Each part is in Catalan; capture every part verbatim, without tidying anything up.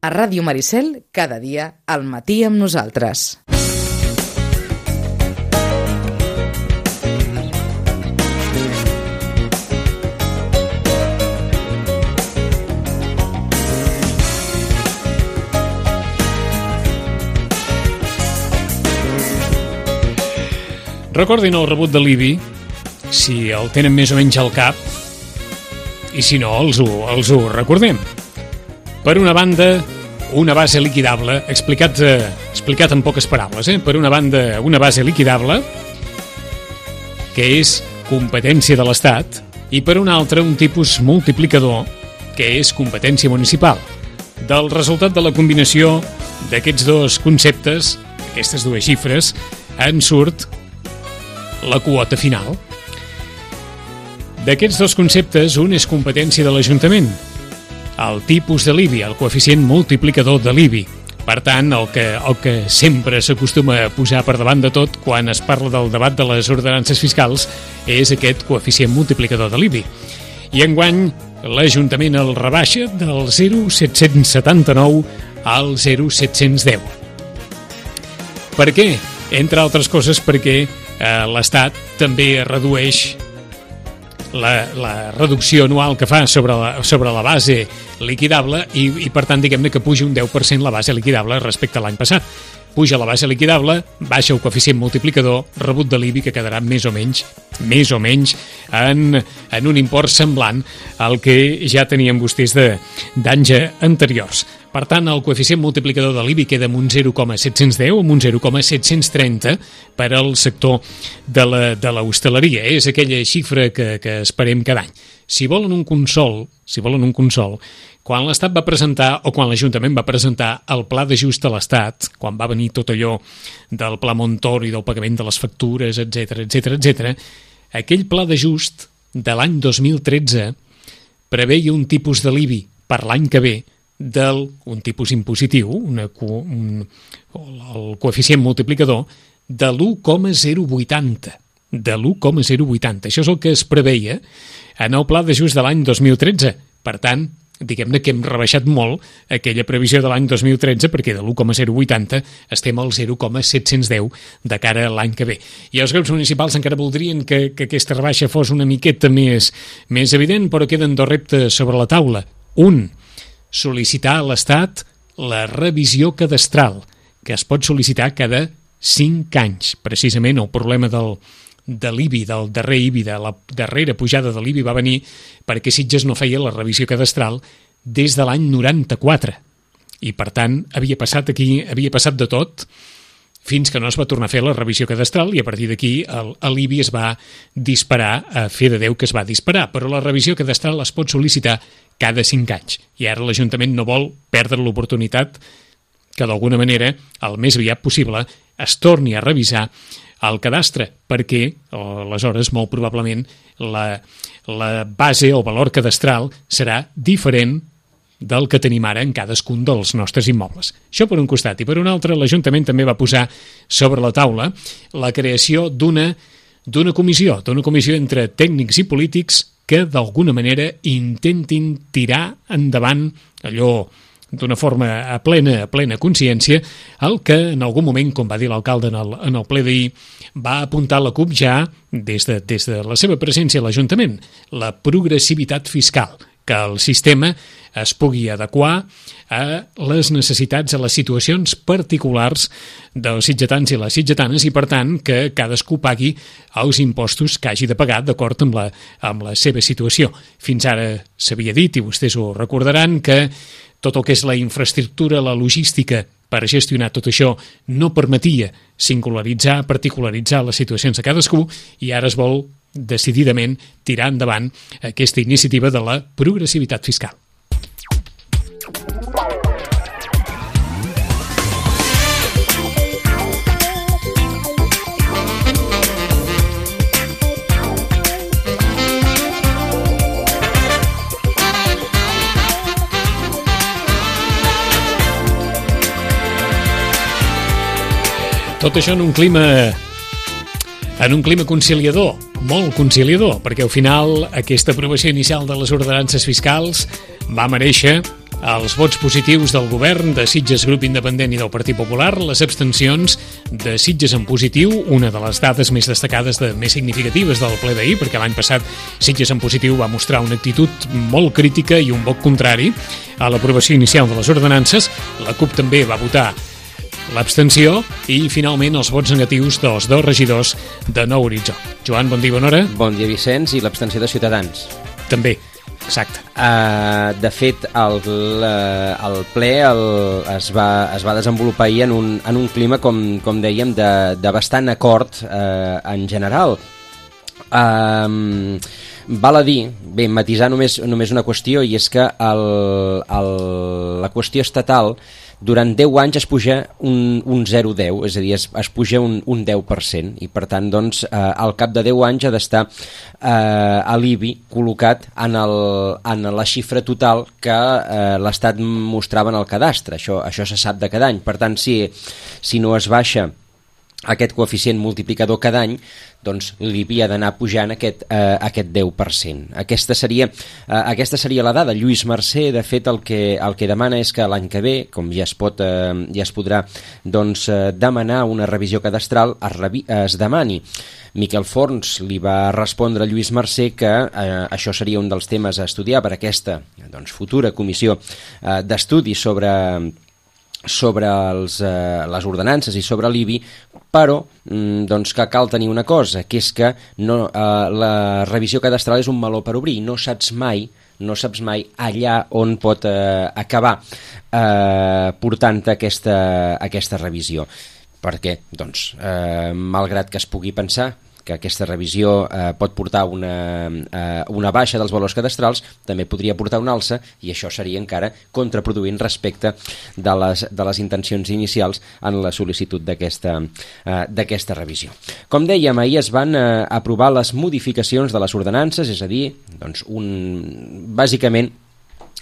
A Ràdio Maricel, cada dia al matí amb nosaltres. Recordin el rebut de l'I B I, si el tenen més o menys al cap, i si no, els ho, els ho recordem. Per una banda, una base liquidable, explicat, eh, explicat en poques paraules, eh? Per una banda, una base liquidable, que és competència de l'Estat, i per una altra, un tipus multiplicador, que és competència municipal. Del resultat de la combinació d'aquests dos conceptes, aquestes dues xifres, en surt la quota final. D'aquests dos conceptes, un és competència de l'Ajuntament, el tipus de l'I B I, el coeficient multiplicador de l'I B I. Per tant, el que, el que sempre s'acostuma a posar per davant de tot quan es parla del debat de les ordenances fiscals és aquest coeficient multiplicador de l'I B I. I enguany, l'Ajuntament el rebaixa del zero coma set-cents setanta-nou al zero coma set-cents deu. Per què? Entre altres coses perquè eh, l'Estat també redueix la, la reducció anual que fa sobre la, sobre la base liquidable i, i per tant, diguem-ne que puja un deu per cent la base liquidable respecte a l'any passat. Puja la base liquidable, baixa el coeficient multiplicador, rebut de l'I B I que quedarà més o menys, més o menys en, en un import semblant al que ja tenien vostès d'anys anteriors. Per tant, el coeficient multiplicador de l'I B I queda amb un zero coma set-cents deu, amb un zero coma set-cents trenta per al sector de la, de l'hostaleria. És aquella xifra que, que esperem cada any. Si volen un consol, si volen un consol, quan l'Estat va presentar, o quan l'Ajuntament va presentar el pla d'ajust a l'Estat, quan va venir tot allò del pla Montoro i del pagament de les factures, etcètera, etcètera, etcètera, aquell pla d'ajust de l'any dos mil tretze preveia un tipus de l'I B I per l'any que ve del, un tipus impositiu, una, un, el coeficient multiplicador, de l'u coma zero vuitanta. De l'u coma zero vuitanta. Això és el que es preveia en el pla d'ajust de l'any dos mil tretze. Per tant, diguem-ne que hem rebaixat molt aquella previsió de l'any dos mil tretze perquè de l'u coma zero vuitanta estem al zero coma set-cents deu de cara a l'any que ve. I els grups municipals encara voldrien que, que aquesta rebaixa fos una miqueta més, més evident, però queden dos reptes sobre la taula. Un, sol·licitar a l'Estat la revisió cadastral, que es pot sol·licitar cada cinc anys. Precisament el problema del de l'I B I, del darrer I B I, de la darrera pujada de l'I B I va venir perquè Sitges no feia la revisió cadastral des de l'any noranta-quatre. I, per tant, havia passat aquí, havia passat de tot fins que no es va tornar a fer la revisió cadastral i a partir d'aquí l'I B I es va disparar, a fer de Déu que es va disparar, però la revisió cadastral es pot sol·licitar cada cinc anys. I ara l'Ajuntament no vol perdre l'oportunitat que d'alguna manera, el més aviat possible, es torni a revisar el cadastre, perquè aleshores molt probablement la, la base o valor cadastral serà diferent del que tenim ara en cadascun dels nostres immobles. Això per un costat. I per un altre, l'Ajuntament també va posar sobre la taula la creació d'una d'una comissió, d'una comissió entre tècnics i polítics que d'alguna manera intentin tirar endavant allò d'una forma a plena, a plena consciència, el que en algun moment, com va dir l'alcalde en el, en el ple d'ahir, va apuntar la CUP ja des de, des de la seva presència a l'Ajuntament, la progressivitat fiscal, que el sistema es pugui adequar a les necessitats, a les situacions particulars dels sitgetans i les sitgetanes i, per tant, que cadascú pagui els impostos que hagi de pagar d'acord amb la, amb la seva situació. Fins ara s'havia dit, i vostès ho recordaran, que tot el que és la infraestructura, la logística per gestionar tot això no permetia singularitzar, particularitzar les situacions de cadascú i ara es vol decididament tirar endavant aquesta iniciativa de la progressivitat fiscal. Tot això en un clima en un clima conciliador, molt conciliador, perquè al final aquesta aprovació inicial de les ordenances fiscals va mereixer els vots positius del govern, de Sitges Grup Independent i del Partit Popular, les abstencions de Sitges en positiu, una de les dades més destacades, de més significatives del ple d'ahir, perquè l'any passat Sitges en positiu va mostrar una actitud molt crítica i un vot contrari a l'aprovació inicial de les ordenances. La CUP també va votar l'abstenció i, finalment, els vots negatius dels dos regidors de Nou Horitzó. Joan, bon dia, bona hora. Bon dia, Vicenç, i l'abstenció de Ciutadans. També. Exacte. Uh, de fet, el, el ple el, es, va, es va desenvolupar ahir en un, en un clima, com, com dèiem, de, de bastant acord uh, en general. Uh, val a dir, bé, matisar només, només una qüestió, i és que el, el, la qüestió estatal durant deu anys es puja un, un zero coma deu, és a dir, es, es puja un, un deu per cent, i per tant, doncs, eh, al cap de deu anys ha d'estar eh, a l'I B I col·locat en, el, en la xifra total que eh, l'Estat mostrava en el cadastre. Això, això se sap de cada any. Per tant, si, si no es baixa aquest coeficient multiplicador cada any, doncs l'I B I ha d'anar pujant aquest, eh, aquest deu per cent. Aquesta seria, eh, aquesta seria la dada. Lluís Mercè, de fet, el que, el que demana és que l'any que ve, com ja es, pot, eh, ja es podrà doncs, eh, demanar una revisió cadastral, es, revi es demani. Miquel Forns li va respondre a Lluís Mercè que eh, això seria un dels temes a estudiar per aquesta doncs, futura comissió eh, d'estudi sobre sobre els, eh, les ordenances i sobre l'I B I, però mm, doncs que cal tenir una cosa, que és que no, eh, la revisió cadastral és un meló per obrir, no saps mai no saps mai allà on pot eh, acabar eh, portant-te aquesta, aquesta revisió. Per què? Doncs, eh, malgrat que es pugui pensar que aquesta revisió eh, pot portar una, eh, una baixa dels valors cadastrals, també podria portar una alça, i això seria encara contraproduint respecte de les, de les intencions inicials en la sol·licitud d'aquesta eh, d'aquesta revisió. Com dèiem, ahir es van eh, aprovar les modificacions de les ordenances, és a dir, doncs un, bàsicament,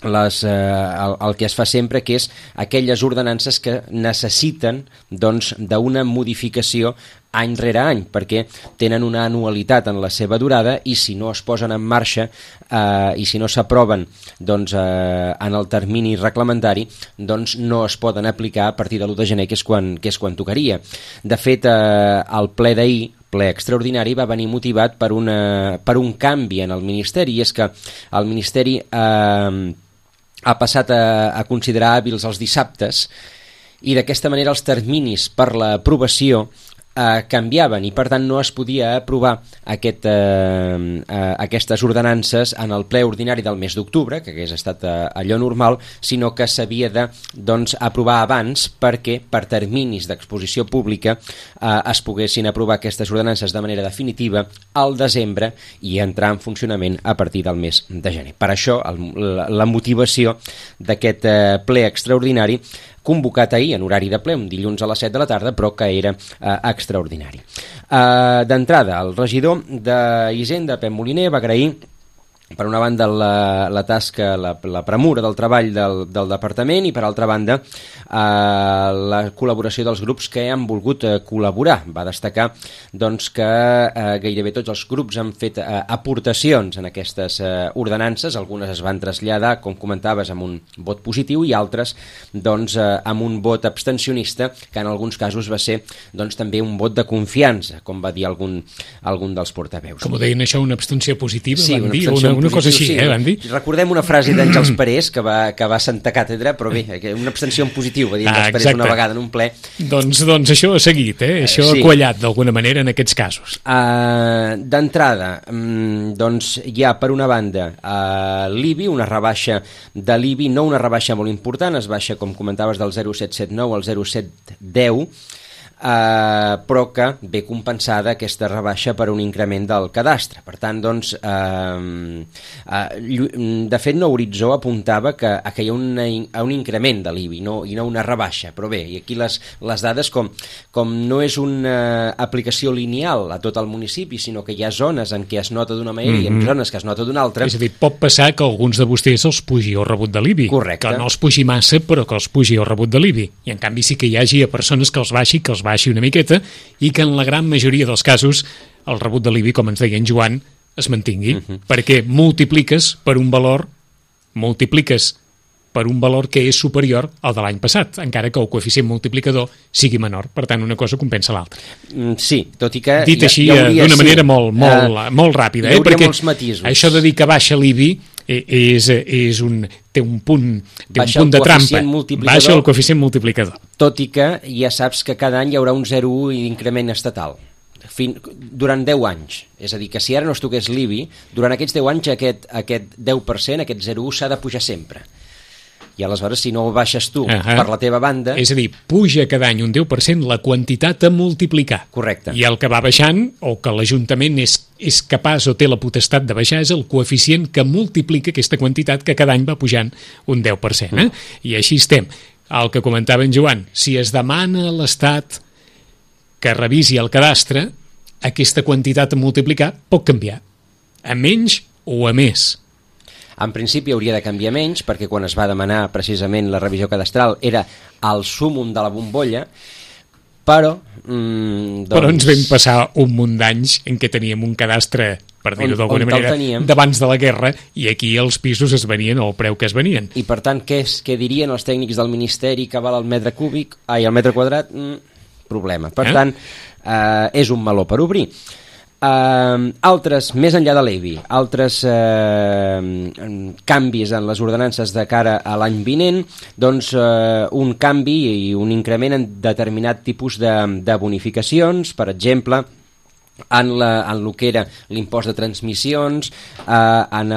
Les, eh, el, el que es fa sempre, que és aquelles ordenances que necessiten doncs, d'una modificació any rere any, perquè tenen una anualitat en la seva durada, i si no es posen en marxa eh, i si no s'aproven doncs, eh, en el termini reglamentari, doncs no es poden aplicar a partir de l'u de gener, que és quan, que és quan tocaria. De fet, eh, el ple d'ahir, ple extraordinari, va venir motivat per, una, per un canvi en el Ministeri, i és que el Ministeri eh, ha passat a, a considerar hàbils els dissabtes, i d'aquesta manera els terminis per l'aprovació eh, canviaven, i per tant no es podia aprovar aquest, eh, eh, aquestes ordenances en el ple ordinari del mes d'octubre, que hagués estat eh, allò normal, sinó que s'havia de doncs, aprovar abans, perquè per terminis d'exposició pública eh, es poguessin aprovar aquestes ordenances de manera definitiva al desembre i entrar en funcionament a partir del mes de gener. Per això el, la, la motivació d'aquest eh, ple extraordinari, convocat ahir en horari de ple, un dilluns a les set de la tarda, però que era eh, extraordinari. Eh, D'entrada, el regidor d'Hisenda, Pep Moliner, va agrair per una banda la, la tasca, la, la premura del treball del, del departament, i per altra banda eh, la col·laboració dels grups que han volgut eh, col·laborar. Va destacar doncs, que eh, gairebé tots els grups han fet eh, aportacions en aquestes eh, ordenances, algunes es van traslladar, com comentaves, amb un vot positiu, i altres doncs, eh, amb un vot abstencionista, que en alguns casos va ser doncs, també un vot de confiança, com va dir algun, algun dels portaveus. Com ho deien això, una abstenció positiva? Sí, van una dir, abstenció una, una cosa així, sí, eh, van dir? Recordem una frase d'Àngels Parés, que va, que va sentar càtedra, però bé, una abstenció en positiu, va dir Àngels ah, Parés una vegada en un ple. Doncs, doncs això ha seguit, eh? Això sí. Ha quallat d'alguna manera en aquests casos. Uh, D'entrada, um, doncs hi ha per una banda uh, l'I B I, una rebaixa de l'I B I, no una rebaixa molt important, es baixa, com comentaves, del zero coma set set nou al zero coma set deu, Uh, però que ve compensada aquesta rebaixa per un increment del cadastre. Per tant, doncs, uh, uh, de fet, Nou Horitzó apuntava que, que hi ha una, un increment de l'I B I, no, i no una rebaixa. Però bé, i aquí les, les dades, com, com no és una aplicació lineal a tot el municipi, sinó que hi ha zones en què es nota d'una manera mm-hmm. i en zones que es nota d'una altra. És a dir, pot passar que alguns de vostès els pugi el rebut de l'I B I. Correcte. Que no els pugi massa, però que els pugi el rebut de l'I B I. I en canvi sí que hi hagi a persones que els baixi, que els baixi una miqueta, i que en la gran majoria dels casos el rebut de l'I B I, com ens deia en Joan, es mantingui, uh-huh. perquè multipliques per un valor, multipliques per un valor que és superior al de l'any passat, encara que el coeficient multiplicador sigui menor. Per tant, una cosa compensa l'altra. Mm, sí, tot i que... Dit hi, així, hi hauria, d'una sí, manera molt, molt, uh, molt ràpida. Hi hauria eh? Perquè molts matisos. Això de dir que baixa l'I B I és, és un, té un punt, té un Baixa punt el de trampa. coeficient multiplicador. Baixa el coeficient multiplicador. Tot i que ja saps que cada any hi haurà un zero coma u d'increment estatal. Fin, durant deu anys. És a dir, que si ara no es toqués l'I B I, durant aquests deu anys aquest, aquest deu per cent, aquest zero coma u, s'ha de pujar sempre. I aleshores, si no ho baixes tu uh -huh. per la teva banda... És a dir, puja cada any un deu per cent la quantitat a multiplicar. Correcte. I el que va baixant, o que l'Ajuntament és, és capaç o té la potestat de baixar, és el coeficient que multiplica aquesta quantitat que cada any va pujant un deu per cent. Eh? Mm. I així estem. El que comentava en Joan, si es demana a l'Estat que revisi el cadastre, aquesta quantitat a multiplicar pot canviar, a menys o a més. En principi hauria de canviar menys, perquè quan es va demanar precisament la revisió cadastral era el súmum de la bombolla, però... Mm, doncs... Però ens vam passar un munt d'anys en què teníem un cadastre, per dir-ho d'alguna manera, d'abans de la guerra, i aquí els pisos es venien al preu que es venien. I per tant, què, és, què dirien els tècnics del Ministeri que val el metre cúbic? Ai, el metre quadrat? Mm, problema. Per eh? tant, eh, és un meló per obrir. Uh, altres, més enllà de l'I B I, altres uh, canvis en les ordenances de cara a l'any vinent, doncs uh, un canvi i un increment en determinat tipus de, de bonificacions, per exemple, en, la, en el que era l'impost de transmissions, eh, en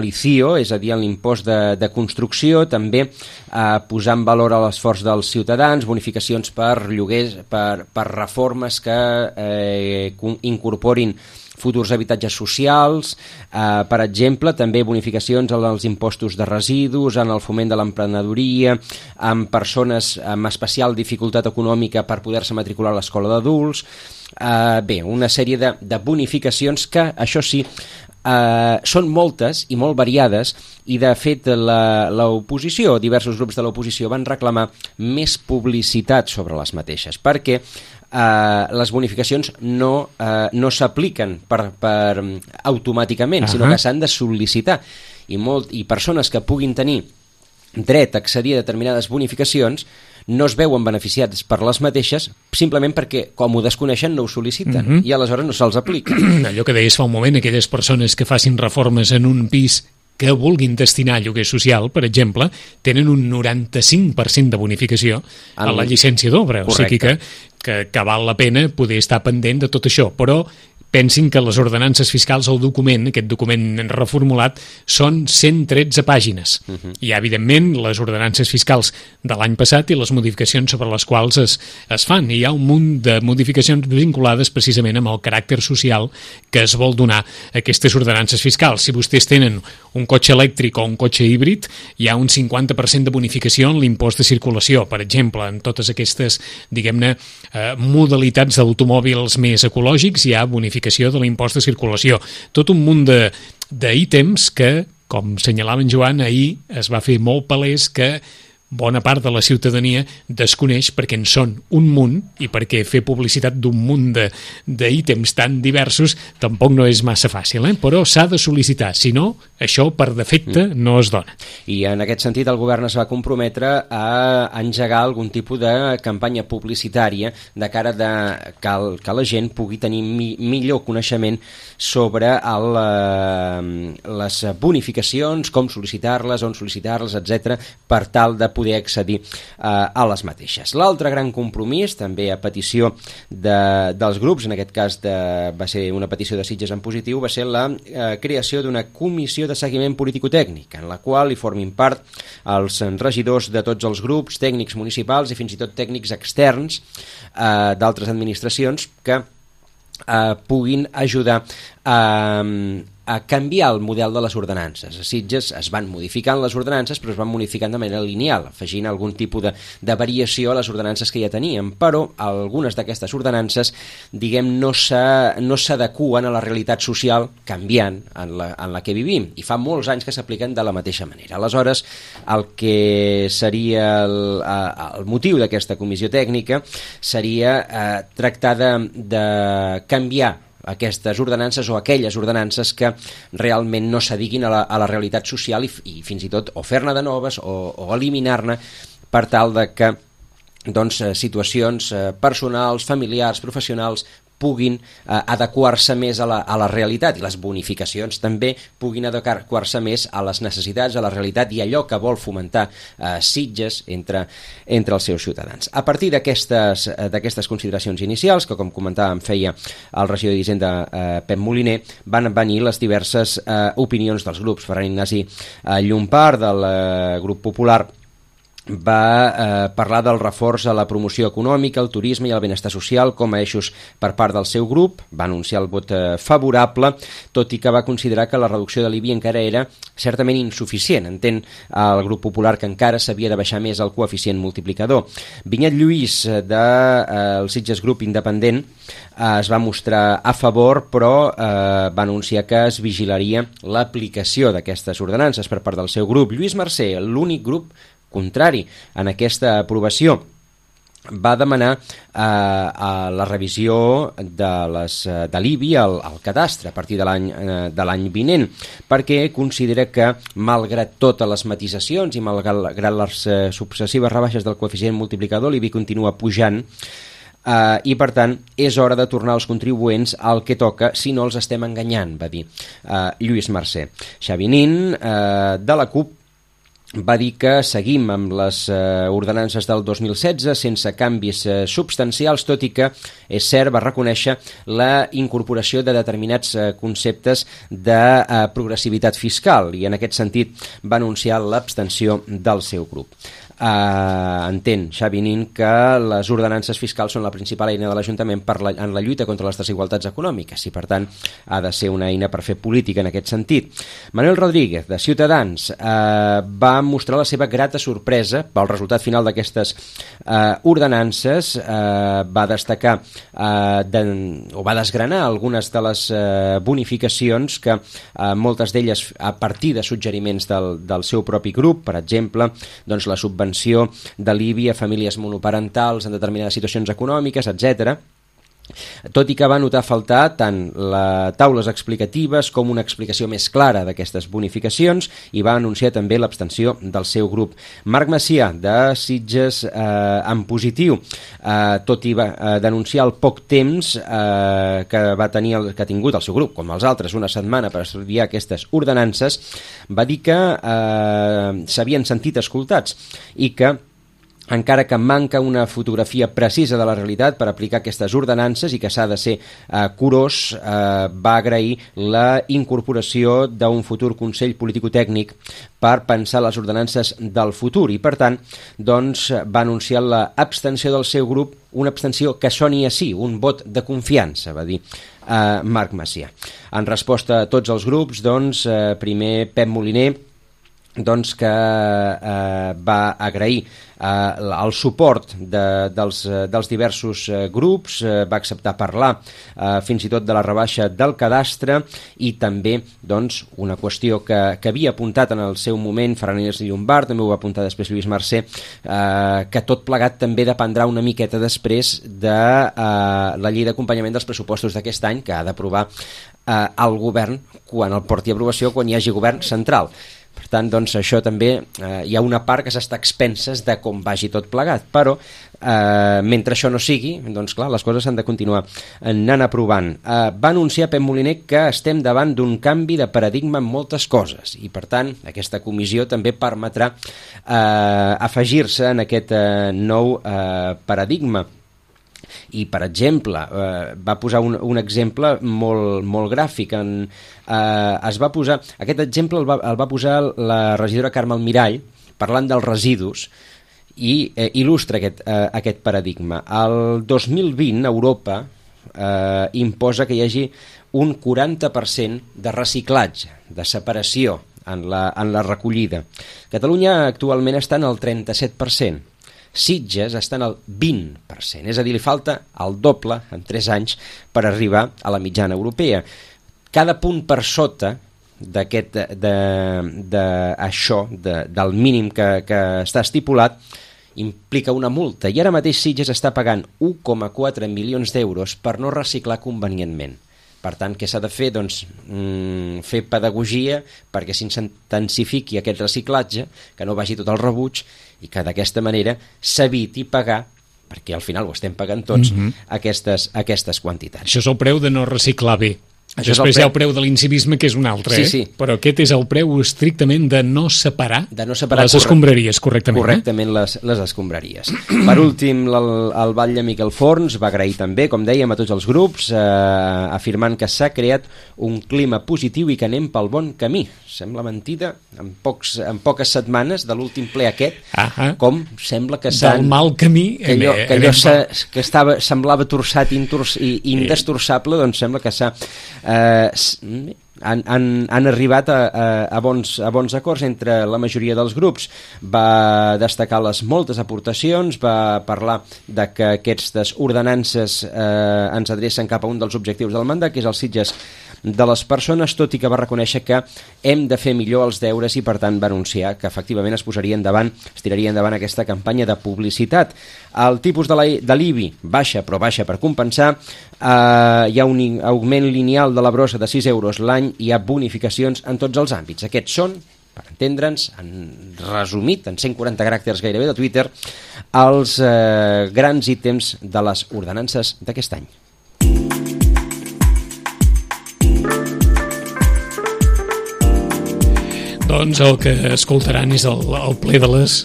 l'I C I O, és a dir, en l'impost de, de construcció, també eh, posar en valor l'esforç dels ciutadans, bonificacions per lloguers, per, per reformes que eh, incorporin futurs habitatges socials, eh, per exemple, també bonificacions als impostos de residus, en el foment de l'emprenedoria, amb persones amb especial dificultat econòmica per poder-se matricular a l'escola d'adults. Eh, bé, una sèrie de, de bonificacions que, això sí, eh, són moltes i molt variades, i de fet l'oposició, diversos grups de l'oposició van reclamar més publicitat sobre les mateixes, perquè Uh, les bonificacions no, uh, no s'apliquen per, per automàticament, uh-huh. sinó que s'han de sol·licitar, i, molt, i persones que puguin tenir dret a accedir a determinades bonificacions no es veuen beneficiats per les mateixes simplement perquè, com ho desconeixen, no ho sol·liciten, uh-huh. i aleshores no se'ls aplica. Allò que deies fa un moment, aquelles persones que facin reformes en un pis que vulguin destinar a lloguer social, per exemple, tenen un noranta-cinc per cent de bonificació a la llicència d'obra. O sigui que, que, que val la pena poder estar pendent de tot això. Però pensin que les ordenances fiscals, el document, aquest document reformulat, són cent tretze pàgines. Uh-huh. Hi ha, evidentment, les ordenances fiscals de l'any passat i les modificacions sobre les quals es, es fan. I hi ha un munt de modificacions vinculades precisament amb el caràcter social que es vol donar a aquestes ordenances fiscals. Si vostès tenen un cotxe elèctric o un cotxe híbrid, hi ha un cinquanta per cent de bonificació en l'impost de circulació, per exemple, en totes aquestes, diguem-ne, eh, modalitats d'automòbils més ecològics, hi ha bonificació de l'impost de circulació. Tot un munt d'ítems que, com senyalava en Joan, ahir es va fer molt palès que bona part de la ciutadania desconeix perquè en són un munt i perquè fer publicitat d'un munt d'ítems tan diversos tampoc no és massa fàcil, eh? Però s'ha de sol·licitar, si no, això per defecte no es dona. I en aquest sentit el govern es va comprometre a engegar algun tipus de campanya publicitària de cara de que, el, que la gent pugui tenir mi, millor coneixement sobre el, eh, les bonificacions, com sol·licitar-les, on sol·licitar-les, etcètera, per tal de poder accedir eh, a les mateixes. L'altre gran compromís, també a petició de, dels grups, en aquest cas de, va ser una petició de Sitges en positiu, va ser la eh, creació d'una comissió de seguiment político-tècnic, en la qual hi formin part els regidors de tots els grups, tècnics municipals i fins i tot tècnics externs eh, d'altres administracions que eh, puguin ajudar a eh, a canviar el model de les ordenances. A Sitges es van modificant les ordenances, però es van modificant de manera lineal, afegint algun tipus de, de variació a les ordenances que ja teníem, però algunes d'aquestes ordenances, diguem, no s'adeqüen a la realitat social canviant en la, en la que vivim, i fa molts anys que s'apliquen de la mateixa manera. Aleshores, el que seria el, el motiu d'aquesta comissió tècnica seria eh, tractar de, de canviar aquestes ordenances o aquelles ordenances que realment no s'adiguin a, la, a la realitat social i, i fins i tot o fer-ne de noves o, o eliminar-ne per tal de que doncs, situacions personals, familiars, professionals puguin eh, adequar-se més a la, a la realitat i les bonificacions també puguin adequar-se més a les necessitats, a la realitat i allò que vol fomentar eh, Sitges entre, entre els seus ciutadans. A partir d'aquestes eh, d'aquestes consideracions inicials, que com comentàvem feia el regidor d'Hisenda eh, Pep Moliner, van venir les diverses eh, opinions dels grups. Ferran Ignasi eh, Llompart del eh, grup popular va eh, parlar del reforç a la promoció econòmica, el turisme i el benestar social com a eixos per part del seu grup. Va anunciar el vot eh, favorable, tot i que va considerar que la reducció de l'I B I encara era certament insuficient. Entén el grup popular que encara s'havia de baixar més el coeficient multiplicador. Vinyet Lluís, del de, eh, Sitges Grup Independent, eh, es va mostrar a favor, però eh, va anunciar que es vigilaria l'aplicació d'aquestes ordenances per part del seu grup. Lluís Mercè, l'únic grup contrari en aquesta aprovació, va demanar eh, a la revisió de, les, de l'I B I al, al cadastre a partir de l'any eh, de l'any vinent, perquè considera que, malgrat totes les matisacions i malgrat les eh, successives rebaixes del coeficient multiplicador, l'I B I continua pujant Uh, i per tant és hora de tornar als contribuents al que toca, si no els estem enganyant, va dir uh, Lluís Mercè. Xavi Nin, uh, de la CUP, va dir que seguim amb les eh, ordenances del dos mil setze sense canvis eh, substancials, tot i que, és cert, va reconèixer la incorporació de determinats eh, conceptes de eh, progressivitat fiscal i en aquest sentit va anunciar l'abstenció del seu grup. Uh, entén Xavi Nin que les ordenances fiscals són la principal eina de l'Ajuntament per la, en la lluita contra les desigualtats econòmiques i per tant ha de ser una eina per fer política en aquest sentit. Manuel Rodríguez, de Ciutadans, uh, va mostrar la seva grata sorpresa pel resultat final d'aquestes uh, ordenances. Uh, va destacar uh, de, o va desgranar algunes de les uh, bonificacions que uh, moltes d'elles a partir de suggeriments del, del seu propi grup, per exemple doncs la subvenció de l'I B I a famílies monoparentals en determinades situacions econòmiques, etcètera. Tot i que va notar faltar tant les taules explicatives com una explicació més clara d'aquestes bonificacions i va anunciar també l'abstenció del seu grup. Marc Macià, de Sitges eh, en positiu, eh, tot i va eh, denunciar el poc temps eh, que va tenir el, que ha tingut el seu grup, com els altres, una setmana per estudiar aquestes ordenances, va dir que eh, s'havien sentit escoltats i que encara que manca una fotografia precisa de la realitat per aplicar aquestes ordenances i que s'ha de ser eh, curós, eh, va agrair la incorporació d'un futur Consell Político-Tècnic per pensar les ordenances del futur i, per tant, doncs, va anunciar l'abstenció del seu grup, una abstenció que soni a sí, un vot de confiança, va dir eh, Marc Macià. En resposta a tots els grups, doncs, eh, primer Pep Moliner, doncs que eh, va agrair eh, el suport de, dels, dels diversos eh, grups, eh, va acceptar parlar eh, fins i tot de la rebaixa del cadastre i també doncs, una qüestió que, que havia apuntat en el seu moment Ferran Ignasi Llompart, també ho va apuntar després Lluís Mercè, eh, que tot plegat també dependrà una miqueta després de eh, la llei d'acompanyament dels pressupostos d'aquest any que ha d'aprovar eh, el govern quan el porti a aprovació, quan hi hagi govern central. Per tant, doncs, això també eh, hi ha una part que s'està a expenses de com vagi tot plegat, però eh, mentre això no sigui, doncs clar, les coses s'han de continuar anant aprovant. Eh, va anunciar Pep Moliner que estem davant d'un canvi de paradigma en moltes coses i, per tant, aquesta comissió també permetrà eh, afegir-se en aquest eh, nou eh, paradigma. I, per exemple, eh, va posar un, un exemple molt, molt gràfic. En, eh, es va posar, aquest exemple el va, el va posar la regidora Carme Almirall parlant dels residus i eh, il·lustra aquest, eh, aquest paradigma. El dos mil vint Europa eh, imposa que hi hagi un quaranta per cent de reciclatge, de separació en la, en la recollida. Catalunya actualment està en el trenta-set per cent. Sitges està en el vint per cent, és a dir, li falta el doble en tres anys per arribar a la mitjana europea. Cada punt per sota d'aquest, de, de, això, de, del mínim que, que està estipulat, implica una multa, i ara mateix Sitges està pagant un coma quatre milions d'euros per no reciclar convenientment. Per tant, què s'ha de fer? Doncs mm, fer pedagogia perquè s'intensifiqui aquest reciclatge, que no vagi tot al rebuig i que d'aquesta manera s'eviti pagar, perquè al final ho estem pagant tots, mm-hmm. aquestes, aquestes quantitats. Això és el preu de no reciclar bé. Això Després preu... hi ha el preu de l'incivisme, que és un altre, sí, eh? sí. Però aquest és el preu estrictament de no separar, de no separar les escombraries correctament. Correctament, eh? les, les escombraries. Per últim, el, el batlle Miquel Forns va agrair també, com dèiem, a tots els grups, eh, afirmant que s'ha creat un clima positiu i que anem pel bon camí. Sembla mentida, en, pocs, en poques setmanes de l'últim ple aquest, ah com sembla que s'han... Del mal camí... Que allò, que allò que estava, semblava torçat intors, i indestorçable, doncs sembla que s'ha... Eh, han, han, han arribat a, a, a, bons, a bons acords entre la majoria dels grups. Va destacar les moltes aportacions, va parlar de que aquestes ordenances eh, ens adrecen cap a un dels objectius del mandat, que és els Sitges de les persones, tot i que va reconèixer que hem de fer millor els deures i per tant va anunciar que efectivament es posaria endavant, es tiraria endavant aquesta campanya de publicitat. El tipus de l'I B I baixa, però baixa per compensar. Uh, hi ha un augment lineal de la brossa de sis euros l'any, hi ha bonificacions en tots els àmbits. Aquests són, per entendre'ns, en resumit, en cent quaranta caràcters gairebé de Twitter, els uh, grans ítems de les ordenances d'aquest any. Doncs el que escoltaran és el, el ple de les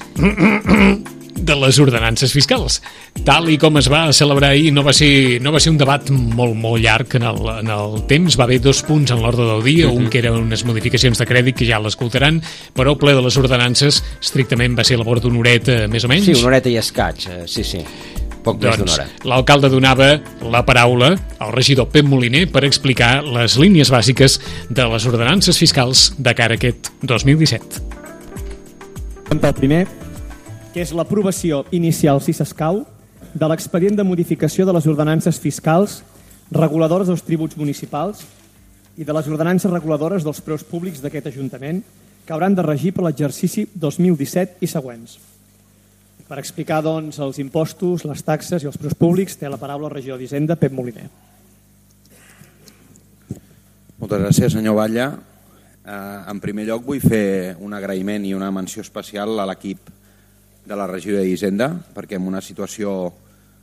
de les ordenances fiscals. Tal i com es va celebrar ahir, no va ser, no va ser un debat molt, molt llarg en el, en el temps. Va haver dos punts en l'ordre del dia, uh-huh. un que eren unes modificacions de crèdit, que ja l'escoltaran, però el ple de les ordenances estrictament va ser a labor d'una horeta, més o menys. Sí, una horeta i escaig, sí, sí. Poc més d'una hora. L'alcalde donava la paraula al regidor Pep Moliner per explicar les línies bàsiques de les ordenances fiscals de cara a aquest dos mil disset. El primer, que és l'aprovació inicial, si s'escau, de l'expedient de modificació de les ordenances fiscals reguladores dels tributs municipals i de les ordenances reguladores dels preus públics d'aquest Ajuntament, que hauran de regir per l'exercici dos mil disset i següents. Per explicar, doncs, els impostos, les taxes i els preus públics, té la paraula el regidor d'Hisenda, Pep Moliner. Moltes gràcies, senyor Batlle. Eh, en primer lloc, vull fer un agraïment i una menció especial a l'equip de la regidoria d'Hisenda, perquè en una situació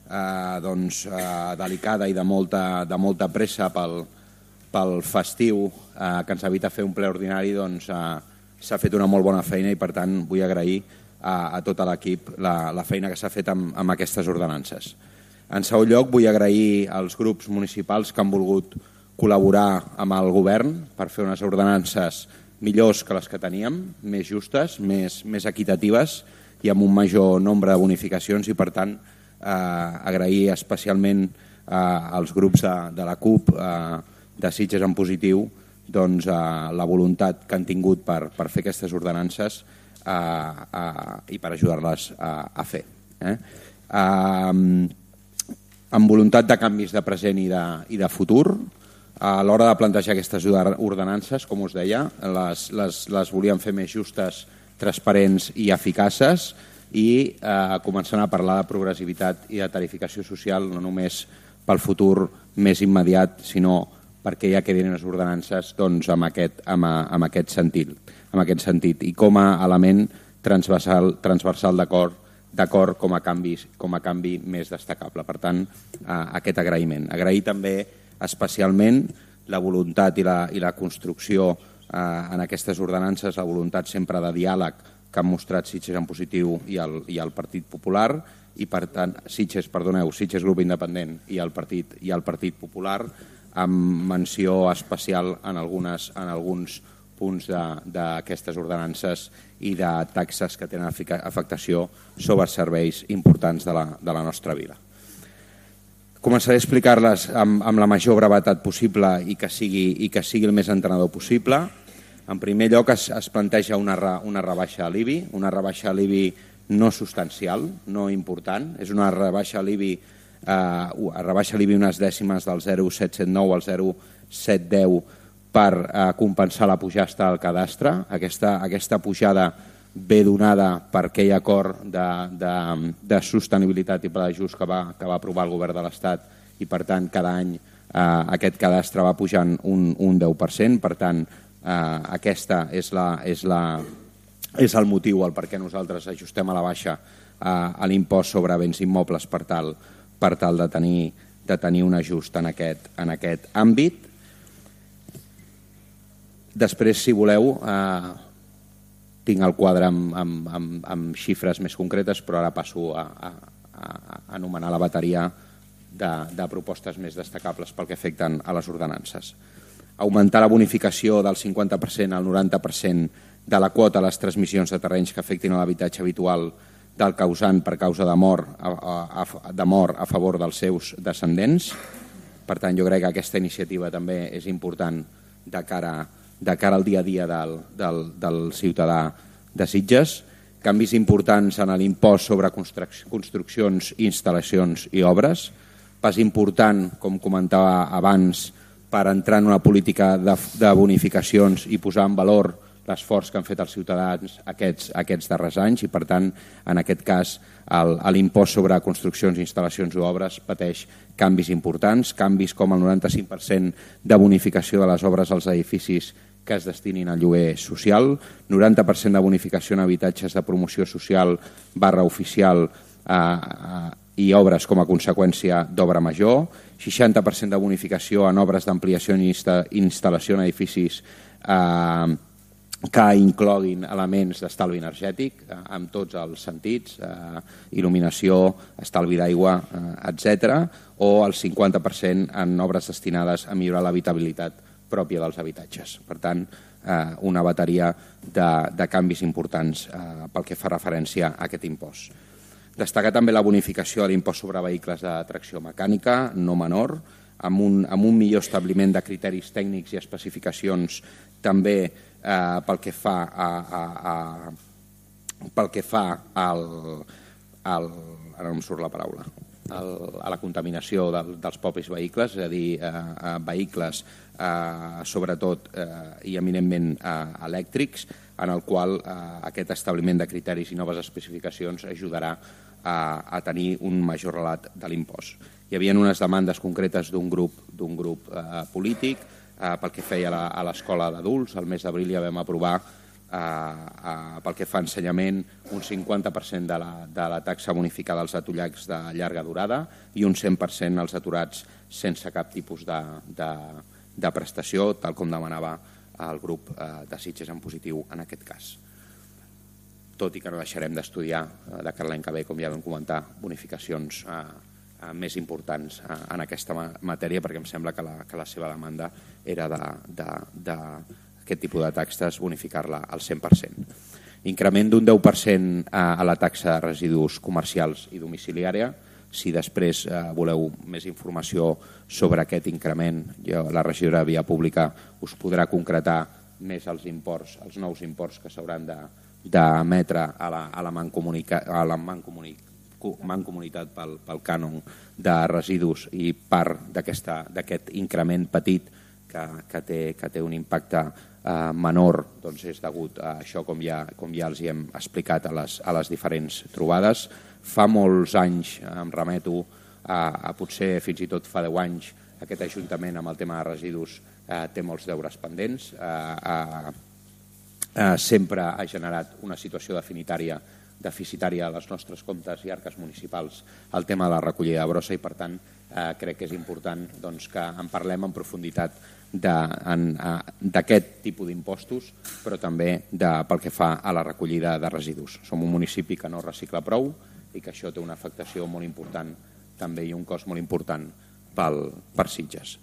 eh, doncs, eh, delicada i de molta, de molta pressa pel, pel festiu eh, que ens evita fer un ple ordinari, doncs, eh, s'ha fet una molt bona feina i, per tant, vull agrair a, a tot l'equip la, la feina que s'ha fet amb, amb aquestes ordenances. En segon lloc, vull agrair als grups municipals que han volgut col·laborar amb el govern per fer unes ordenances millors que les que teníem, més justes, més, més equitatives i amb un major nombre de bonificacions i, per tant, eh, agrair especialment eh, als grups de, de la CUP, eh, de Sitges en Positiu, doncs, eh, la voluntat que han tingut per, per fer aquestes ordenances eh, eh, i per ajudar-les a, a fer. Eh? Eh, amb voluntat de canvis de present i de, i de futur, a l'hora de plantejar aquestes ordenances, com us deia, les, les, les volíem fer més justes, transparents i eficaces i eh, començant a parlar de progressivitat i de tarificació social, no només pel futur més immediat, sinó perquè ja quedin les ordenances doncs, amb, aquest, amb, amb, aquest sentit, amb aquest sentit i com a element transversal, transversal d'acord d'acord com a canvi, com a canvi més destacable. Per tant, eh, aquest agraïment. Agrair també especialment la voluntat i la, i la construcció eh, en aquestes ordenances, la voluntat sempre de diàleg que han mostrat Sitges en Positiu i el, i el Partit Popular, i per tant, Sitges, perdoneu, Sitges Grup Independent i el Partit, i el Partit Popular, amb menció especial en, algunes, en alguns punts d'aquestes ordenances i de taxes que tenen afectació sobre serveis importants de la, de la nostra vila. Començaré a explicar-les amb, amb la major brevetat possible i que sigui, i que sigui el més entenedor possible. En primer lloc es, es planteja una, una rebaixa a l'I B I, una rebaixa a l'I B I no substancial, no important, és una rebaixa a l'I B I, eh, rebaixa a l'I B I unes dècimes del zero coma set set nou al zero coma set deu per eh, compensar la pujada al cadastre. Aquesta, aquesta pujada ve donada per aquell acord de, de, de sostenibilitat i pla d'ajust que va, que va aprovar el govern de l'Estat i, per tant, cada any aquest cadastre va pujant un, un deu per cent, per tant, eh, aquesta és, la, és, la, és el motiu el per què nosaltres ajustem a la baixa eh, a l'impost sobre béns immobles per tal, per tal de, tenir, de tenir un ajust en aquest, en aquest àmbit. Després, si voleu, eh, tinc el quadre amb, amb, amb, amb xifres més concretes, però ara passo a, a, a anomenar la bateria de, de propostes més destacables pel que afecten a les ordenances. Augmentar la bonificació del cinquanta per cent al noranta per cent de la quota a les transmissions de terrenys que afectin a l'habitatge habitual del causant per causa de mort a, a, a, de mort a favor dels seus descendents. Per tant, jo crec que aquesta iniciativa també és important de cara, de cara al dia a dia del, del, del ciutadà de Sitges. Canvis importants en l'impost sobre construccions, instal·lacions i obres. Pas important, com comentava abans, per entrar en una política de, de bonificacions i posar en valor l'esforç que han fet els ciutadans aquests, aquests darrers anys i, per tant, en aquest cas, l'impost sobre construccions, instal·lacions i obres pateix canvis importants, canvis com el noranta-cinc per cent de bonificació de les obres als edificis que es destinin al lloguer social, noranta per cent de bonificació en habitatges de promoció social barra oficial eh, i obres com a conseqüència d'obra major, seixanta per cent de bonificació en obres d'ampliació i instal·lació en edificis eh, que incloguin elements d'estalvi energètic eh, en tots els sentits, eh, il·luminació, estalvi d'aigua, eh, etcètera, o el cinquanta per cent en obres destinades a millorar l'habitabilitat pròpia dels habitatges. Per tant, eh, una bateria de, de canvis importants eh, pel que fa referència a aquest impost. Destacar també la bonificació de l'impost sobre vehicles de tracció mecànica, no menor, amb un, amb un millor establiment de criteris tècnics i especificacions també eh, pel que fa a, a, a pel que fa al, al ara no em surt la paraula, al, a la contaminació del, dels propis vehicles, és a dir, eh, vehicles eh, sobretot eh, i eminentment eh, elèctrics, en el qual eh, aquest establiment de criteris i noves especificacions ajudarà a, a tenir un major relat de l'impost. Hi havia unes demandes concretes d'un grup, d'un grup eh, polític eh, pel que feia la, a l'escola d'adults. El mes d'abril ja vam aprovar eh, eh, pel que fa a ensenyament un cinquanta per cent de la, de la taxa bonificada als atollats de llarga durada i un cent per cent als aturats sense cap tipus de, de, de prestació, tal com demanava el grup eh, de Sitges en positiu en aquest cas. Tot i que no deixarem d'estudiar eh, de cara a l'any que ve, com ja vam comentar, bonificacions eh, eh, més importants eh, en aquesta matèria, perquè em sembla que la, que la seva demanda era d'aquest de, de, tipus de taxes bonificar-la al cent per cent. Increment d'un deu per cent a la taxa de residus comercials i domiciliària. Si després eh, voleu més informació sobre aquest increment, jo, la regidora de Via Pública us podrà concretar més els imports, els nous imports que s'hauran de d'emetre a la, a la mancomunitat mancomunitat pel, pel cànon de residus i part d'aquest increment petit que, que, té, que té un impacte eh, menor, doncs és degut a això, com ja, com ja els hi hem explicat a les, a les diferents trobades. Fa molts anys, em remeto a, a potser fins i tot fa deu anys, aquest Ajuntament amb el tema de residus eh, té molts deures pendents. Eh, eh, eh, sempre ha generat una situació definitària, deficitària a les nostres comptes i arques municipals el tema de la recollida de brossa i, per tant, eh, crec que és important doncs, que en parlem en profunditat d'aquest tipus d'impostos, però també de, pel que fa a la recollida de residus. Som un municipi que no recicla prou i que això té una afectació molt important també i un cost molt important pel, per Sitges.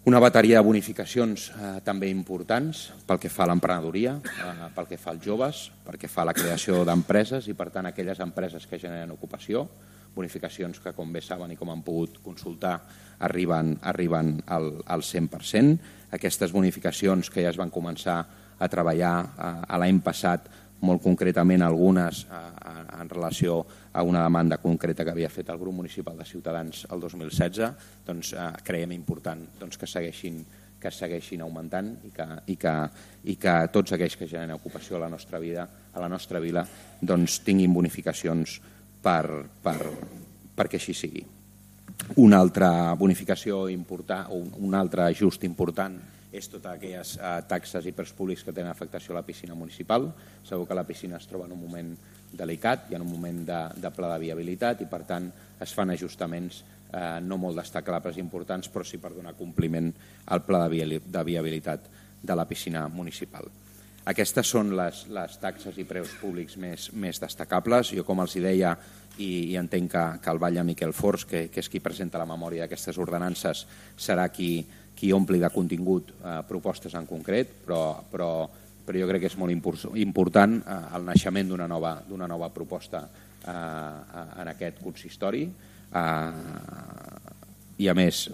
Una bateria de bonificacions eh, també importants pel que fa a l'emprenedoria, eh, pel que fa als joves, pel que fa a la creació d'empreses i, per tant, aquelles empreses que generen ocupació, bonificacions que, com bé saben i com han pogut consultar, arriben, arriben al, al cent per cent. Aquestes bonificacions que ja es van començar a treballar eh, l'any passat, molt concretament algunes eh, en relació a una demanda concreta que havia fet el grup municipal de Ciutadans el dos mil setze, doncs eh, creiem important doncs, que segueixin que segueixin augmentant i que, i que, i que tots aquells que generen ocupació a la nostra vida, a la nostra vila, doncs tinguin bonificacions per, per, perquè així sigui. una altra bonificació important, o un altre ajust important és totes aquelles eh, taxes i preus públics que tenen afectació a la piscina municipal. Segur que la piscina es troba en un moment delicat i en un moment de, de pla de viabilitat i, per tant, es fan ajustaments eh, no molt destacables importants, però sí per donar compliment al pla de, de viabilitat de la piscina municipal. Aquestes són les, les taxes i preus públics més, més destacables. Jo, com els deia, i, i entenc que, que el Batlle Miquel Fors, que, que és qui presenta la memòria d'aquestes ordenances, serà qui, qui ompli de contingut eh, propostes en concret, però, però, però jo crec que és molt important eh, el naixement d'una nova, d'una nova proposta eh, en aquest consistori eh, i, a més,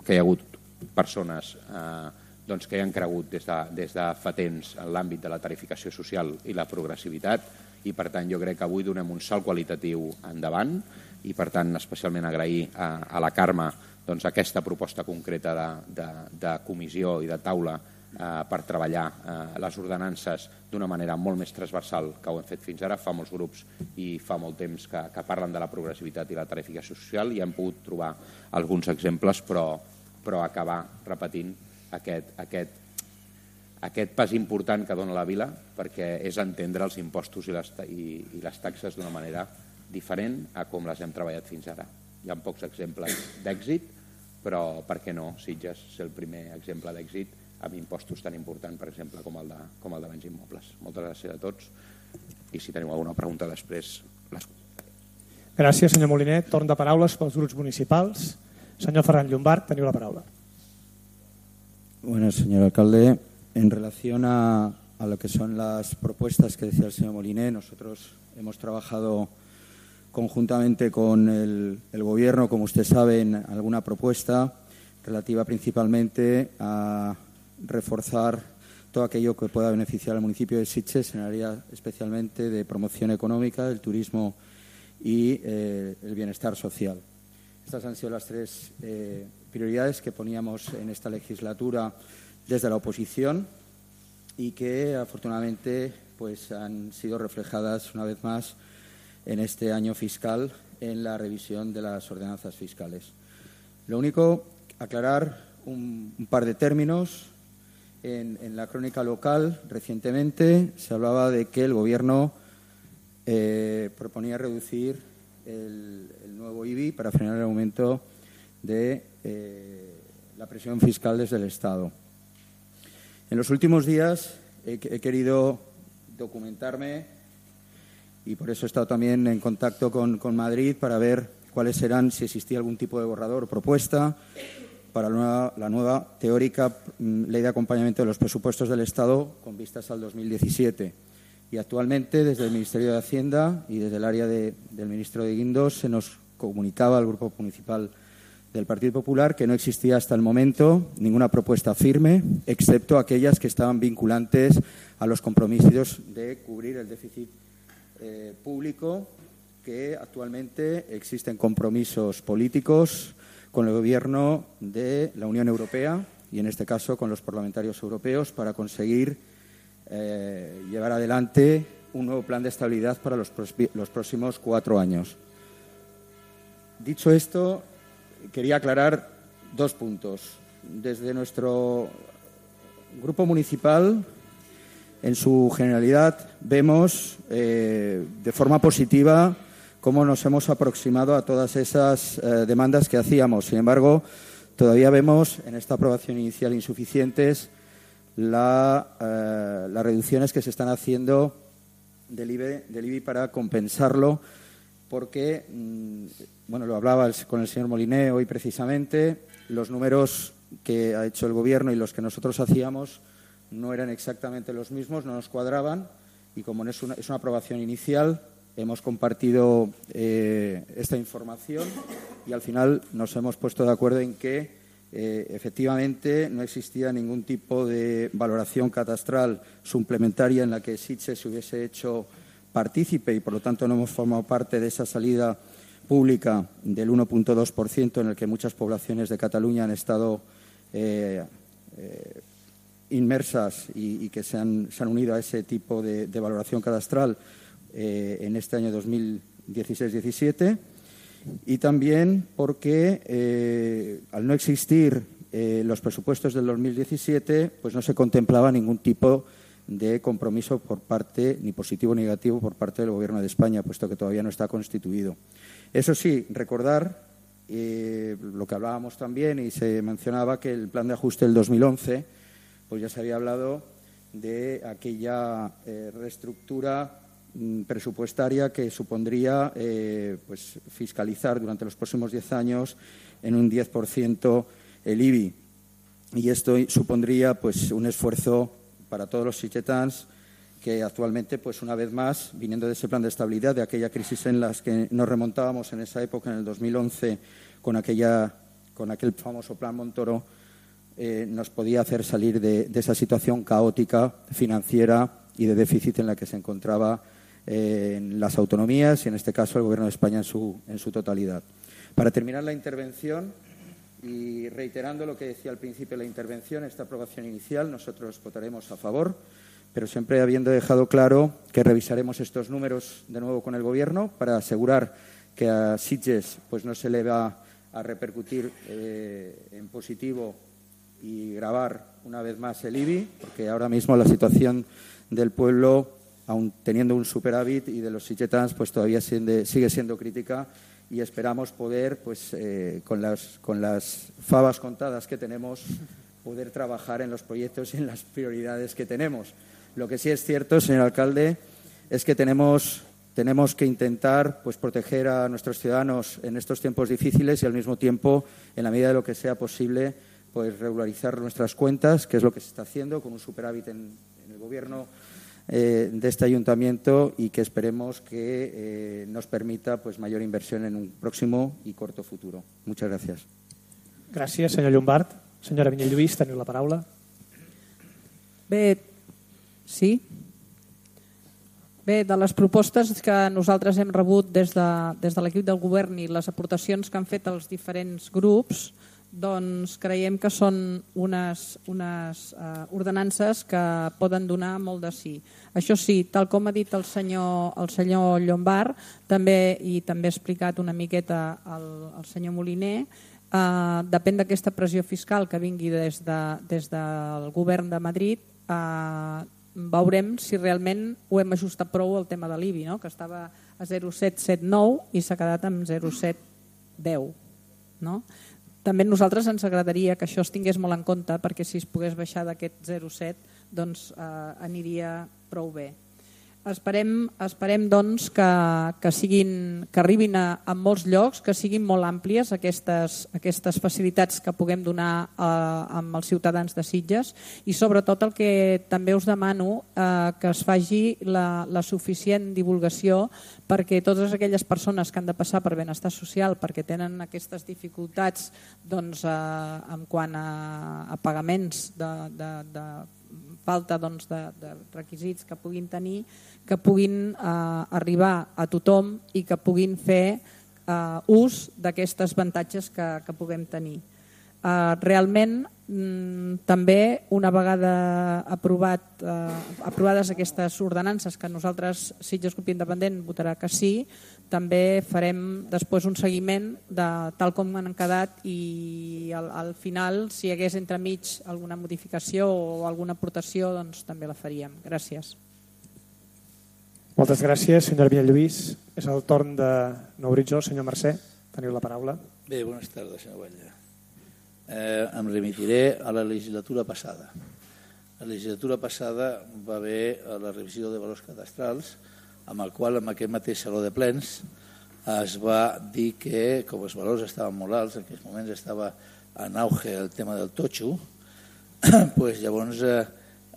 que hi ha hagut persones eh, doncs, que hi han cregut des de, des de fa temps en l'àmbit de la tarificació social i la progressivitat, i per tant jo crec que avui donem un salt qualitatiu endavant i per tant especialment agrair a, a la Carme doncs, aquesta proposta concreta de, de, de comissió i de taula eh, per treballar eh, les ordenances d'una manera molt més transversal que ho hem fet fins ara. Fa molts grups i fa molt temps que, que parlen de la progressivitat i la tarificació social i hem pogut trobar alguns exemples, però, però acabar repetint Aquest, aquest, aquest pas important que dona la vila, perquè és entendre els impostos i les, i, i les taxes d'una manera diferent a com les hem treballat fins ara. Hi ha pocs exemples d'èxit, però per què no Sitges ser el primer exemple d'èxit amb impostos tan importants, per exemple, com el de, com el de béns immobles. Moltes gràcies a tots i si teniu alguna pregunta després les... Gràcies, senyor Moliner. Torn de paraules pels grups municipals. Senyor Ferran Llombart, teniu la paraula. Bueno, señor alcalde, en relación a, a lo que son las propuestas que decía el señor Moliner, nosotros hemos trabajado conjuntamente con el, el Gobierno, como usted sabe, en alguna propuesta relativa principalmente a reforzar todo aquello que pueda beneficiar al municipio de Sitges en el área especialmente de promoción económica, el turismo y eh, el bienestar social. Estas han sido las tres eh, prioridades que poníamos en esta legislatura desde la oposición y que afortunadamente pues, han sido reflejadas una vez más en este año fiscal en la revisión de las ordenanzas fiscales. Lo único, aclarar un, un par de términos. En, en la crónica local recientemente se hablaba de que el Gobierno eh, proponía reducir El, el nuevo I B I para frenar el aumento de eh, la presión fiscal desde el Estado. En los últimos días he, he querido documentarme y por eso he estado también en contacto con, con Madrid para ver cuáles serán, si existía algún tipo de borrador o propuesta para la nueva, la nueva teórica ley de acompañamiento de los presupuestos del Estado con vistas al dos mil diecisiete. Y actualmente, desde el Ministerio de Hacienda y desde el área de, del ministro de Guindos, se nos comunicaba al Grupo Municipal del Partido Popular que no existía hasta el momento ninguna propuesta firme, excepto aquellas que estaban vinculantes a los compromisos de cubrir el déficit eh, público, que actualmente existen compromisos políticos con el Gobierno de la Unión Europea y, en este caso, con los parlamentarios europeos para conseguir Eh, llevar adelante un nuevo plan de estabilidad para los, los próximos cuatro años. Dicho esto, quería aclarar dos puntos. Desde nuestro grupo municipal, en su generalidad, vemos eh, de forma positiva cómo nos hemos aproximado a todas esas eh, demandas que hacíamos. Sin embargo, todavía vemos en esta aprobación inicial insuficientes La, eh, las reducciones que se están haciendo del I B I, del I B I para compensarlo, porque, mmm, bueno, lo hablaba el, con el señor Moliner hoy precisamente, los números que ha hecho el Gobierno y los que nosotros hacíamos no eran exactamente los mismos, no nos cuadraban, y como es una, es una aprobación inicial, hemos compartido eh, esta información y al final nos hemos puesto de acuerdo en que Eh, efectivamente, no existía ningún tipo de valoración catastral suplementaria en la que Sitges se hubiese hecho partícipe y, por lo tanto, no hemos formado parte de esa salida pública del uno coma dos por ciento en el que muchas poblaciones de Cataluña han estado eh, eh, inmersas y, y que se han, se han unido a ese tipo de, de valoración catastral eh, en este año dos mil dieciséis diecisiete. Y también porque eh, al no existir eh, los presupuestos del dos mil diecisiete, pues no se contemplaba ningún tipo de compromiso por parte, ni positivo ni negativo, por parte del Gobierno de España, puesto que todavía no está constituido. Eso sí, recordar eh, lo que hablábamos también y se mencionaba que el plan de ajuste del dos mil once, pues ya se había hablado de aquella eh, reestructura presupuestaria que supondría eh, pues, fiscalizar durante los próximos diez años en un diez por ciento el I B I. Y esto supondría pues, un esfuerzo para todos los sitgetans que actualmente, pues una vez más, viniendo de ese plan de estabilidad, de aquella crisis en las que nos remontábamos en esa época, en el dos mil once, con, aquella, con aquel famoso plan Montoro, eh, nos podía hacer salir de, de esa situación caótica financiera y de déficit en la que se encontraba en las autonomías y, en este caso, el Gobierno de España en su, en su totalidad. Para terminar la intervención y reiterando lo que decía al principio de la intervención, esta aprobación inicial, nosotros votaremos a favor, pero siempre habiendo dejado claro que revisaremos estos números de nuevo con el Gobierno para asegurar que a Sitges pues, no se le va a repercutir eh, en positivo y gravar una vez más el I B I, porque ahora mismo la situación del pueblo, aun teniendo un superávit, y de los sitgetans, pues todavía siende, sigue siendo crítica, y esperamos poder, pues eh, con, las, con las favas contadas que tenemos, poder trabajar en los proyectos y en las prioridades que tenemos. Lo que sí es cierto, señor alcalde, es que tenemos, tenemos que intentar pues, proteger a nuestros ciudadanos en estos tiempos difíciles y, al mismo tiempo, en la medida de lo que sea posible, pues regularizar nuestras cuentas, que es lo que se está haciendo con un superávit en, en el Gobierno Eh, de este ayuntamiento, y que esperemos que eh, nos permita pues, mayor inversión en un próximo y corto futuro. Muchas gracias. Gràcies, senyor Llombart. Senyora Vinyell Lluís, teniu la paraula. Bé, sí. Bé, de les propostes que nosaltres hem rebut des de, des de l'equip del govern i les aportacions que han fet els diferents grups, doncs creiem que són unes, unes uh, ordenances que poden donar molt de sí. Això sí, tal com ha dit el senyor, el senyor Llombart, també, i també ha explicat una miqueta el, el senyor Moliner, uh, depèn d'aquesta pressió fiscal que vingui des, de, des del govern de Madrid, uh, veurem si realment ho hem ajustat prou al tema de l'I B I, no? Que estava a zero coma set set nou i s'ha quedat amb zero coma set deu. No? També a nosaltres ens agradaria que això es tingués molt en compte, perquè si es pogués baixar d'aquest zero coma set doncs, eh, aniria prou bé. Esperem, esperem doncs, que, que, siguin, que arribin a, a molts llocs, que siguin molt àmplies aquestes, aquestes facilitats que puguem donar a, amb els ciutadans de Sitges, i sobretot el que també us demano eh, que es faci la, la suficient divulgació perquè totes aquelles persones que han de passar per benestar social perquè tenen aquestes dificultats doncs, eh, en quant a, a pagaments de, de, de falta doncs, de, de requisits que puguin tenir, que puguin eh, arribar a tothom i que puguin fer eh, ús d'aquestes avantatges que, que puguem tenir. Eh, realment, mm, també, una vegada aprovat, eh, aprovades aquestes ordenances, que nosaltres, Sitges Grup Independent, votarà que sí, també farem després un seguiment de tal com han quedat, i al, al final, si hi hagués entremig alguna modificació o alguna aportació, doncs també la faríem. Gràcies. Moltes gràcies, senyora Vinyell Lluís. És el torn de Nou Horitzó. Senyor Mercè, teniu la paraula. Bé, bones tardes, senyor Batlle. Eh, em remitiré a la legislatura passada. La legislatura passada va haver la revisió de valors cadastrals, amb el qual, en aquest mateix saló de plens, es va dir que, com els valors estaven molt alts, en aquells moments estava en auge el tema del totxo, pues llavors, eh,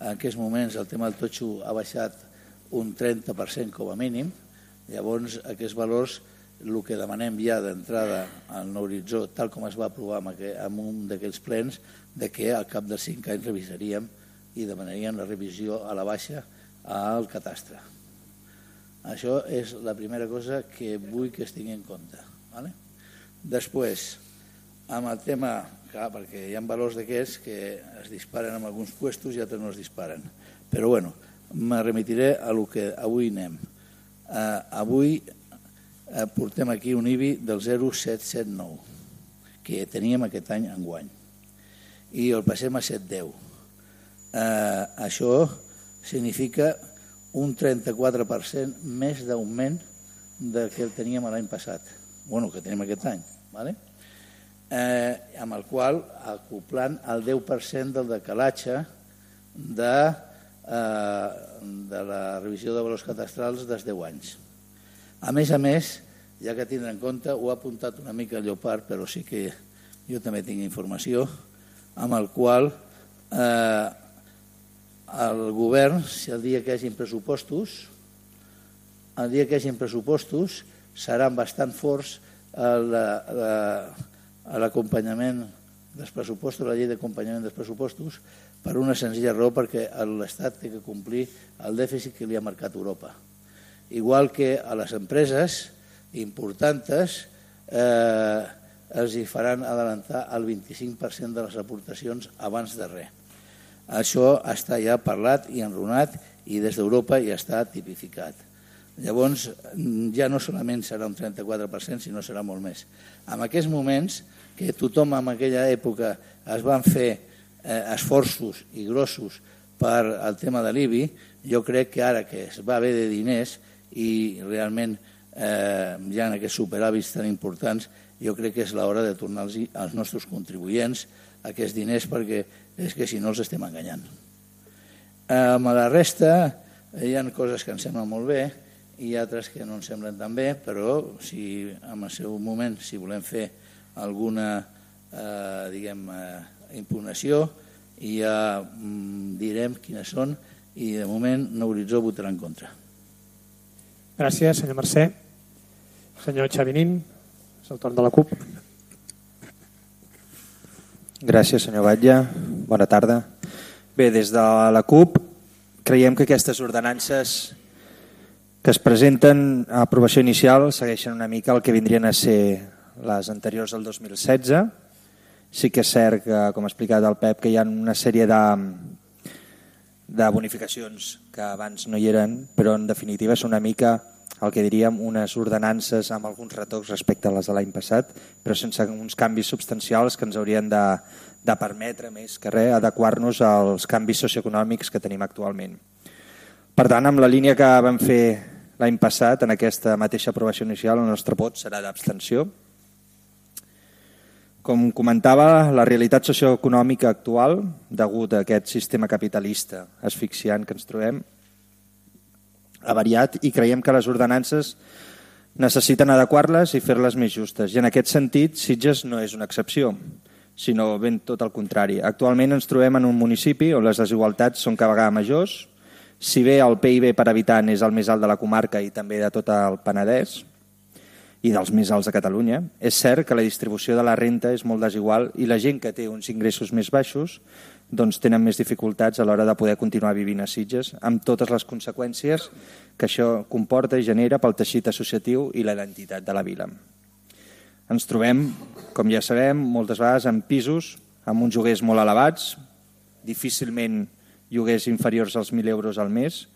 en aquests moments, el tema del totxo ha baixat un trenta per cent com a mínim. Llavors, aquests valors, el que demanem ja d'entrada al Nou Horitzó, tal com es va aprovar en un d'aquells plens, de que al cap de cinc anys revisaríem i demanaríem la revisió a la baixa al catastre. Això és la primera cosa que vull que es tingui en compte. Vale? Després, amb el tema, clar, perquè hi ha valors d'aquests que es disparen en alguns puestos i altres no es disparen. Però bueno, me remitiré a lo que avui anem. Uh, avui eh, portem aquí un I B I del zero coma set set nou, que teníem aquest any enguany, i el passem a set coma deu. Eh, això significa un trenta-quatre per cent més d'augment del que teníem l'any passat, bueno, que tenim aquest any, ¿vale? eh, amb el qual acoplant el deu per cent del decalatge de, eh, de la revisió de valors cadastrals dels deu anys. A més a més, ja que tindre en compte, ho ha apuntat una mica el Llopart, però sí que jo també tinc informació, amb el qual eh, el govern, si el dia que hi hagi pressupostos, el dia que hi hagi pressupostos seran bastant forts a l'acompanyament dels pressupostos, la llei d'acompanyament dels pressupostos, per una senzilla raó, perquè l'Estat té que complir el dèficit que li ha marcat Europa. Igual que a les empreses importants eh, els hi faran adelantar el vint-i-cinc per cent de les aportacions abans de res. Això està ja parlat i enrunat i des d'Europa ja està tipificat. Llavors, ja no solament serà un trenta-quatre per cent, sinó serà molt més. En aquests moments, que tothom en aquella època es van fer eh, esforços i grossos per al tema de l'I B I, jo crec que ara que es va haver de diners i realment eh, ja en aquests superàvits tan importants, jo crec que és l'hora de tornar als nostres contribuents aquests diners, perquè és que si no els estem enganyant. Amb la resta hi ha coses que ens semblen molt bé i altres que no ens semblen tan bé, però si en el seu moment, si volem fer alguna eh, diguem, eh, impugnació, ja mm, direm quines són i de moment Nou Horitzó votarà en contra. Gràcies, senyor Mercè. Senyor Xavinín, és el torn de la CUP. Gràcies, senyor Batlle. Bona tarda. Bé, des de la CUP creiem que aquestes ordenances que es presenten a aprovació inicial segueixen una mica el que vindrien a ser les anteriors del dos mil setze. Sí que és cert que, com ha explicat el Pep, que hi ha una sèrie de, de bonificacions que abans no hi eren, però en definitiva és una mica el que diríem unes ordenances amb alguns retocs respecte a les de l'any passat, però sense uns canvis substancials que ens haurien de, de permetre més que res adequar-nos als canvis socioeconòmics que tenim actualment. Per tant, amb la línia que vam fer l'any passat, en aquesta mateixa aprovació inicial, el nostre vot serà d'abstenció. Com comentava, la realitat socioeconòmica actual, degut a aquest sistema capitalista asfixiant que ens trobem, ha variat i creiem que les ordenances necessiten adequar-les i fer-les més justes. I en aquest sentit, Sitges no és una excepció, sinó ben tot el contrari. Actualment ens trobem en un municipi on les desigualtats són cada vegada majors. Si bé el P I B per habitant és el més alt de la comarca i també de tot el Penedès i dels més alts de Catalunya, és cert que la distribució de la renta és molt desigual i la gent que té uns ingressos més baixos doncs tenen més dificultats a l'hora de poder continuar vivint a Sitges, amb totes les conseqüències que això comporta i genera pel teixit associatiu i la identitat de la vila. Ens trobem, com ja sabem, moltes vegades en pisos amb uns lloguers molt elevats, difícilment lloguers inferiors als mil euros al mes,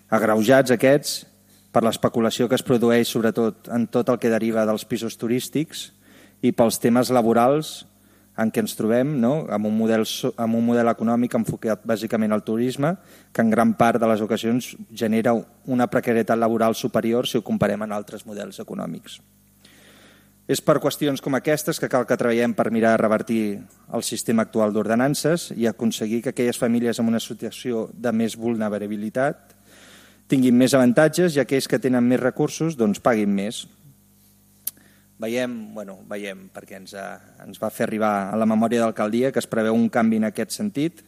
agreujats aquests per l'especulació que es produeix sobretot en tot el que deriva dels pisos turístics i pels temes laborals en què ens trobem, no? amb, un model, amb un model econòmic enfocat bàsicament al turisme, que en gran part de les ocasions genera una precarietat laboral superior si ho comparem amb altres models econòmics. És per qüestions com aquestes que cal que treballem per mirar de revertir el sistema actual d'ordenances i aconseguir que aquelles famílies amb una situació de més vulnerabilitat tinguin més avantatges i aquells que tenen més recursos doncs paguin més. Veiem, bueno, veiem perquè ens, ha, ens va fer arribar a la memòria d'alcaldia que es preveu un canvi en aquest sentit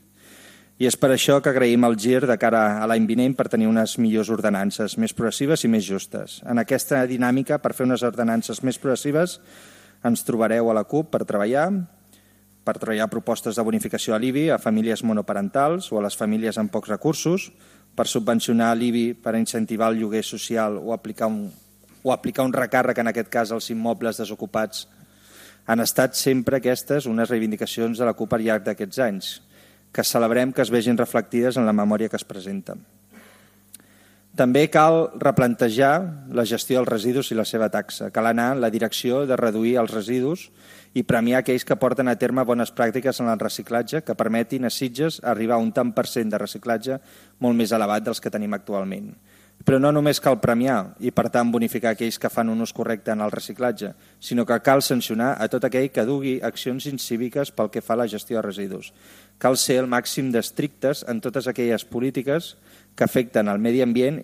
i és per això que agraïm el gir de cara a l'any vinent per tenir unes millors ordenances, més progressives i més justes. En aquesta dinàmica, per fer unes ordenances més progressives, ens trobareu a la CUP per treballar, per treballar propostes de bonificació a l'I B I a famílies monoparentals o a les famílies amb pocs recursos, per subvencionar l'I B I per incentivar el lloguer social o aplicar un, o aplicar un recàrrec, en aquest cas, als immobles desocupats. Han estat sempre aquestes unes reivindicacions de la CUP al llarg d'aquests anys, que celebrem que es vegin reflectides en la memòria que es presenta. També cal replantejar la gestió dels residus i la seva taxa. Cal anar en la direcció de reduir els residus i premiar aquells que porten a terme bones pràctiques en el reciclatge que permetin a Sitges arribar a un tant per cent de reciclatge molt més elevat dels que tenim actualment. Però no només cal premiar i, per tant, bonificar aquells que fan un ús correcte en el reciclatge, sinó que cal sancionar a tot aquell que dugui accions incíviques pel que fa a la gestió de residus. Cal ser el màxim d'estrictes en totes aquelles polítiques que afecten el medi ambient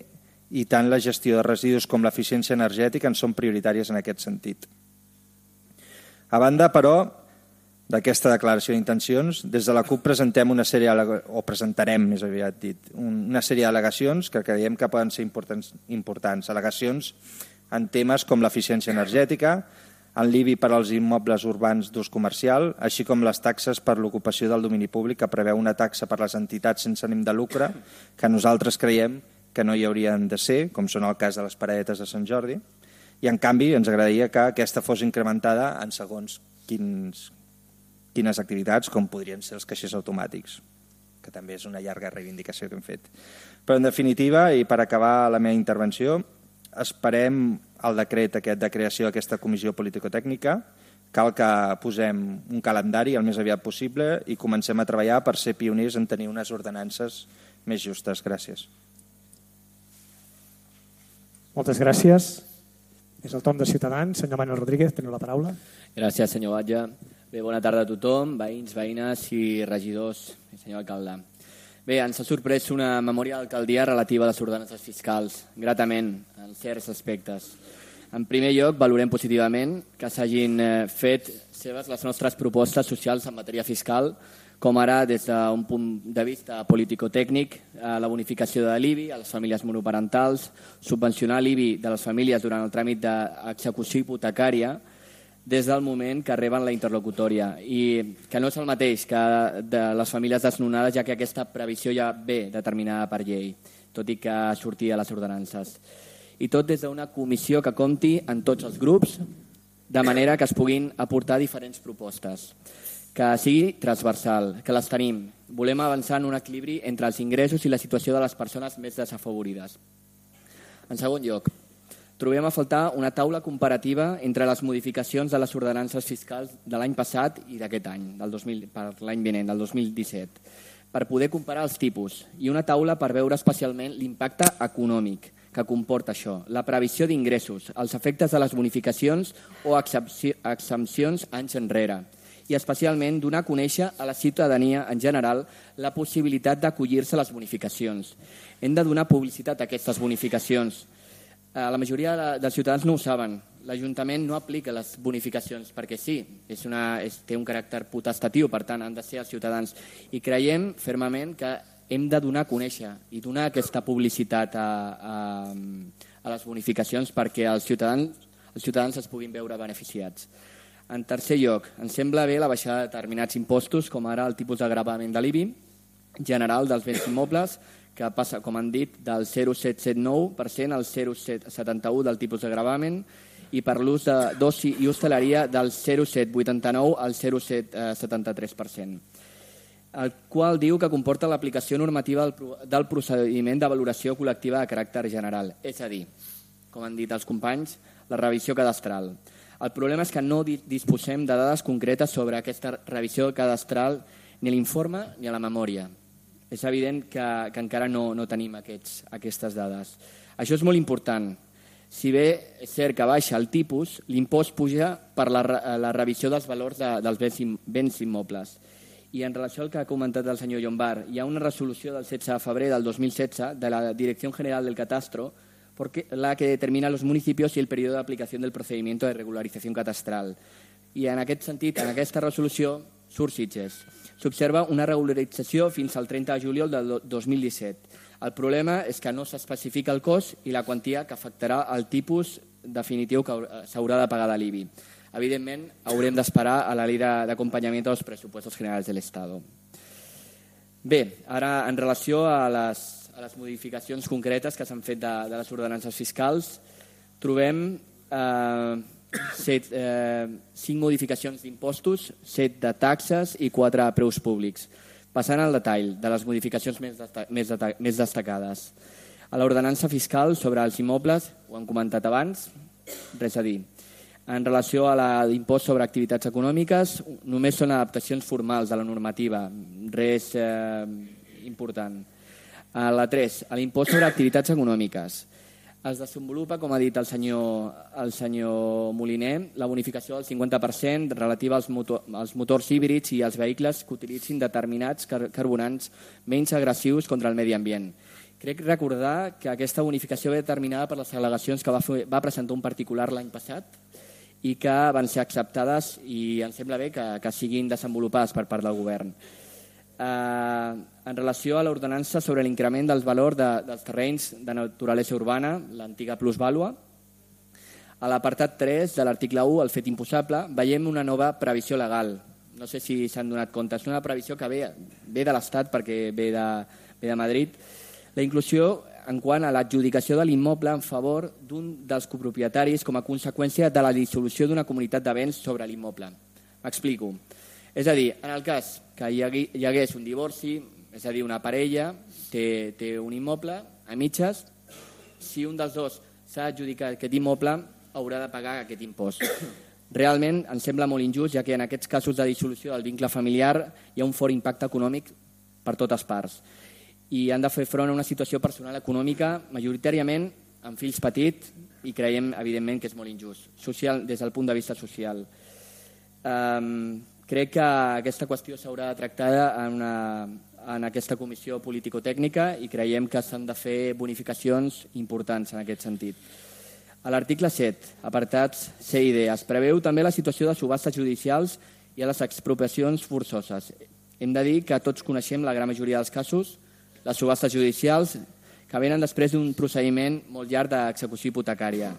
i tant la gestió de residus com l'eficiència energètica en són prioritàries en aquest sentit. A banda, però, d'aquesta declaració d'intencions, des de la CUP presentem una sèrie, o presentarem més aviat dit, una sèrie d'al·legacions que creiem que poden ser importants, importants. Al·legacions en temes com l'eficiència energètica, en l'I B I per als immobles urbans d'ús comercial, així com les taxes per l'ocupació del domini públic, que preveu una taxa per les entitats sense ànim de lucre, que nosaltres creiem que no hi haurien de ser, com són el cas de les paradetes de Sant Jordi, i en canvi ens agradaria que aquesta fos incrementada en segons quins, quines activitats, com podrien ser els caixers automàtics, que també és una llarga reivindicació que hem fet. Però en definitiva, i per acabar la meva intervenció, esperem el decret aquest de creació d'aquesta comissió político-tècnica. Cal que posem un calendari el més aviat possible i comencem a treballar per ser pioners en tenir unes ordenances més justes. Gràcies. Moltes gràcies. És el torn de Ciutadans. Senyor Manuel Rodríguez, teniu la paraula. Gràcies, senyor Batlle. Bé, bona tarda a tothom, veïns, veïnes i regidors, i senyor alcalde. Bé, ens ha sorprès una memòria d'alcaldia relativa a les ordenances fiscals, gratament, en certs aspectes. En primer lloc, valorem positivament que s'hagin fet seves les nostres propostes socials en matèria fiscal, com ara, des d'un punt de vista político-tècnic, la bonificació de l'I B I a les famílies monoparentals, subvencionar l'I B I de les famílies durant el tràmit d'execució hipotecària, des del moment que reben la interlocutòria, i que no és el mateix que de les famílies desnonades, ja que aquesta previsió ja ve determinada per llei, tot i que sortia a les ordenances. I tot des d'una comissió que compti en tots els grups, de manera que es puguin aportar diferents propostes, que sigui transversal, que les tenim. Volem avançar en un equilibri entre els ingressos i la situació de les persones més desafavorides. En segon lloc, trobem a faltar una taula comparativa entre les modificacions de les ordenances fiscals de l'any passat i d'aquest any, del dos mil, per l'any vinent, del dos mil disset, per poder comparar els tipus, i una taula per veure especialment l'impacte econòmic que comporta això, la previsió d'ingressos, els efectes de les bonificacions o exempcions anys enrere, i especialment donar a conèixer a la ciutadania en general la possibilitat d'acollir-se a les bonificacions. Hem de donar publicitat a aquestes bonificacions. La majoria dels ciutadans no ho saben. L'Ajuntament no aplica les bonificacions perquè sí, és una, és, té un caràcter potestatiu, per tant han de ser els ciutadans. I creiem fermament que hem de donar a conèixer i donar aquesta publicitat a, a, a les bonificacions perquè els ciutadans, els ciutadans es puguin veure beneficiats. En tercer lloc, ens sembla bé la baixada de determinats impostos, com ara el tipus de gravament de l'I B I general dels béns immobles, que passa, com han dit, del zero coma set cent setanta nou per cent al zero coma setanta un del tipus de gravamen, i per l'ús d'oci i hostaleria del zero coma set vuitanta nou al zero coma set setanta tres per cent, el qual diu que comporta l'aplicació normativa del procediment de valoració col·lectiva de caràcter general, és a dir, com han dit els companys, la revisió cadastral. El problema és que no disposem de dades concretes sobre aquesta revisió cadastral ni a l'informe ni a la memòria. És evident que, que encara no, no tenim aquests, aquestes dades. Això és molt important. Si bé és cert que baixa el tipus, l'impost puja per la, la revisió dels valors de, dels béns, béns immobles. I en relació al que ha comentat el senyor Llombart, hi ha una resolució del setze de febrer del dos mil setze de la Direcció General del Catastro, porque la que determina los municipios y el periodo de aplicación del procedimiento de regularización catastral. I en aquest sentit, en aquesta resolució, surt Sitges. S'observa una regularització fins al trenta de juliol del dos mil disset. El problema és que no s'especifica el cost i la quantia que afectarà el tipus definitiu que s'haurà de pagar de l'I B I. Evidentment, haurem d'esperar a la llei d'acompanyament dels pressupostos generals de l'Estat. Bé, ara en relació a les a les modificacions concretes que s'han fet de, de les ordenances fiscals, trobem eh, set, eh, cinc modificacions d'impostos, set de taxes i quatre preus públics. Passant al detall de les modificacions més, desta més, més destacades. A l'ordenança fiscal sobre els immobles, ho han comentat abans, res a dir. En relació a l'impost sobre activitats econòmiques, només són adaptacions formals de la normativa, res eh, important. A la tres, a l'impost sobre activitats econòmiques. Es desenvolupa, com ha dit el senyor, el senyor Moliner, la bonificació del cinquanta per cent relativa als, motor, als motors híbrids i als vehicles que utilitzin determinats car carburants menys agressius contra el medi ambient. Crec recordar que aquesta bonificació ve determinada per les al·legacions que va, fer, va presentar un particular l'any passat i que van ser acceptades i em sembla bé que, que siguin desenvolupades per part del govern. Eh, en relació a l'ordenança sobre l'increment del valor de, dels terrenys de naturalesa urbana, l'antiga plusvàlua, a l'apartat tres de l'article u, el fet imposable, veiem una nova previsió legal. No sé si s'han donat compte, és una previsió que ve, ve de l'Estat perquè ve de, ve de Madrid. La inclusió en quant a l'adjudicació de l'immoble en favor d'un dels copropietaris com a conseqüència de la dissolució d'una comunitat de béns sobre l'immoble. M'explico. És a dir, en el cas que hi hagués un divorci, és a dir, una parella té, té un immoble a mitges, si un dels dos s'ha adjudicat aquest immoble, haurà de pagar aquest impost. Realment em sembla molt injust, ja que en aquests casos de dissolució del vincle familiar hi ha un fort impacte econòmic per totes parts i han de fer front a una situació personal econòmica majoritàriament amb fills petits i creiem, evidentment, que és molt injust, social, des del punt de vista social. Um, crec que aquesta qüestió s'haurà de tractar en, una, en aquesta comissió político-tècnica i creiem que s'han de fer bonificacions importants en aquest sentit. A l'article set, apartats C i D, es preveu també la situació de subhastes judicials i a les expropiacions forçoses. Hem de dir que tots coneixem la gran majoria dels casos, les subhastes judicials, que venen després d'un procediment molt llarg d'execució hipotecària.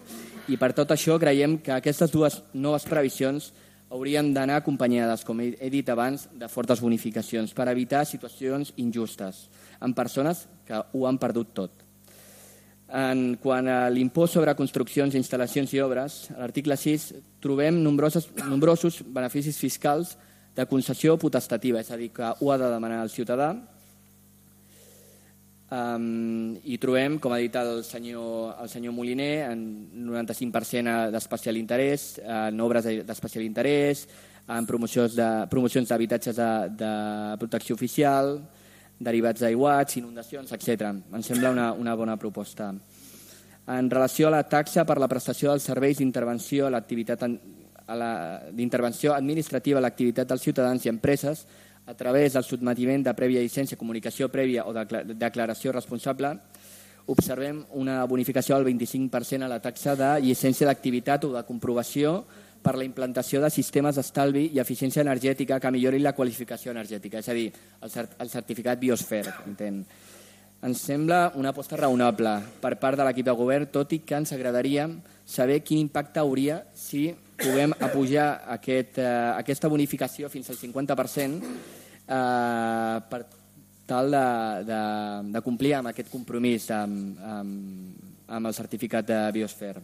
I per tot això creiem que aquestes dues noves previsions haurien d'anar acompanyades, com he dit abans, de fortes bonificacions per evitar situacions injustes en persones que ho han perdut tot. En quant a l'impost sobre construccions, instal·lacions i obres, a l'article sis trobem nombrosos, nombrosos beneficis fiscals de concessió potestativa, és a dir, que ho ha de demanar el ciutadà. Um, i trobem, com ha dit el senyor, el senyor Moliner, en noranta-cinc per cent d'especial interès, en obres d'especial interès, en promocions de, promocions d'habitatges de, de protecció oficial, derivats d'aiguats, inundacions, etcètera. Em sembla una, una bona proposta. En relació a la taxa per la prestació dels serveis d'intervenció a l'activitat d'intervenció administrativa a l'activitat dels ciutadans i empreses a través del sotmetiment de prèvia llicència, comunicació prèvia o de declaració responsable, observem una bonificació del vint-i-cinc per cent a la taxa de llicència d'activitat o de comprovació per la implantació de sistemes d'estalvi i eficiència energètica que millorin la qualificació energètica, és a dir, el certificat Biosfer. Entén? Ens sembla una aposta raonable per part de l'equip de govern, tot i que ens agradaria saber quin impacte hauria si puguem apujar aquest, eh, aquesta bonificació fins al cinquanta per cent eh, per tal de, de, de complir amb aquest compromís amb, amb, amb el certificat de Biosfer.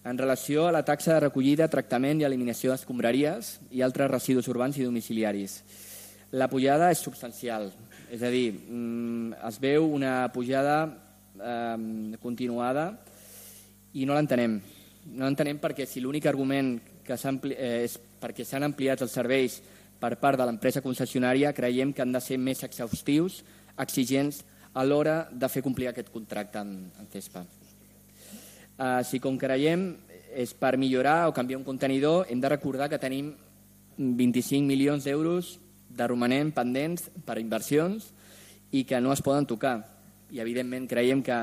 En relació a la taxa de recollida, tractament i eliminació d'escombraries i altres residus urbans i domiciliaris. La pujada és substancial, és a dir, es veu una pujada eh, continuada i no l'entenem. No l'entenem perquè si l'únic argument que eh, és perquè s'han ampliat els serveis per part de l'empresa concessionària, creiem que han de ser més exhaustius, exigents a l'hora de fer complir aquest contracte en, en CESPA. Uh, si com creiem és per millorar o canviar un contenidor, hem de recordar que tenim vint-i-cinc milions d'euros de romanent pendents per inversions i que no es poden tocar. I evidentment creiem que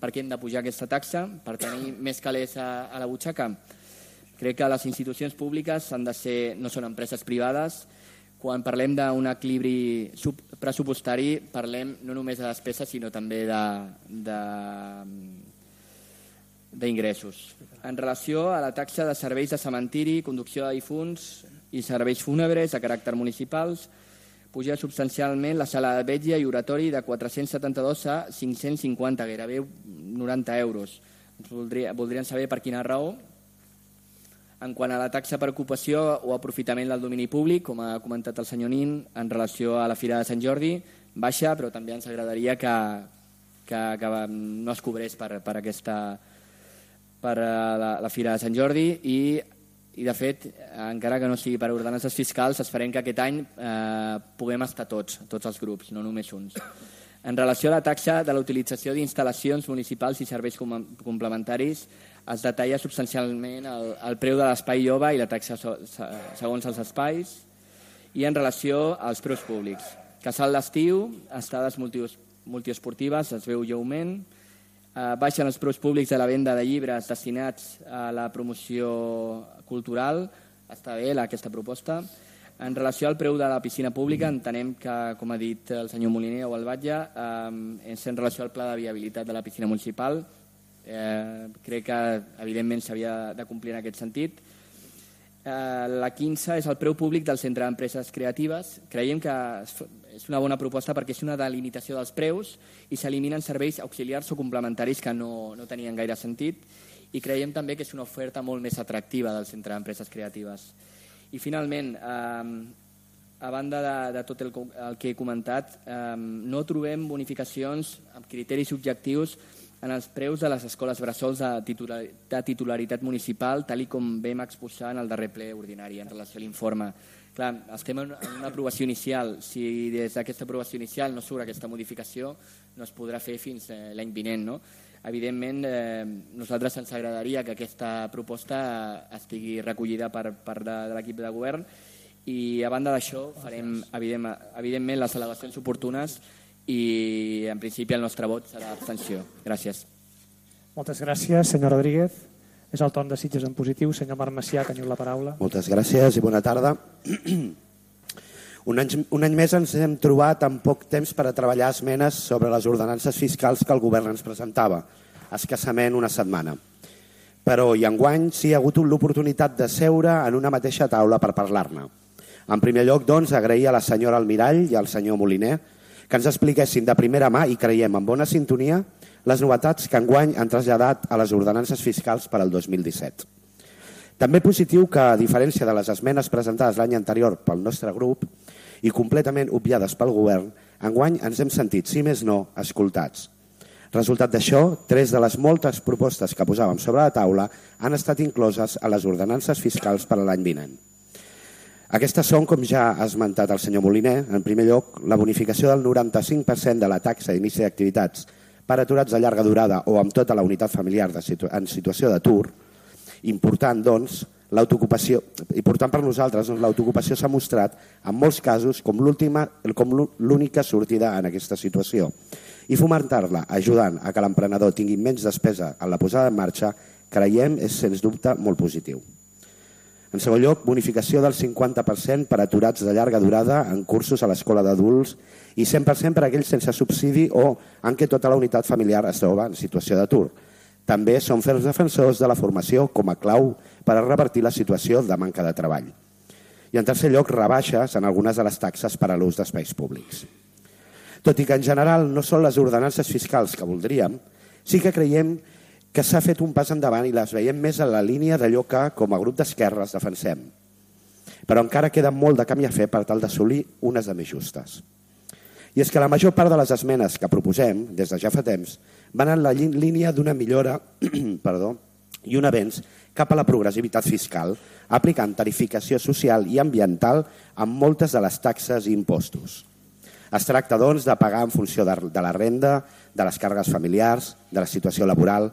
per què hem de pujar aquesta taxa? Per tenir més calés a, a la butxaca? Crec que les institucions públiques han de ser, no són empreses privades. Quan parlem d'un equilibri pressupostari, parlem no només de despeses, sinó també d'ingressos. En relació a la taxa de serveis de cementiri, conducció de difunts i serveis fúnebres de caràcter municipals, puja substancialment la sala de vetlla i oratori de quatre-cents setanta-dos a cinc-cents cinquanta, gairebé noranta euros. Voldria, voldrien saber per quina raó. En quant a la taxa per ocupació o aprofitament del domini públic, com ha comentat el senyor Nin, en relació a la Fira de Sant Jordi, baixa, però també ens agradaria que, que, que no es cobrés per, per, aquesta, per la, la Fira de Sant Jordi i, i de fet, encara que no sigui per ordenances fiscals, esperem que aquest any eh, puguem estar tots, tots els grups, no només uns. En relació a la taxa de la utilització d'instal·lacions municipals i serveis com, complementaris, es detalla substancialment el, el preu de l'espai jove i la taxa so, segons els espais i en relació als preus públics. Casal d'estiu, estades multiesportives, es veu lleument, eh, baixen els preus públics de la venda de llibres destinats a la promoció cultural, està bé aquesta proposta. En relació al preu de la piscina pública, entenem que, com ha dit el senyor Moliner o el Batlle, eh, és en relació al pla de viabilitat de la piscina municipal. Eh, crec que, evidentment, s'havia de complir en aquest sentit. Eh, la quinze és el preu públic del Centre d'Empreses Creatives. Creiem que és una bona proposta perquè és una delimitació dels preus i s'eliminen serveis auxiliars o complementaris que no, no tenien gaire sentit i creiem també que és una oferta molt més atractiva del Centre d'Empreses Creatives. I finalment, eh, a banda de, de tot el, el que he comentat, eh, no trobem bonificacions amb criteris objectius en els preus de les escoles bressols de, titular, de titularitat municipal, tal i com vam exposar en el darrer ple ordinari en relació a l'informe. Clar, estem en una aprovació inicial. Si des d'aquesta aprovació inicial no surt aquesta modificació, no es podrà fer fins eh, l'any vinent, no? Evidentment, eh, nosaltres ens agradaria que aquesta proposta estigui recollida per part de, de l'equip de govern i, a banda d'això, farem evident, evidentment les al·legacions oportunes i, en principi, el nostre vot serà abstenció. Gràcies. Moltes gràcies, senyor Rodríguez. És el torn de Sitges en positiu. Senyor Marc Macià, teniu la paraula. Moltes gràcies i bona tarda. Un any, un any més ens hem trobat amb poc temps per a treballar esmenes sobre les ordenances fiscals que el govern ens presentava, escassament una setmana. Però i enguany sí ha hagut l'oportunitat de seure en una mateixa taula per parlar-ne. En primer lloc, doncs, agrair a la senyora Almirall i al senyor Moliner que ens expliquessin de primera mà i creiem en bona sintonia les novetats que enguany han traslladat a les ordenances fiscals per al dos mil disset. També positiu que, a diferència de les esmenes presentades l'any anterior pel nostre grup i completament obviades pel govern, enguany ens hem sentit, si més no, escoltats. Resultat d'això, tres de les moltes propostes que posàvem sobre la taula han estat incloses a les ordenances fiscals per a l'any vinent. Aquestes són, com ja ha esmentat el senyor Moliner, en primer lloc, la bonificació del noranta-cinc per cent de la taxa d'inici d'activitats per aturats de llarga durada o amb tota la unitat familiar de situ en situació d'atur, important, doncs, l'autoocupació, important per nosaltres, doncs, l'autoocupació s'ha mostrat en molts casos com l'única sortida en aquesta situació i fomentar-la ajudant a que l'emprenedor tingui menys despesa en la posada en marxa, creiem, és sens dubte molt positiu. En segon lloc, bonificació del cinquanta per cent per aturats de llarga durada en cursos a l'escola d'adults i cent per cent per a aquells sense subsidi o en què tota la unitat familiar es troba en situació d'atur. També som ferms defensors de la formació com a clau per a revertir la situació de manca de treball. I en tercer lloc, rebaixes en algunes de les taxes per a l'ús d'espais públics. Tot i que en general no són les ordenances fiscals que voldríem, sí que creiem que s'ha fet un pas endavant i les veiem més en la línia d'allò que, com a grup d'esquerres, defensem. Però encara queda molt de camí a fer per tal d'assolir unes de més justes. I és que la major part de les esmenes que proposem, des de ja fa temps, van en la línia d'una millora perdó, i un avenç cap a la progressivitat fiscal, aplicant tarificació social i ambiental amb moltes de les taxes i impostos. Es tracta, doncs, de pagar en funció de la renda, de les càrregues familiars, de la situació laboral.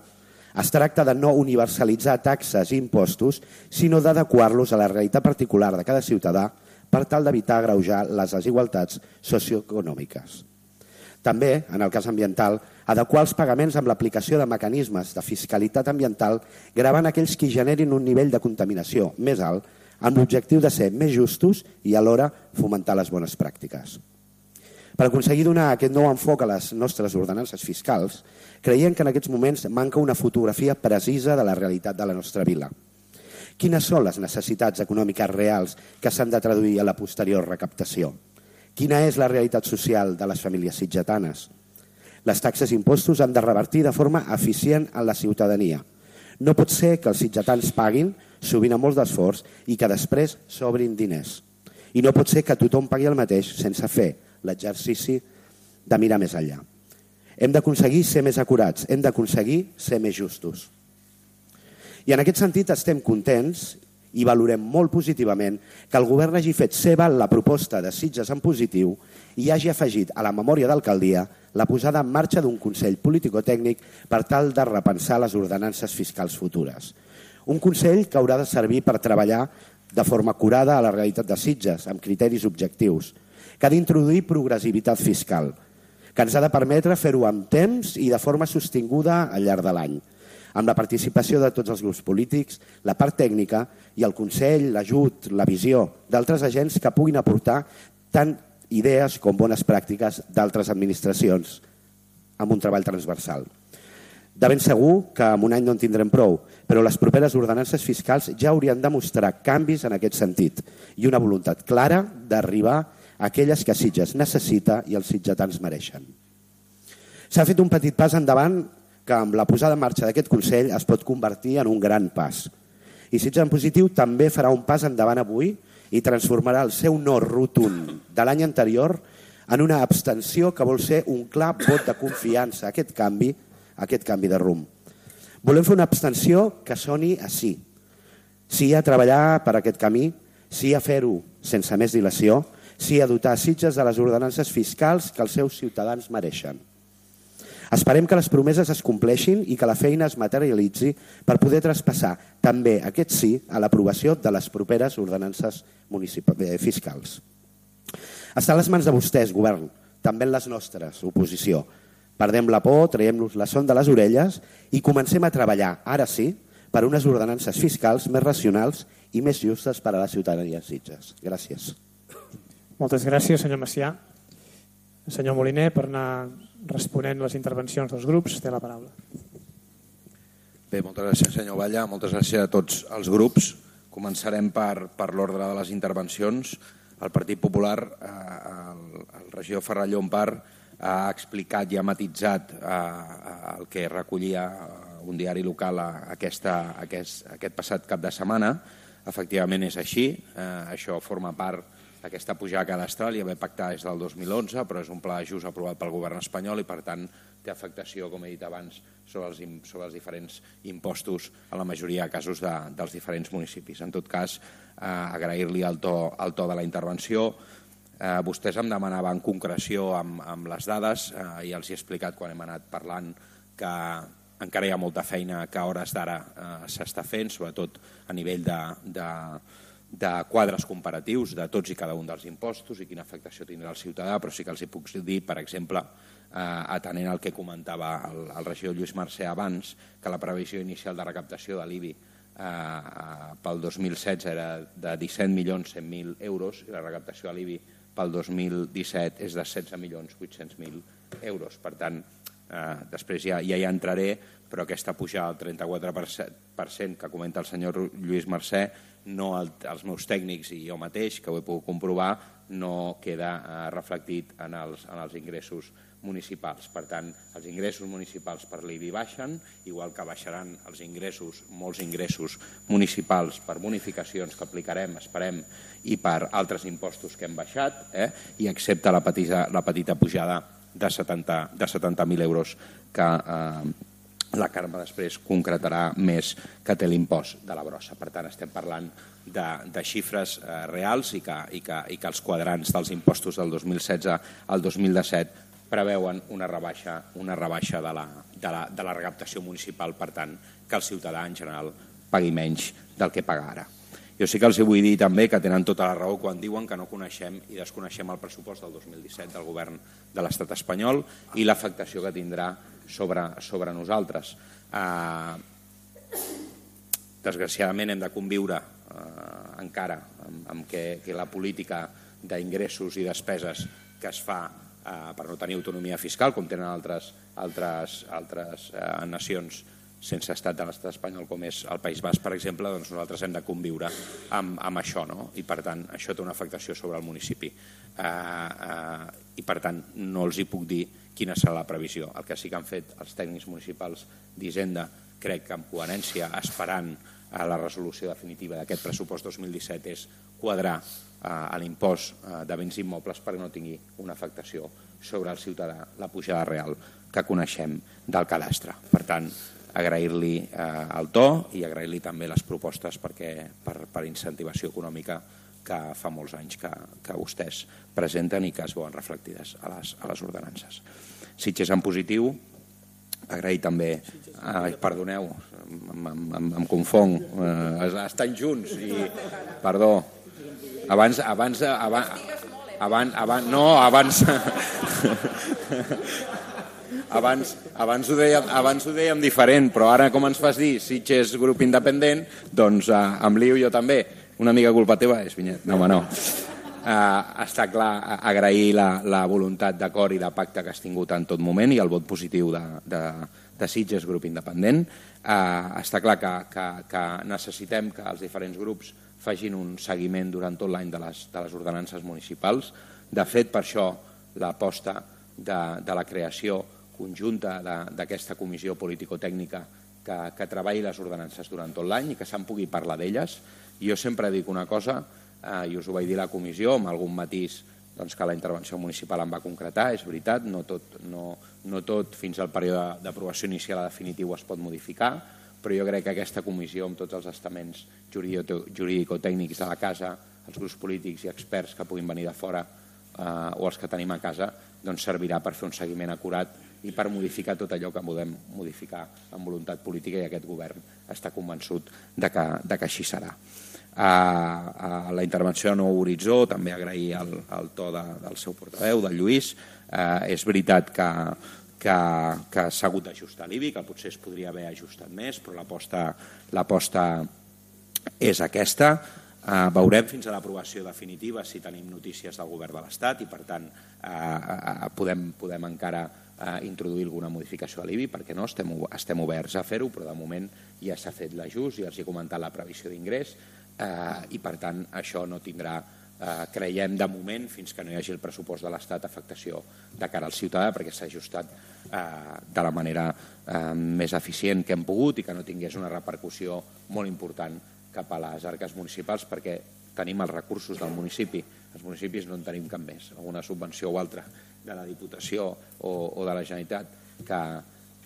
Es tracta de no universalitzar taxes i impostos, sinó d'adequar-los a la realitat particular de cada ciutadà per tal d'evitar agreujar les desigualtats socioeconòmiques. També, en el cas ambiental, adequar els pagaments amb l'aplicació de mecanismes de fiscalitat ambiental gravant aquells que generin un nivell de contaminació més alt amb l'objectiu de ser més justos i alhora fomentar les bones pràctiques. Per aconseguir donar aquest nou enfoc a les nostres ordenances fiscals, creiem que en aquests moments manca una fotografia precisa de la realitat de la nostra vila. Quines són les necessitats econòmiques reals que s'han de traduir a la posterior recaptació? Quina és la realitat social de les famílies sitgetanes? Les taxes i impostos han de revertir de forma eficient en la ciutadania. No pot ser que els sitgetans paguin, sovint amb molt d'esforç, i que després sobrin diners. I no pot ser que tothom pagui el mateix sense fer l'exercici de mirar més enllà. Hem d'aconseguir ser més acurats, hem d'aconseguir ser més justos. I en aquest sentit estem contents i valorem molt positivament que el govern hagi fet seva la proposta de Sitges en positiu i hagi afegit a la memòria d'alcaldia la posada en marxa d'un Consell político-tècnic per tal de repensar les ordenances fiscals futures. Un Consell que haurà de servir per treballar de forma acurada a la realitat de Sitges, amb criteris objectius, que ha d'introduir progressivitat fiscal, que ens ha de permetre fer-ho amb temps i de forma sostinguda al llarg de l'any, amb la participació de tots els grups polítics, la part tècnica i el Consell, l'ajut, la visió d'altres agents que puguin aportar tant idees com bones pràctiques d'altres administracions amb un treball transversal. De ben segur que en un any no en tindrem prou, però les properes ordenances fiscals ja haurien de mostrar canvis en aquest sentit i una voluntat clara d'arribar a aquelles que Sitges necessita i els sitgetans mereixen. S'ha fet un petit pas endavant que amb la posada en marxa d'aquest Consell es pot convertir en un gran pas. I Sitges en positiu també farà un pas endavant avui i transformarà el seu no rotund de l'any anterior en una abstenció que vol ser un clar vot de confiança a aquest canvi, a aquest canvi de rumb. Volem fer una abstenció que soni a sí. Sí a treballar per aquest camí, sí a fer-ho sense més dilació, sí a dotar Sitges de les ordenances fiscals que els seus ciutadans mereixen. Esperem que les promeses es compleixin i que la feina es materialitzi per poder traspassar també aquest sí a l'aprovació de les properes ordenances fiscals. Està a les mans de vostès, govern, també en les nostres, oposició. Perdem la por, traiem-nos la son de les orelles i comencem a treballar, ara sí, per unes ordenances fiscals més racionals i més justes per a la ciutadania de Sitges. Gràcies. Moltes gràcies, senyor Macià. Senyor Moliner, per anar responent les intervencions dels grups, té la paraula. Bé, moltes gràcies, senyor Batlle. Moltes gràcies a tots els grups. Començarem per, per l'ordre de les intervencions. El Partit Popular, eh, el, el regidor Ferran Llompart, ha explicat i ha matitzat eh, el que recollia un diari local a aquesta, aquest, aquest passat cap de setmana. Efectivament és així. Eh, això forma part aquesta pujada cadastral i haver pactat des del dos mil onze, però és un pla d'ajust aprovat pel govern espanyol i, per tant, té afectació, com he dit abans, sobre els, sobre els diferents impostos en la majoria de casos de, dels diferents municipis. En tot cas, eh, agrair-li el to, el to de la intervenció. Eh, vostès em demanaven concreció amb, amb les dades eh, i els he explicat quan hem anat parlant que encara hi ha molta feina que a hores d'ara eh, s'està fent, sobretot a nivell de... de de quadres comparatius de tots i cada un dels impostos i quina afectació tindrà el ciutadà, però sí que els hi puc dir, per exemple, eh, atenent al que comentava el, el regidor Lluís Mercè abans, que la previsió inicial de recaptació de l'I B I eh, pel dos mil setze era de disset milions cent mil euros i la recaptació de l'I B I pel dos mil disset és de setze milions vuit-cents mil euros. Per tant, eh, després ja, ja hi entraré, però aquesta pujada del trenta-quatre per cent que comenta el senyor Lluís Mercè, no el, els meus tècnics i jo mateix, que ho he pogut comprovar, no queda eh, reflectit en els, en els ingressos municipals. Per tant, els ingressos municipals per l'I B I baixen, igual que baixaran els ingressos, molts ingressos municipals per bonificacions que aplicarem, esperem, i per altres impostos que hem baixat, eh? I excepte la petita, la petita pujada de setanta mil euros que eh, la Carme després concretarà més que té l'impost de la brossa. Per tant, estem parlant de, de xifres eh, reals i que, i, que, i que els quadrants dels impostos del dos mil setze al dos mil disset preveuen una rebaixa, una rebaixa de, la, de, la, de la recaptació municipal, per tant, que el ciutadà en general pagui menys del que paga ara. Jo sí que els vull dir també que tenen tota la raó quan diuen que no coneixem i desconeixem el pressupost del dos mil disset del govern de l'estat espanyol i l'afectació que tindrà sobre, sobre nosaltres. Eh, desgraciadament hem de conviure eh, encara amb, amb que, que la política d'ingressos i despeses que es fa eh, per no tenir autonomia fiscal, com tenen altres, altres, altres eh, nacions sense estat de l'estat espanyol, com és el País Basc, per exemple, doncs nosaltres hem de conviure amb, amb això, no? I per tant, això té una afectació sobre el municipi. Eh, eh, I per tant, no els hi puc dir quina serà la previsió. El que sí que han fet els tècnics municipals d'Hisenda, crec que amb coherència, esperant a la resolució definitiva d'aquest pressupost dos mil disset, és quadrar eh, l'impost eh, de béns immobles perquè no tingui una afectació sobre el ciutadà la pujada real que coneixem del cadastre. Per tant, agrair-li eh, el to i agrair-li també les propostes perquè, per, per incentivació econòmica que fa molts anys que, que vostès presenten i que es veuen reflectides a les, a les ordenances. Sitges en positiu, agrair també, ai, perdoneu, em, em, em confong, eh, estan junts i, perdó, abans, abans, abans, abans, abans no, abans, abans, abans, ho dèiem, abans ho dèiem diferent, però ara com ens fas dir Sitges grup independent, doncs eh, em lio jo també, una mica culpa teva és Vinyet, no home no. Uh, està clar agrair la, la voluntat d'acord i de pacte que has tingut en tot moment i el vot positiu de, de, de Sitges grup independent. Uh, està clar que, que, que necessitem que els diferents grups facin un seguiment durant tot l'any de, les, de les ordenances municipals. De fet, per això l'aposta de, de la creació conjunta d'aquesta comissió político-tècnica que, que treballi les ordenances durant tot l'any i que se'n pugui parlar d'elles. Jo sempre dic una cosa, Uh, i us ho vaig dir a la comissió, amb algun matís doncs, que la intervenció municipal em va concretar, és veritat, no tot, no, no tot fins al període d'aprovació inicial a definitiu es pot modificar, però jo crec que aquesta comissió, amb tots els estaments jurídico-tècnics de la casa, els grups polítics i experts que puguin venir de fora uh, o els que tenim a casa, doncs servirà per fer un seguiment acurat i per modificar tot allò que podem modificar amb voluntat política, i aquest govern està convençut de que, de que així serà. A la intervenció de Nou Horitzó també agrair el, el to de, del seu portaveu, del Lluís. Eh, és veritat que, que, que s'ha hagut d'ajustar l'I B I, que potser es podria haver ajustat més, però l'aposta és aquesta. Eh, veurem fins a l'aprovació definitiva si tenim notícies del govern de l'Estat i per tant eh, podem, podem encara eh, introduir alguna modificació a l'I B I, perquè no estem, estem oberts a fer-ho, però de moment ja s'ha fet l'ajust i els he comentat la previsió d'ingrés. Uh, i per tant això no tindrà, uh, creiem de moment, fins que no hi hagi el pressupost de l'Estat, afectació de cara al ciutadà, perquè s'ha ajustat uh, de la manera uh, més eficient que hem pogut i que no tingués una repercussió molt important cap a les arques municipals, perquè tenim els recursos del municipi. Els municipis no en tenim cap més, alguna subvenció o altra de la Diputació o, o de la Generalitat que,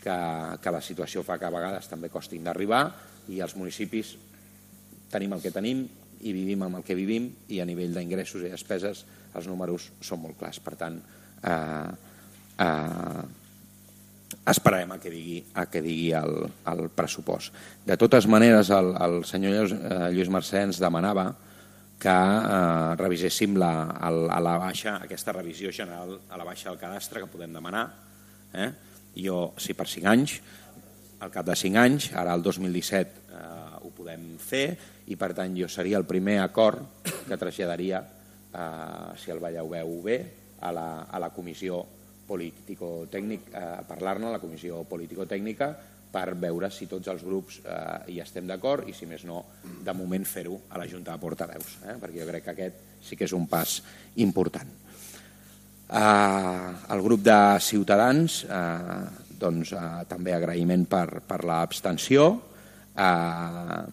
que, que la situació fa que a vegades també costin d'arribar, i els municipis tenim el que tenim i vivim amb el que vivim, i a nivell d'ingressos i despeses els números són molt clars. Per tant, eh, eh, esperarem a que digui, a que digui el, el pressupost. De totes maneres, el, el senyor Lluís, eh, Lluís Mercè ens demanava que eh, reviséssim la, el, a la baixa, aquesta revisió general a la baixa del cadastre que podem demanar. Eh? Jo, si per cinc anys, al cap de cinc anys, ara el dos mil disset eh, ho podem fer, i per tant jo seria el primer acord que traslladaria, eh, si el veieu bé, a la, a la comissió político-tècnica, eh, a parlar-ne a la comissió político-tècnica per veure si tots els grups eh, hi estem d'acord, i si més no, de moment fer-ho a la Junta de Portaveus, eh, perquè jo crec que aquest sí que és un pas important. Eh, el grup de Ciutadans, eh, doncs, eh, també agraïment per, per l'abstenció. Eh,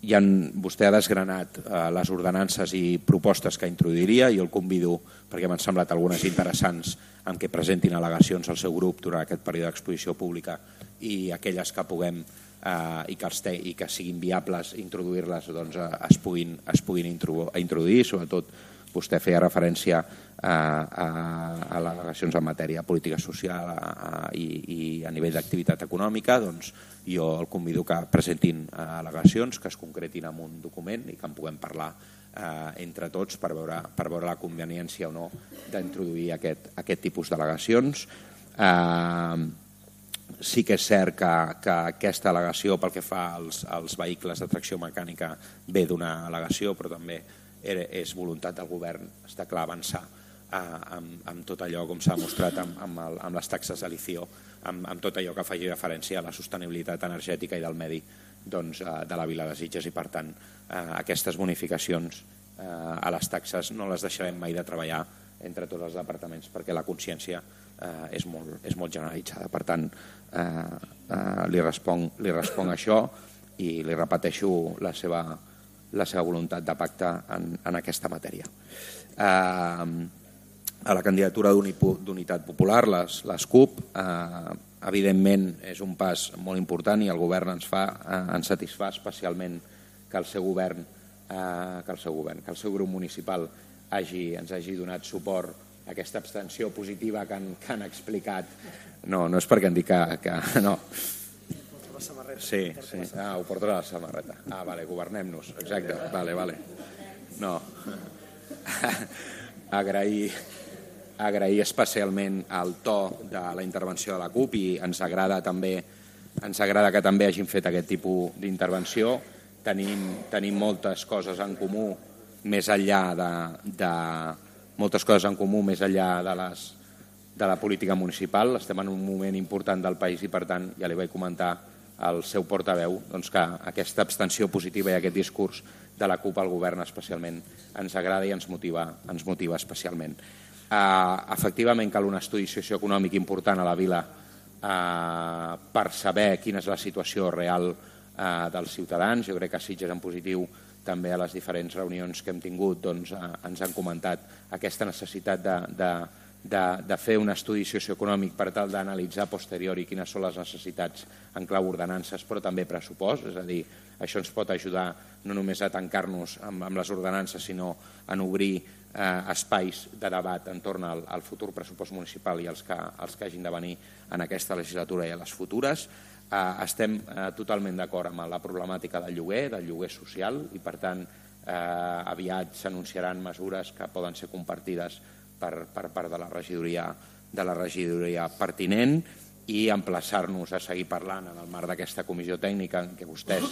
I en, vostè ha desgranat eh, les ordenances i propostes que introduiria. Jo el convido, perquè m'han semblat algunes interessants, en què presentin al·legacions al seu grup durant aquest període d'exposició pública, i aquelles que puguem eh, i, que els te, i que siguin viables introduir-les, doncs, eh, es puguin, es puguin introduir. Sobretot vostè feia referència a, a, a al·legacions en matèria política social a, a, i, i a nivell d'activitat econòmica. Doncs jo el convido que presentin al·legacions, que es concretin en un document i que en puguem parlar eh, entre tots per veure, per veure la conveniència o no d'introduir aquest, aquest tipus d'al·legacions. Eh, sí que és cert que, que aquesta al·legació pel que fa als, als vehicles de tracció mecànica ve d'una al·legació, però també és voluntat del govern, està clar, avançar eh, amb, amb tot allò, com s'ha demostrat amb, amb, el, amb les taxes de litio, amb, amb tot allò que faci referència a la sostenibilitat energètica i del medi, doncs, eh, de la Vila de Sitges, i per tant eh, aquestes bonificacions eh, a les taxes no les deixarem mai de treballar entre tots els departaments, perquè la consciència eh, és, molt, és molt generalitzada. Per tant, eh, eh, li responc, li responc això, i li repeteixo la seva la seva voluntat de pacte en, en aquesta matèria. Eh, a la candidatura d'Unitat Popular, les, les CUP. Eh, evidentment és un pas molt important i el govern ens, fa, eh, ens satisfà especialment que el seu govern, eh, que el seu govern, que el seu grup municipal hagi, ens hagi donat suport a aquesta abstenció positiva que han, que han explicat. No, no és perquè em dic que... que no. Sí, sí. Ah, ho porto a la samarreta. Ah, vale, governem-nos. Exacte, vale, vale. No. Agrair... agrair especialment el to de la intervenció de la CUP i ens agrada també ens agrada que també hagin fet aquest tipus d'intervenció. Tenim, tenim moltes coses en comú més enllà de, de moltes coses en comú més enllà de, les, de la política municipal. Estem en un moment important del país i per tant ja li vaig comentar al seu portaveu doncs, que aquesta abstenció positiva i aquest discurs de la CUP al govern especialment ens agrada i ens motiva, ens motiva especialment. Uh, efectivament cal un estudi socioeconòmic important a la vila uh, per saber quina és la situació real uh, dels ciutadans. Jo crec que a Sitges en positiu també a les diferents reunions que hem tingut doncs, uh, ens han comentat aquesta necessitat de, de, de, de fer un estudi socioeconòmic per tal d'analitzar a posteriori quines són les necessitats en clau ordenances però també pressupost, és a dir, això ens pot ajudar no només a tancar-nos amb, amb les ordenances sinó a obrir Eh, espais de debat entorn al, al futur pressupost municipal i els que, els que hagin de venir en aquesta legislatura i a les futures. Eh, estem eh, totalment d'acord amb la problemàtica del lloguer, del lloguer social i per tant eh, aviat s'anunciaran mesures que poden ser compartides per, per part de la regidoria, de la regidoria pertinent i emplaçar-nos a seguir parlant en el marc d'aquesta comissió tècnica en què vostès,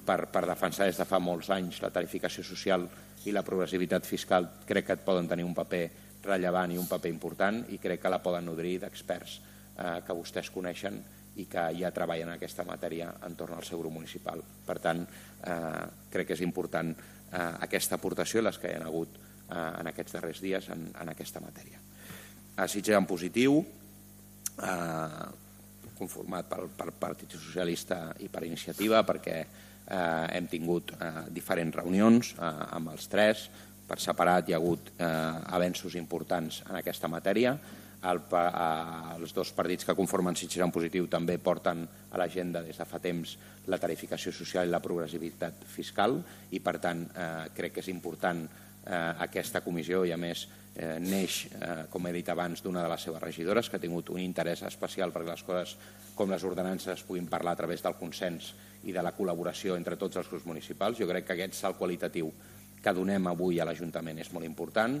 per, per defensar des de fa molts anys la tarificació social i la progressivitat fiscal, crec que et poden tenir un paper rellevant i un paper important i crec que la poden nodrir d'experts eh, que vostès coneixen i que ja treballen en aquesta matèria entorn al seu grup municipal. Per tant, eh, crec que és important eh, aquesta aportació i les que hi ha hagut eh, en aquests darrers dies en, en aquesta matèria. A Sitges en positiu, eh, conformat pel, pel Partit Socialista i per Iniciativa, perquè Eh, hem tingut eh, diferents reunions eh, amb els tres. Per separat hi ha hagut eh, avenços importants en aquesta matèria. El, eh, els dos partits que conformen Sitges en positiu també porten a l'agenda des de fa temps la tarificació social i la progressivitat fiscal i per tant eh, crec que és important eh, aquesta comissió i a més eh, neix, eh, com he dit abans, d'una de les seves regidores que ha tingut un interès especial perquè les coses com les ordenances es puguin parlar a través del consens i de la col·laboració entre tots els grups municipals. Jo crec que aquest salt qualitatiu que donem avui a l'Ajuntament és molt important.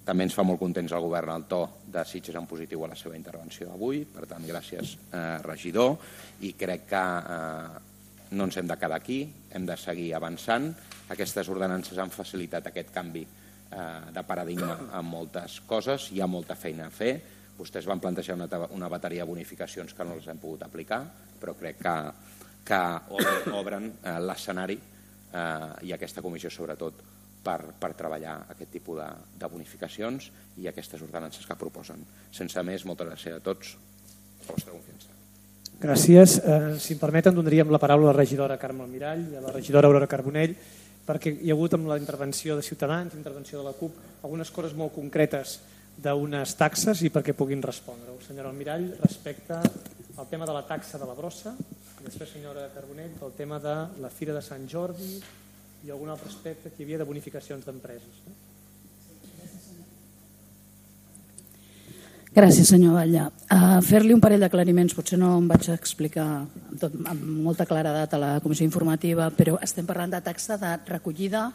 També ens fa molt contents el govern el to de Sitges en positiu a la seva intervenció avui. Per tant, gràcies, eh, regidor. I crec que eh, no ens hem de quedar aquí, hem de seguir avançant. Aquestes ordenances han facilitat aquest canvi eh, de paradigma en moltes coses. Hi ha molta feina a fer. Vostès van plantejar una, una bateria de bonificacions que no les hem pogut aplicar, però crec que, que obren, obren eh, l'escenari eh, i aquesta comissió sobretot per, per treballar aquest tipus de, de bonificacions i aquestes ordenances que proposen. Sense més, moltes gràcies a tots per la vostra confiança. Gràcies. Eh, si em permeten, donaríem la paraula a la regidora Carme Almirall i a la regidora Aurora Carbonell perquè hi ha hagut amb la intervenció de Ciutadans, intervenció de la CUP, algunes coses molt concretes d'unes taxes i perquè puguin respondre-ho. Senyora Almirall, respecte al tema de la taxa de la brossa, i després, senyora Carbonell, el tema de la Fira de Sant Jordi i algun altre aspecte que hi havia de bonificacions d'empreses. Gràcies, senyor Batlle. A fer-li un parell d'aclariments, potser no em vaig explicar amb, tot, amb molta claredat a la comissió informativa, però estem parlant de taxa de recollida,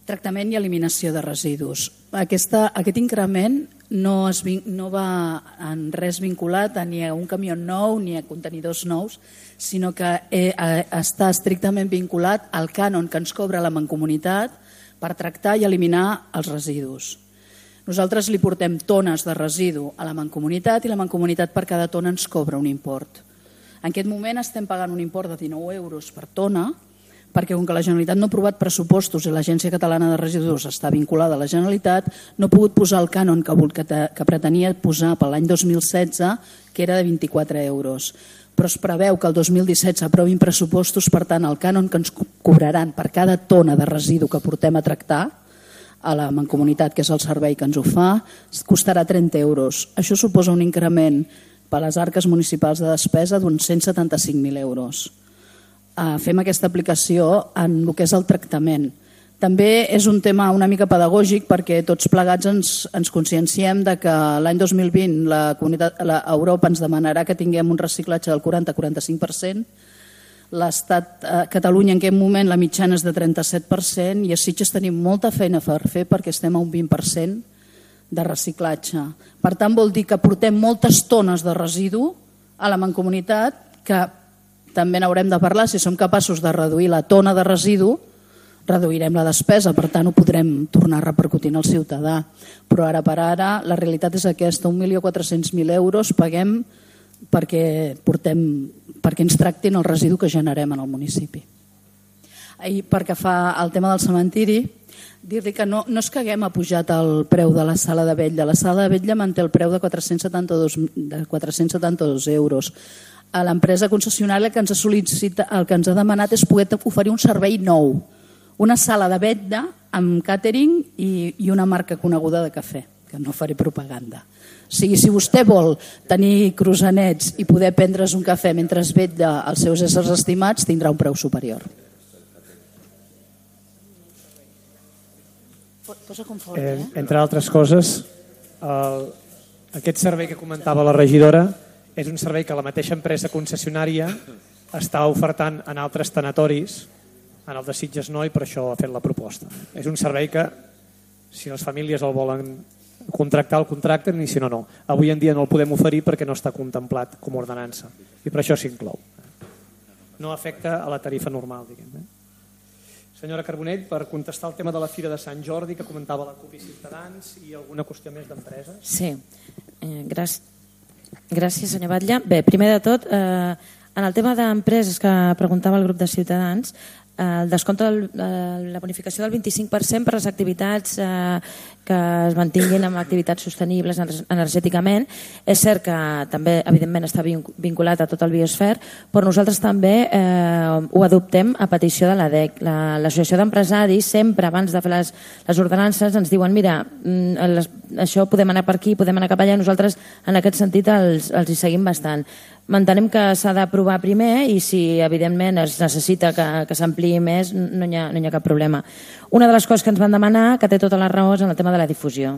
tractament i eliminació de residus. Aquesta, aquest increment no, es, no va en res vinculat a ni a un camió nou ni a contenidors nous, sinó que eh, està estrictament vinculat al cànon que ens cobra la Mancomunitat per tractar i eliminar els residus. Nosaltres li portem tones de residu a la Mancomunitat i la Mancomunitat per cada tona ens cobra un import. En aquest moment estem pagant un import de dinou euros per tona, perquè com que la Generalitat no ha aprovat pressupostos i l'Agència Catalana de Residus està vinculada a la Generalitat, no ha pogut posar el cànon que, que, que pretenia posar per l'any dos mil setze, que era de vint-i-quatre euros. Però es preveu que el dos mil disset s'aprovin pressupostos, per tant, el cànon que ens cobraran per cada tona de residu que portem a tractar a la Mancomunitat, que és el servei que ens ho fa, costarà trenta euros. Això suposa un increment per a les arques municipals de despesa d'uns cent setanta-cinc mil euros. Fem aquesta aplicació en el que és el tractament. També és un tema una mica pedagògic perquè tots plegats ens, ens conscienciem de que l'any dos mil vint la comunitat, la Europa ens demanarà que tinguem un reciclatge del quaranta a quaranta-cinc per cent. L'Estat, a Catalunya en aquest moment la mitjana és de trenta-set per cent i a Sitges tenim molta feina per fer perquè estem a un vint per cent de reciclatge. Per tant, vol dir que portem moltes tones de residu a la Mancomunitat que també n'haurem de parlar. Si som capaços de reduir la tona de residu, reduirem la despesa, per tant ho podrem tornar a repercutir al ciutadà. Però ara per ara la realitat és aquesta, un milió quatre-cents mil euros paguem perquè, portem, perquè ens tractin el residu que generem en el municipi. I perquè fa el tema del cementiri, dir-li que no, no és que haguem apujat el preu de la sala de vetlla. La sala de vetlla manté el preu de quatre-cents setanta-dos, de quatre-cents setanta-dos euros. A l'empresa concessionària el que ens ha sol·licitat, el que ens ha demanat és poder oferir un servei nou, una sala de vetlla amb càtering i, i una marca coneguda de cafè, que no faré propaganda. O sigui, si vostè vol tenir croissanets i poder prendre's un cafè mentre es vetlla els seus éssers estimats, tindrà un preu superior. Eh, entre altres coses, el, aquest servei que comentava la regidora és un servei que la mateixa empresa concessionària està ofertant en altres tanatoris, en el de Sitges no, i per això ha fet la proposta. És un servei que, si les famílies el volen contractar, el contracten, i si no, no. Avui en dia no el podem oferir perquè no està contemplat com a ordenança, i per això s'inclou. No afecta a la tarifa normal, diguem. Eh? Senyora Carbonell, per contestar el tema de la Fira de Sant Jordi, que comentava la CUP i Ciutadans, i alguna qüestió més d'empreses. Sí, eh, gràcies, gràcies senyor Batlle. Bé, primer de tot, eh, en el tema d'empreses que preguntava el grup de Ciutadans, el descompte de la bonificació del vint-i-cinc per cent per les activitats que es mantinguin amb activitats sostenibles energèticament. És cert que també, evidentment, està vinculat a tot el biosfer, però nosaltres també ho adoptem a petició de l'A D E C. L'Associació d'Empresaris sempre, abans de fer les, les ordenances, ens diuen mira, això podem anar per aquí, podem anar cap allà, i nosaltres en aquest sentit els, els hi seguim bastant. M'entenem que s'ha d'aprovar primer i si evidentment es necessita que, que s'ampliï més no hi, ha, no hi ha cap problema. Una de les coses que ens van demanar, que té tota la raó, és en el tema de la difusió.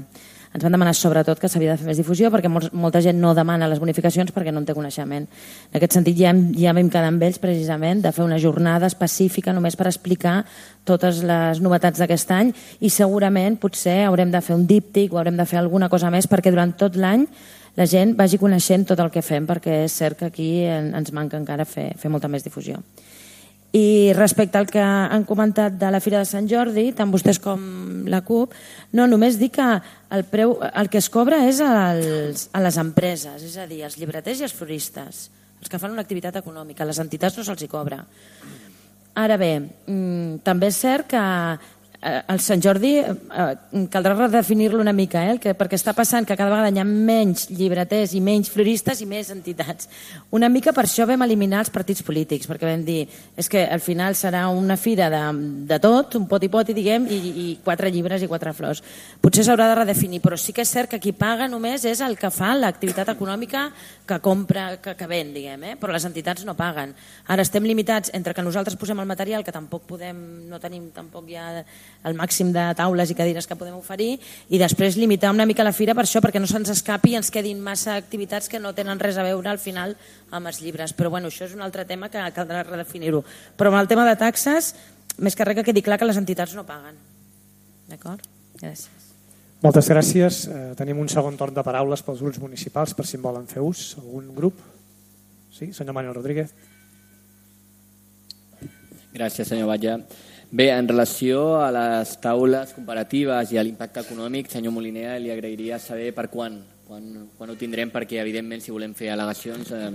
Ens van demanar sobretot que s'havia de fer més difusió perquè molts, molta gent no demana les bonificacions perquè no en té coneixement. En aquest sentit ja, ja vam quedar amb ells precisament de fer una jornada específica només per explicar totes les novetats d'aquest any i segurament potser haurem de fer un díptic o haurem de fer alguna cosa més perquè durant tot l'any la gent vagi coneixent tot el que fem perquè és cert que aquí ens manca encara fer, fer molta més difusió. I respecte al que han comentat de la Fira de Sant Jordi, tant vostès com la CUP, no, només dir que el, preu, el que es cobra és als, a les empreses, és a dir, als llibreters i als floristes, els que fan una activitat econòmica, les entitats no se'ls hi cobra. Ara bé, també és cert que el Sant Jordi caldrà redefinir-lo una mica, eh? Perquè està passant que cada vegada hi ha menys llibreters i menys floristes i més entitats. Una mica per això vam eliminar els partits polítics, perquè vam dir és que al final serà una fira de, de tot, un poti-poti, diguem, i, i quatre llibres i quatre flors. Potser s'haurà de redefinir, però sí que és cert que qui paga només és el que fa l'activitat econòmica que compra, que, que ven, diguem, eh? Però les entitats no paguen. Ara estem limitats entre que nosaltres posem el material, que tampoc podem, no tenim tampoc ja el màxim de taules i cadires que podem oferir, i després limitar una mica la fira per això, perquè no se'ns escapi i ens quedin massa activitats que no tenen res a veure al final amb els llibres. Però bueno, això és un altre tema que caldrà redefinir-ho. Però amb el tema de taxes, més que res que quedi clar que les entitats no paguen. D'acord? Gràcies. Moltes gràcies. Eh, tenim un segon torn de paraules pels grups municipals, per si en volen fer ús. Algun grup? Sí, senyor Manuel Rodríguez. Gràcies, senyor Batlle. Bé, en relació a les taules comparatives i a l'impacte econòmic, senyor Moliner, li agrairia saber per quan, quan, quan ho tindrem, perquè evidentment si volem fer al·legacions eh,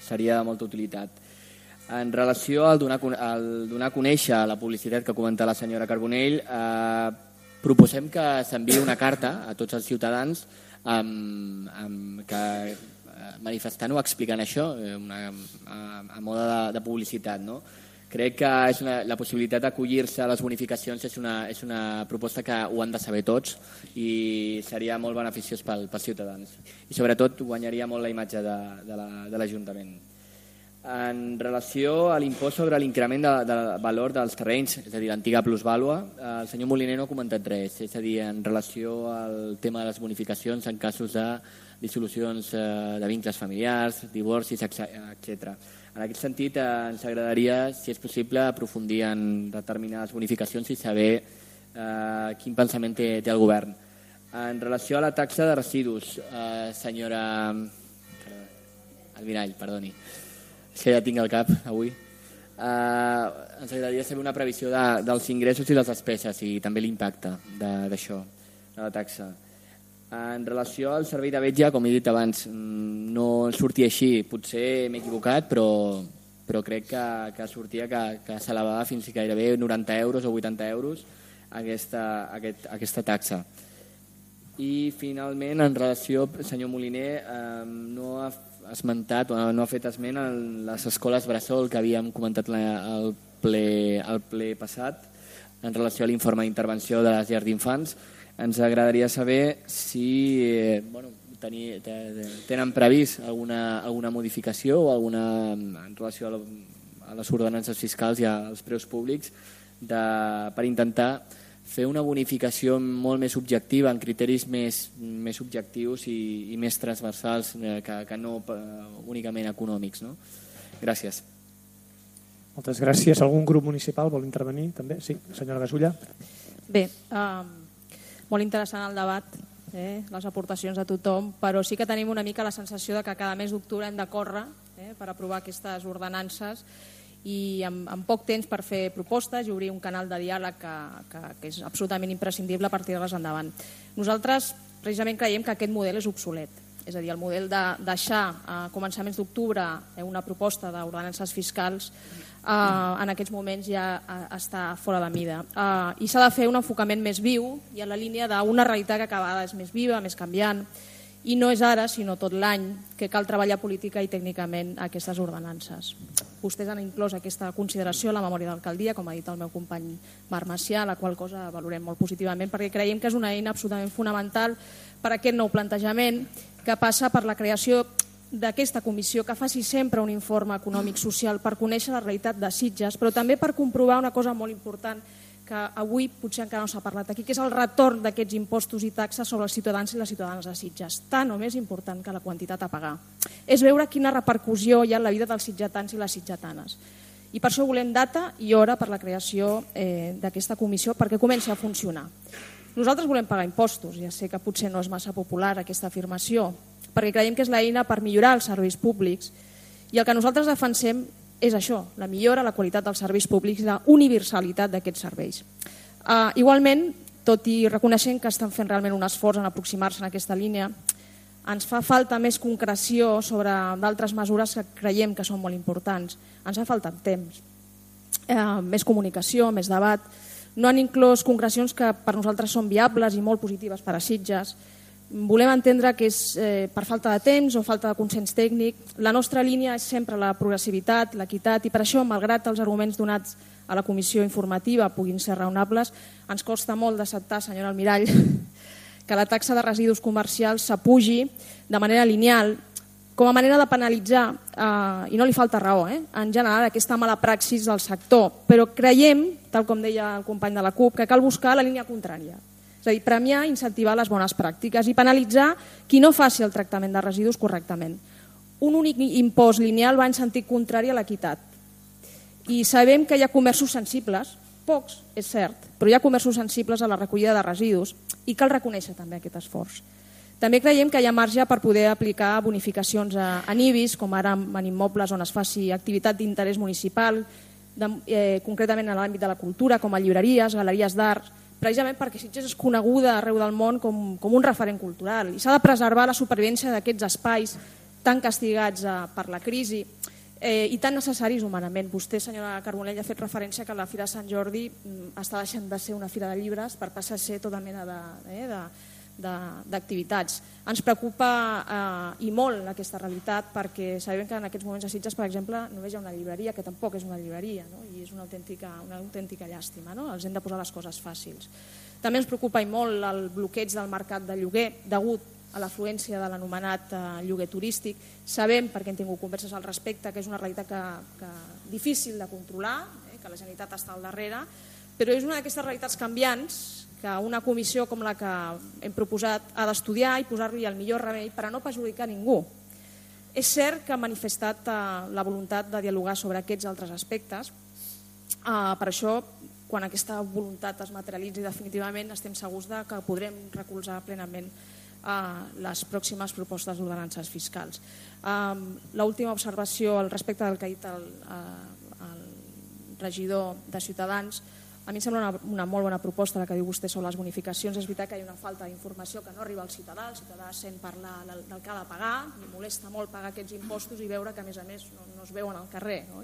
seria de molta utilitat. En relació al donar, al donar a conèixer la publicitat que comenta la senyora Carbonell, eh, proposem que s'enviï una carta a tots els ciutadans amb, amb que, manifestant o explicant això una, a, a mode de, de publicitat, no? Crec que és una, la possibilitat d'acollir-se a les bonificacions és una, és una proposta que ho han de saber tots i seria molt beneficiós pel, pels ciutadans. I sobretot guanyaria molt la imatge de, de l'Ajuntament. En relació a l'impost sobre l'increment de, de valor dels terrenys, és a dir, l'antiga plusvàlua, el senyor Moliner no ha comentat res, és a dir, en relació al tema de les bonificacions en casos de dissolucions de vincles familiars, divorcis, etcètera. En aquest sentit, ens agradaria, si és possible, aprofundir en determinades bonificacions i saber eh, quin pensament té, té el govern. En relació a la taxa de residus, eh, senyora Almirall, perdoni, és que ja tinc el cap avui, eh, ens agradaria saber una previsió de, dels ingressos i les despeses i també l'impacte d'això, de la taxa. En relació al servei de vetlla, com he dit abans, no sortia així, potser m'he equivocat, però, però crec que, que sortia que, que s'elevava fins i gairebé noranta euros o vuitanta euros aquesta, aquest, aquesta taxa. I finalment, en relació, senyor Moliner, eh, no ha esmentat o no ha fet esment en les escoles bressol que havíem comentat al ple, al ple passat en relació a l'informe d'intervenció de les llars d'infants. Ens agradaria saber si eh, bueno, tenir, tenen previst alguna, alguna modificació o alguna en relació a, la, a les ordenances fiscals i als preus públics de, per intentar fer una bonificació molt més objectiva, en criteris més, més objectius i, i més transversals eh, que, que no eh, únicament econòmics. No? Gràcies. Moltes gràcies. Algun grup municipal vol intervenir també? Sí, senyora Gasulla. Bé, um... molt interessant el debat, eh? les aportacions de tothom, però sí que tenim una mica la sensació de que cada mes d'octubre hem de córrer eh? per aprovar aquestes ordenances i amb, amb poc temps per fer propostes i obrir un canal de diàleg que, que, que és absolutament imprescindible per tirar-les endavant. Nosaltres precisament creiem que aquest model és obsolet, és a dir, el model de deixar a començaments d'octubre una proposta d'ordenances fiscals Uh, en aquests moments ja uh, està fora de mida. Uh, I s'ha de fer un enfocament més viu i en la línia d'una realitat que cada vegada és més viva, més canviant, i no és ara, sinó tot l'any, que cal treballar política i tècnicament aquestes ordenances. Vostès han inclòs aquesta consideració a la memòria d'alcaldia, com ha dit el meu company Marc Macià, la qual cosa valorem molt positivament, perquè creiem que és una eina absolutament fonamental per a aquest nou plantejament que passa per la creació d'aquesta comissió que faci sempre un informe econòmic social per conèixer la realitat de Sitges, però també per comprovar una cosa molt important que avui potser encara no s'ha parlat aquí, que és el retorn d'aquests impostos i taxes sobre els ciutadans i les ciutadanes de Sitges, tan o més important que la quantitat a pagar. És veure quina repercussió hi ha en la vida dels sitgetans i les sitgetanes. I per això volem data i hora per la creació eh, d'aquesta comissió perquè comenci a funcionar. Nosaltres volem pagar impostos, ja sé que potser no és massa popular aquesta afirmació, perquè creiem que és l'eina per millorar els serveis públics i el que nosaltres defensem és això, la millora, la qualitat dels serveis públics i la universalitat d'aquests serveis. Uh, igualment, tot i reconeixent que estan fent realment un esforç en aproximar-se en aquesta línia, ens fa falta més concreció sobre d'altres mesures que creiem que són molt importants. Ens fa falta temps, uh, més comunicació, més debat. No han inclòs concrecions que per nosaltres són viables i molt positives per a Sitges. Volem entendre que és eh, per falta de temps o falta de consens tècnic. La nostra línia és sempre la progressivitat, l'equitat, i per això, malgrat els arguments donats a la comissió informativa puguin ser raonables, ens costa molt d'acceptar, senyora Almirall, que la taxa de residus comercials s'apugi de manera lineal com a manera de penalitzar, eh, i no li falta raó, eh, en general aquesta mala praxis del sector, però creiem, tal com deia el company de la CUP, que cal buscar la línia contrària. És a dir, premiar i incentivar les bones pràctiques i penalitzar qui no faci el tractament de residus correctament. Un únic impost lineal va en sentit contrari a l'equitat. I sabem que hi ha comerços sensibles, pocs, és cert, però hi ha comerços sensibles a la recollida de residus i cal reconèixer també aquest esforç. També creiem que hi ha marge per poder aplicar bonificacions en I B I S, com ara en immobles on es faci activitat d'interès municipal, de, eh, concretament en l'àmbit de la cultura, com a llibreries, galeries d'art, precisament perquè Sitges és coneguda arreu del món com, com un referent cultural i s'ha de preservar la supervivència d'aquests espais tan castigats eh, per la crisi eh, i tan necessaris humanament. Vostè, senyora Carbonell, ha fet referència que la Fira de Sant Jordi mm, està deixant de ser una fira de llibres per passar a ser tota mena de, eh, de, d'activitats. Ens preocupa eh, i molt aquesta realitat perquè sabem que en aquests moments a Sitges, per exemple, només hi ha una llibreria, que tampoc és una llibreria, no? I és una autèntica, una autèntica llàstima, no? Els hem de posar les coses fàcils. També ens preocupa i molt el bloqueig del mercat de lloguer degut a l'afluència de l'anomenat eh, lloguer turístic. Sabem, perquè hem tingut converses al respecte, que és una realitat que, que difícil de controlar, eh, que la Generalitat està al darrere, però és una d'aquestes realitats canviants que una comissió com la que hem proposat ha d'estudiar i posar-li el millor remei per a no perjudicar ningú. És cert que ha manifestat eh, la voluntat de dialogar sobre aquests altres aspectes. Eh, per això, quan aquesta voluntat es materialitzi definitivament, estem segurs de que podrem recolzar plenament eh, les pròximes propostes d'ordenances fiscals. Eh, L'última observació al respecte del que ha dit el, eh, el regidor de Ciutadans. A mi em sembla una, una molt bona proposta la que diu vostè sobre les bonificacions. És veritat que hi ha una falta d'informació que no arriba al ciutadà. El ciutadà sent parlar del, del que ha de pagar, li molesta molt pagar aquests impostos i veure que a més a més no, no es veuen al carrer. No?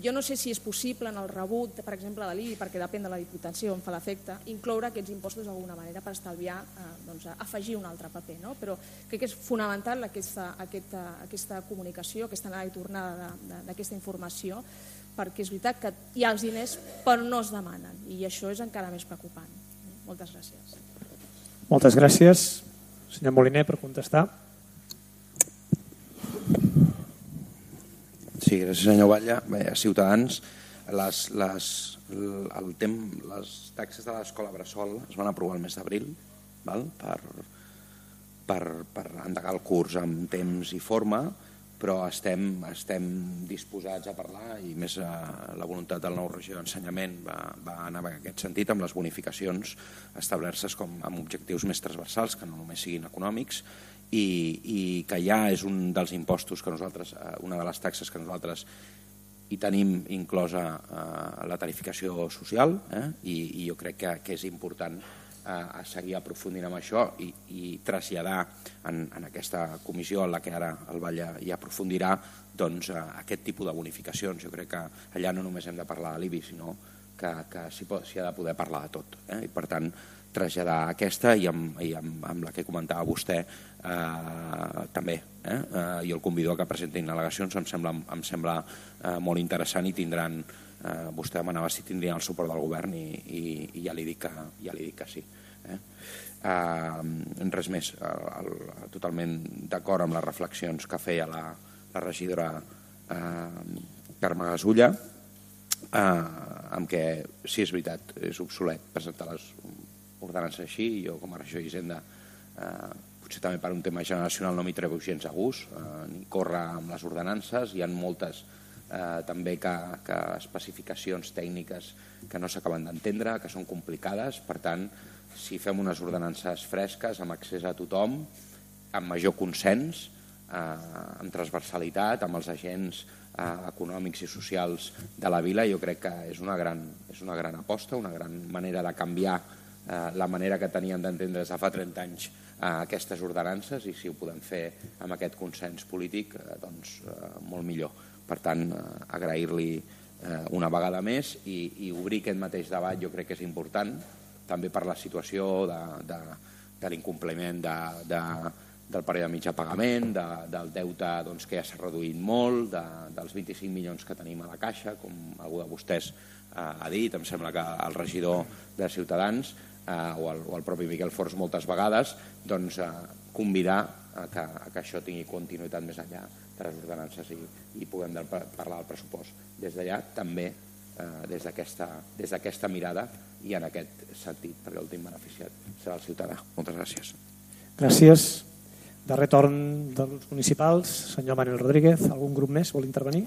Jo no sé si és possible en el rebut, per exemple, de l'I B I, perquè depèn de la Diputació on fa l'efecte, incloure aquests impostos d'alguna manera per estalviar, eh, doncs, afegir un altre paper. No? Però crec que és fonamental aquesta, aquesta, aquesta comunicació, aquesta anada i tornada d'aquesta informació, perquè és veritat que hi ha els diners però no es demanen i això és encara més preocupant. Moltes gràcies. Moltes gràcies. Senyor Moliner, per contestar. Sí, gràcies senyor Batlle. Bé, a Ciutadans les, les, el tem, les taxes de l'escola Bressol es van aprovar el mes d'abril per, per, per endegar el curs amb temps i forma, però estem, estem disposats a parlar i més a la voluntat del nou regidor d'Ensenyament va, va anar en aquest sentit amb les bonificacions establertes com amb objectius més transversals que no només siguin econòmics i, i que ja és un dels impostos que nosaltres, una de les taxes que nosaltres hi tenim inclosa eh, la tarificació social eh, i, i jo crec que, que és important a seguir aprofundint amb això i, i traslladar en, en aquesta comissió en la que ara el Batlle hi aprofundirà doncs, aquest tipus de bonificacions. Jo crec que allà no només hem de parlar de l'I B I, sinó que, que s'hi ha de poder parlar de tot. Eh? I per tant, traslladar aquesta i amb, i amb, amb la que comentava vostè eh, també. Eh? Eh, I el convido a que presentin al·legacions, em sembla, em sembla eh, molt interessant i tindran Uh, vostè demanava si tindrien el suport del govern i, i, i ja li dic que, ja li dic que sí. Eh? Uh, res més, el, el, totalment d'acord amb les reflexions que feia la, la regidora uh, Carme Gasulla, uh, amb què sí és veritat, és obsolet presentar les ordenances així, i jo com a regidor d'Hisenda uh, potser també per un tema generacional no m'hi trebo gens a gust, uh, ni córrer amb les ordenances, hi ha moltes Eh, també que, que especificacions tècniques que no s'acaben d'entendre, que són complicades, per tant, si fem unes ordenances fresques, amb accés a tothom, amb major consens, eh, amb transversalitat, amb els agents eh, econòmics i socials de la vila, jo crec que és una gran, és una gran aposta, una gran manera de canviar eh, la manera que teníem d'entendre des de fa trenta anys eh, aquestes ordenances, i si ho podem fer amb aquest consens polític, eh, doncs eh, molt millor. Per tant, agrair-li una vegada més i, i obrir aquest mateix debat jo crec que és important, també per la situació de, de, de l'incompliment de, de, del període de mitjà pagament, de, del deute doncs, que ja s'ha reduït molt, de, dels vint-i-cinc milions que tenim a la caixa, com algú de vostès eh, ha dit, em sembla que el regidor de Ciutadans eh, o, el, o el propi Miquel Forns moltes vegades, doncs eh, convidar a que, a que això tingui continuïtat més enllà de les ordenances i, i puguem de, parlar del pressupost des d'allà, també eh, des d'aquesta mirada i en aquest sentit, perquè l'últim beneficiat serà el ciutadà. Moltes gràcies. Gràcies. Darrer torn dels municipals, senyor Manuel Rodríguez. Algun grup més vol intervenir?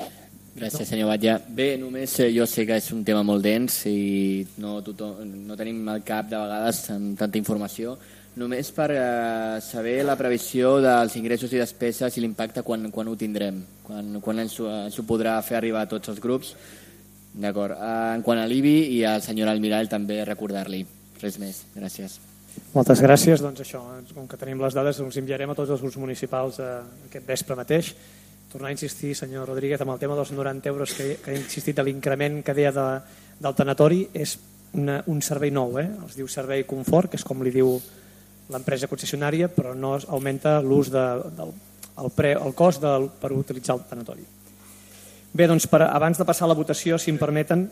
Gràcies, senyor Batlle. Bé, només jo sé que és un tema molt dens i no, tothom, no tenim al cap de vegades amb tanta informació. Només per eh, saber la previsió dels ingressos i despeses i l'impacte quan, quan ho tindrem, quan, quan ens, ens ho podrà fer arribar a tots els grups. D'acord. Eh, en quant a l'I B I i al senyor Almirall també recordar-li. Res més. Gràcies. Moltes gràcies. Doncs això, com que tenim les dades, us enviarem a tots els grups municipals eh, aquest vespre mateix. Tornar a insistir, senyor Rodríguez, amb el tema dels noranta euros que, que ha insistit a l'increment que deia de, del tanatori, és una, un servei nou, eh? Es diu servei confort, que és com li diu l'empresa concessionària, però no augmenta l'ús del el pre, el cost del, per utilitzar el tanatori. Bé, doncs per, abans de passar a la votació, si em permeten,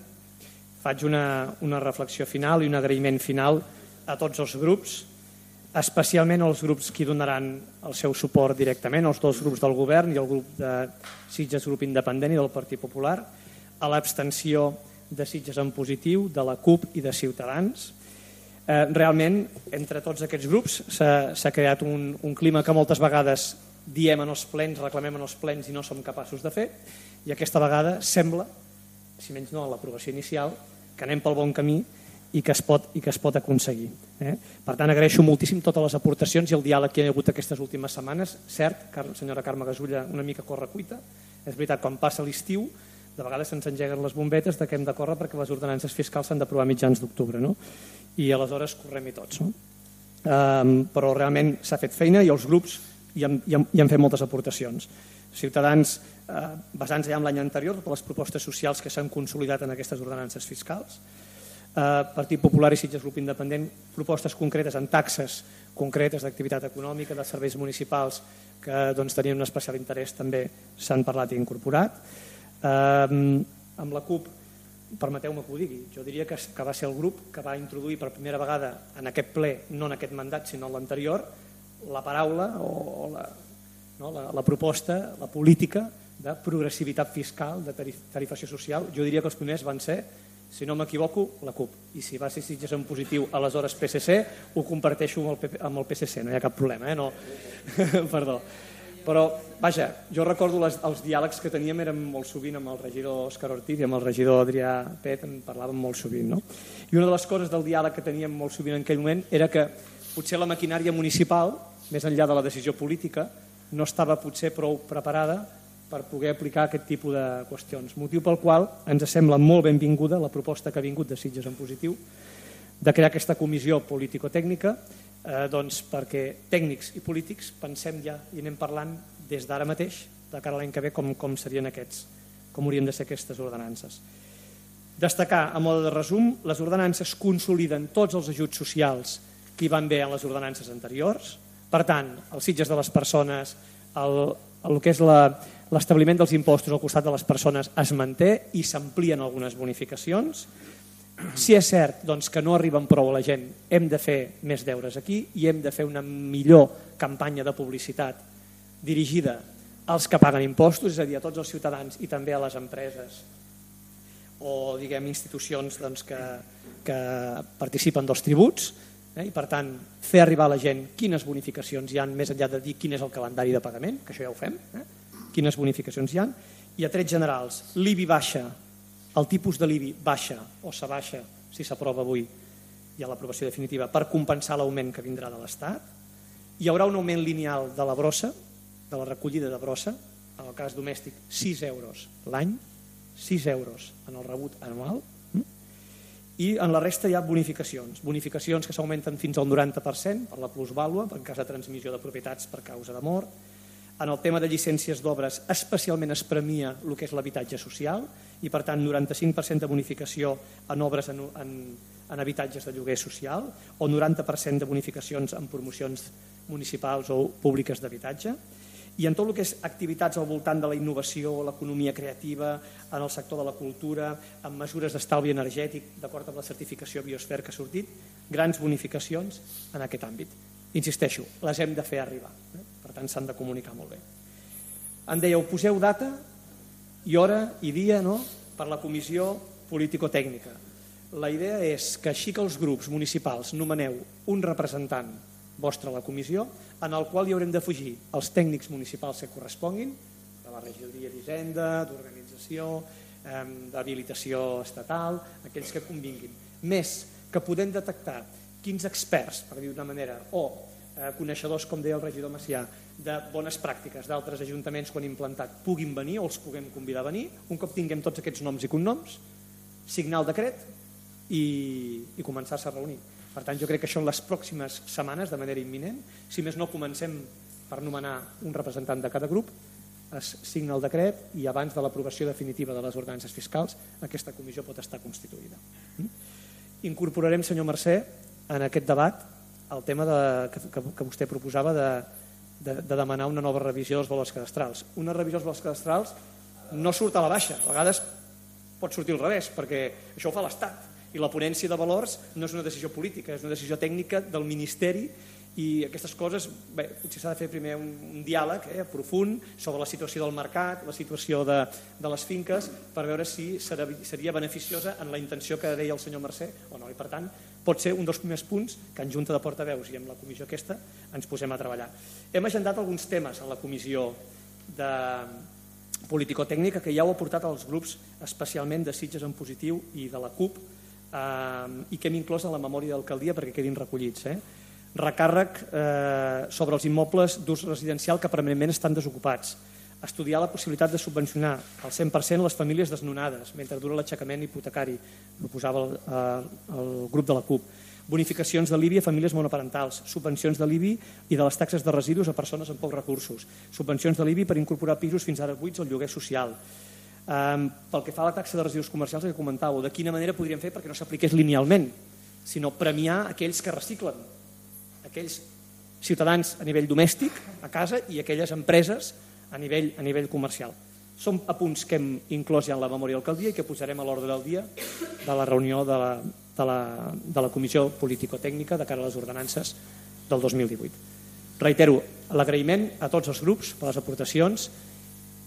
faig una, una reflexió final i un agraïment final a tots els grups, especialment als grups que donaran el seu suport directament, els dos grups del govern i el grup de Sitges Grup Independent i del Partit Popular, a l'abstenció de Sitges en positiu, de la CUP i de Ciutadans. Eh, realment, entre tots aquests grups s'ha creat un, un clima que moltes vegades diem en els plens, reclamem en els plens i no som capaços de fer, i aquesta vegada sembla, si menys no a l'aprovació inicial, que anem pel bon camí i que es pot, i que es pot aconseguir. Eh? Per tant, agraeixo moltíssim totes les aportacions i el diàleg que hi ha hagut aquestes últimes setmanes. Cert, senyora Carme Gasulla, una mica correcuita. És veritat, quan passa l'estiu, de vegades se'ns engeguen les bombetes de que hem de córrer perquè les ordenances fiscals s'han d'aprovar mitjans d'octubre, no? I aleshores correm-hi tots. No? Um, però realment s'ha fet feina i els grups i han, i han, i han fet moltes aportacions. Ciutadans, eh, basant-se ja en l'any anterior, totes les propostes socials que s'han consolidat en aquestes ordenances fiscals. Eh, Partit Popular i Sitges Grup Independent, propostes concretes en taxes concretes d'activitat econòmica, de serveis municipals, que doncs, tenien un especial interès, també s'han parlat i incorporat. Eh, amb la CUP, permeteu-me que ho digui, jo diria que, que va ser el grup que va introduir per primera vegada en aquest ple, no en aquest mandat, sinó en l'anterior, la paraula o la, no, la, la proposta, la política de progressivitat fiscal, de tarifació social. Jo diria que els primers van ser, si no m'equivoco, la CUP. I si va ser Sitges en positiu, aleshores P S C, ho comparteixo amb el, P P, amb el P S C, no hi ha cap problema, eh? No. Perdó. Però, vaja, jo recordo les, els diàlegs que teníem eren molt sovint amb el regidor Òscar Ortiz i amb el regidor Adrià Pet, en parlàvem molt sovint. No? I una de les coses del diàleg que teníem molt sovint en aquell moment era que potser la maquinària municipal, més enllà de la decisió política, no estava potser prou preparada per poder aplicar aquest tipus de qüestions. Motiu pel qual ens sembla molt benvinguda la proposta que ha vingut de Sitges en positiu de crear aquesta comissió político-tècnica eh, doncs perquè tècnics i polítics pensem ja i anem parlant des d'ara mateix, de cara a l'any que ve, com, com serien aquests, com haurien de ser aquestes ordenances. Destacar, a mode de resum, les ordenances consoliden tots els ajuts socials que hi van bé en les ordenances anteriors. Per tant, els Sitges de les persones, el, el que és l'establiment dels impostos al costat de les persones es manté i s'amplien algunes bonificacions. Si és cert doncs, que no arriben prou a la gent, hem de fer més deures aquí i hem de fer una millor campanya de publicitat dirigida als que paguen impostos, és a dir, a tots els ciutadans i també a les empreses o diguem institucions doncs, que, que participen dels tributs. Eh? I per tant, fer arribar a la gent quines bonificacions hi ha, més enllà de dir quin és el calendari de pagament, que això ja ho fem, eh? Quines bonificacions hi ha, i a trets generals, l'I B I baixa, el tipus de l'I B I baixa o s'abaixa, si s'aprova avui, i a l'aprovació definitiva, per compensar l'augment que vindrà de l'Estat. Hi haurà un augment lineal de la brossa, de la recollida de brossa, en el cas domèstic, sis euros l'any, sis euros en el rebut anual, i en la resta hi ha bonificacions, bonificacions que s'augmenten fins al noranta per cent per la plusvàlua, en cas de transmissió de propietats per causa de mort. En el tema de llicències d'obres especialment es premia el que és l'habitatge social i per tant noranta-cinc per cent de bonificació en obres en, en, en habitatges de lloguer social o noranta per cent de bonificacions en promocions municipals o públiques d'habitatge. I en tot el que és activitats al voltant de la innovació, l'economia creativa, en el sector de la cultura, amb mesures d'estalvi energètic, d'acord amb la certificació Biosfer que ha sortit, grans bonificacions en aquest àmbit. Insisteixo, les hem de fer arribar, eh? Per tant s'han de comunicar molt bé. Em dèieu, poseu data i hora i dia, no?, per la comissió político-tècnica. La idea és que així que els grups municipals nomeneu un representant vostre a la comissió, en el qual hi haurem d'afegir els tècnics municipals que corresponguin, de la regidoria d'Hisenda, d'organització, eh, d'habilitació estatal, aquells que convinguin. Més que podem detectar quins experts, per dir d'una manera, o eh, coneixedors, com deia el regidor Macià, de bones pràctiques d'altres ajuntaments quan implantat puguin venir o els puguem convidar a venir, un cop tinguem tots aquests noms i cognoms, signar el decret i, i començar-se a reunir. Per tant, jo crec que això en les pròximes setmanes, de manera imminent, si més no comencem per nomenar un representant de cada grup, es signa el decret i abans de l'aprovació definitiva de les ordenances fiscals aquesta comissió pot estar constituïda. Incorporarem, senyor Mercè, en aquest debat el tema de, que, que, que vostè proposava de, de, de demanar una nova revisió dels valors cadastrals. Una revisió dels valors cadastrals no surt a la baixa, a vegades pot sortir al revés, perquè això ho fa l'Estat, i la ponència de valors no és una decisió política, és una decisió tècnica del Ministeri, i aquestes coses, bé, potser s'ha de fer primer un, un diàleg eh, profund sobre la situació del mercat, la situació de, de les finques, per veure si serà, seria beneficiosa en la intenció que deia el senyor Mercè o no, i per tant pot ser un dels primers punts que en Junta de Portaveus i en la comissió aquesta ens posem a treballar. Hem agendat alguns temes en la comissió de político-tècnica que ja heu aportat als grups, especialment de Sitges en Positiu i de la CUP, eh, i que hem inclòs en la memòria d'alcaldia perquè quedin recollits. Eh? Recàrrec eh, sobre els immobles d'ús residencial que permanentment estan desocupats. Estudiar la possibilitat de subvencionar al cent per cent les famílies desnonades mentre dura l'aixecament hipotecari, proposava el, eh, el grup de la CUP. Bonificacions de l'I B I a famílies monoparentals, subvencions de l'I B I i de les taxes de residus a persones amb pocs recursos, subvencions de l'I B I per incorporar pisos fins ara buits al lloguer social. Um, pel que fa a la taxa de residus comercials que comentàveu, de quina manera podríem fer perquè no s'apliqués linealment, sinó premiar aquells que reciclen, aquells ciutadans a nivell domèstic, a casa, i aquelles empreses a nivell, a nivell comercial. Són apunts que hem inclòs ja en la memòria d'alcaldia i que posarem a l'ordre del dia de la reunió de la, de la, de la Comissió Político-Tècnica de cara a les ordenances del dos mil divuit. Reitero l'agraïment a tots els grups per les aportacions,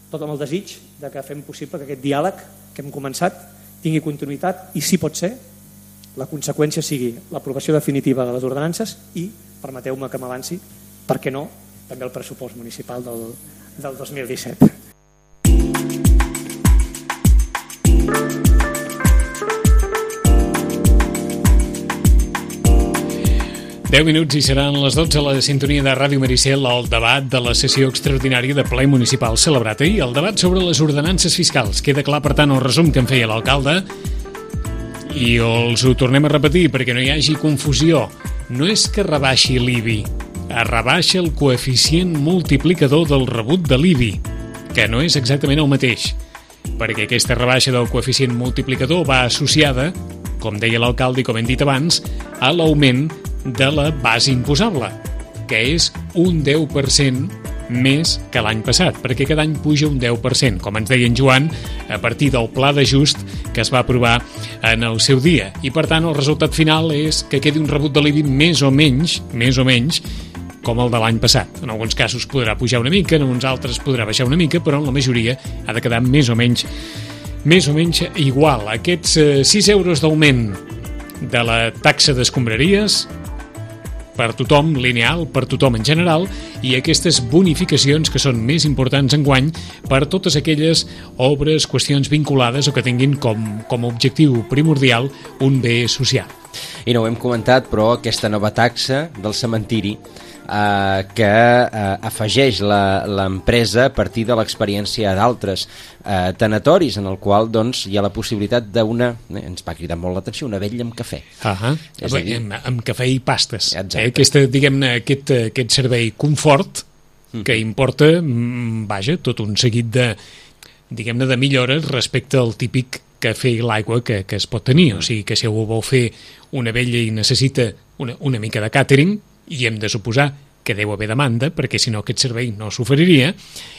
tot amb el desig de que fem possible que aquest diàleg que hem començat tingui continuïtat i, si pot ser, la conseqüència sigui l'aprovació definitiva de les ordenances i, permeteu-me que m'avanci, per què no, també el pressupost municipal del, del dos mil disset. deu minuts i seran les dotze a la sintonia de Ràdio Maricel al debat de la sessió extraordinària de ple municipal celebrat ahir, el debat sobre les ordenances fiscals. Queda clar, per tant, el resum que en feia l'alcalde i els ho tornem a repetir perquè no hi hagi confusió. No és que rebaixi l'I B I, es rebaixa el coeficient multiplicador del rebut de l'I B I, que no és exactament el mateix, perquè aquesta rebaixa del coeficient multiplicador va associada, com deia l'alcalde i com hem dit abans, a l'augment de la base imposable, que és un deu per cent més que l'any passat, perquè cada any puja un deu per cent, com ens deia en Joan, a partir del pla d'ajust que es va aprovar en el seu dia. I, per tant, el resultat final és que quedi un rebut de l'I B I més o menys, més o menys, com el de l'any passat. En alguns casos podrà pujar una mica, en uns altres podrà baixar una mica, però en la majoria ha de quedar més o menys, més o menys igual. Aquests eh, sis euros d'augment de la taxa d'escombraries per tothom, lineal, per tothom en general, i aquestes bonificacions que són més importants enguany per totes aquelles obres, qüestions vinculades o que tinguin com, com a objectiu primordial un bé social. I no ho hem comentat, però aquesta nova taxa del cementiri eh, que eh, afegeix l'empresa a partir de l'experiència d'altres eh, tanatoris, en el qual doncs, hi ha la possibilitat d'una, eh, ens va cridar molt l'atenció, una vetlla amb cafè. Ah, és a dir, amb, amb cafè i pastes. Eh? Aquesta, diguem-ne, aquest, aquest servei confort que importa, vaja, tot un seguit de, diguem-ne, de millores respecte al típic cafè i l'aigua que, que es pot tenir. O sigui que si algú vol fer una vetlla i necessita una, una mica de càtering, i hem de suposar que deu haver demanda, perquè si no aquest servei no s'oferiria,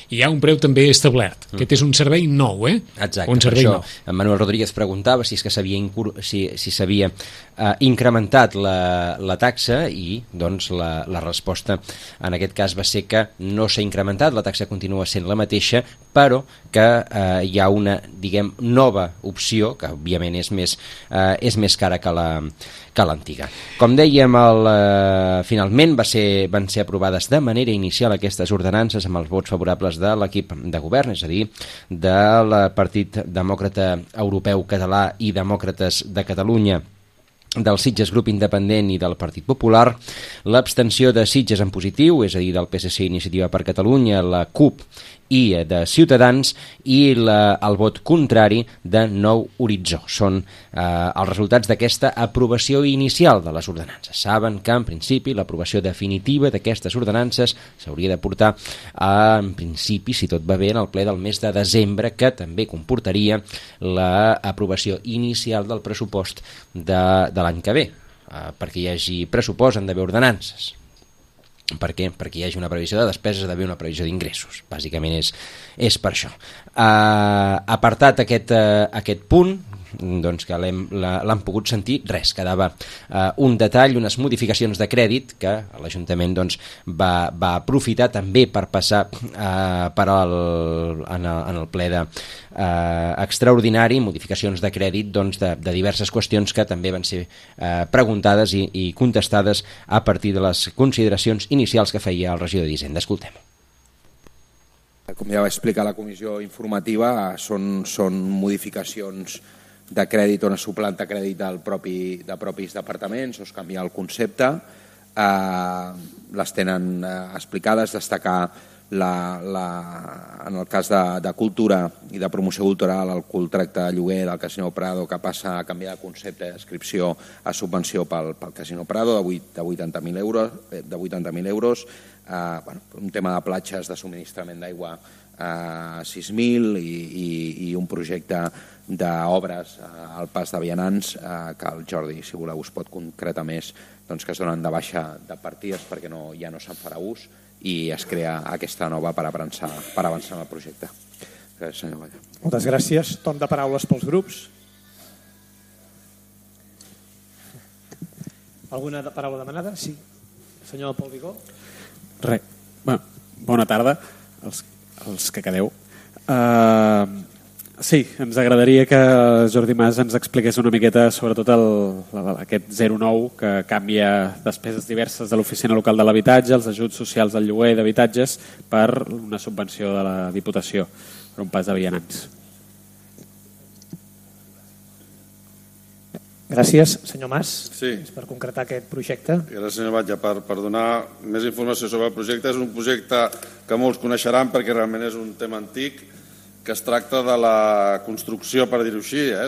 hi ha un preu també establert. Mm. Aquest és un servei nou, eh? Exacte, un servei per això nou. En Manuel Rodríguez preguntava si és que s'havia si, si s'havia uh, incrementat la, la taxa i doncs la, la resposta en aquest cas va ser que no s'ha incrementat, la taxa continua sent la mateixa, però que uh, hi ha una, diguem, nova opció, que òbviament és més, uh, és més cara que la que l'antiga. Com dèiem, el, uh, finalment va ser, van ser aprovades de manera inicial aquestes ordenances amb els vots favorables de l'equip de govern, és a dir, del Partit Demòcrata Europeu Català i Demòcrates de Catalunya, del Sitges Grup Independent i del Partit Popular, l'abstenció de Sitges en Positiu, és a dir, del P S C Iniciativa per Catalunya, la CUP i de Ciutadans, i la, el vot contrari de Nou Horitzó. Són eh, els resultats d'aquesta aprovació inicial de les ordenances. Saben que, en principi, l'aprovació definitiva d'aquestes ordenances s'hauria de portar, a, en principi, si tot va bé, en el ple del mes de desembre, que també comportaria l'aprovació inicial del pressupost de, de l'any que ve. eh, perquè hi hagi pressupost han d'haver ordenances. Per què? Perquè hi hagi una previsió de despeses, ha d'haver una previsió d'ingressos. Bàsicament és, és per això. Uh, apartat aquest, uh, aquest punt, doncs que l'han pogut sentir, res, quedava uh, un detall, unes modificacions de crèdit que l'Ajuntament doncs, va, va aprofitar també per passar uh, per al, en, el, en el ple de, uh, extraordinari, modificacions de crèdit doncs, de, de diverses qüestions que també van ser uh, preguntades i, i contestades a partir de les consideracions inicials que feia el regidor d'Hisenda. Escoltem. Com ja va explicar la comissió informativa, són, són modificacions de crèdit on es suplanta crèdit del propi, de propis departaments, o es canvia el concepte, eh, les tenen eh, explicades, destacar la, la, en el cas de, de cultura i de promoció cultural el contracte de lloguer del Casino Prado que passa a canviar de concepte d'adscripció a subvenció pel, pel Casino Prado de vuitanta mil euros, de vuitanta mil euros eh, bueno, un tema de platges de subministrament d'aigua a sis mil i, i, i un projecte d'obres al pas de vianants eh, que el Jordi, si voleu, us pot concretar més, doncs que es donen de baixa de partides perquè no, ja no se'n farà ús i es crea aquesta nova per avançar, per avançar en el projecte. Gràcies, senyor Valla. Moltes gràcies. Torn de paraules pels grups. Alguna paraula demanada? Sí. Senyor Pol Vigó. Res. Bueno, bona tarda als, als que quedeu. Uh, sí, ens agradaria que Jordi Mas ens expliqués una miqueta sobretot el, aquest zero nou que canvia despeses diverses de l'Oficina Local de l'Habitatge, els ajuts socials al lloguer d'habitatges per una subvenció de la Diputació per un pas de vianants. Gràcies, senyor Mas, sí. per concretar aquest projecte. Gràcies, senyor Batlle, per, per donar més informació sobre el projecte. És un projecte que molts coneixeran perquè realment és un tema antic, que es tracta de la construcció, per dir-ho així, eh,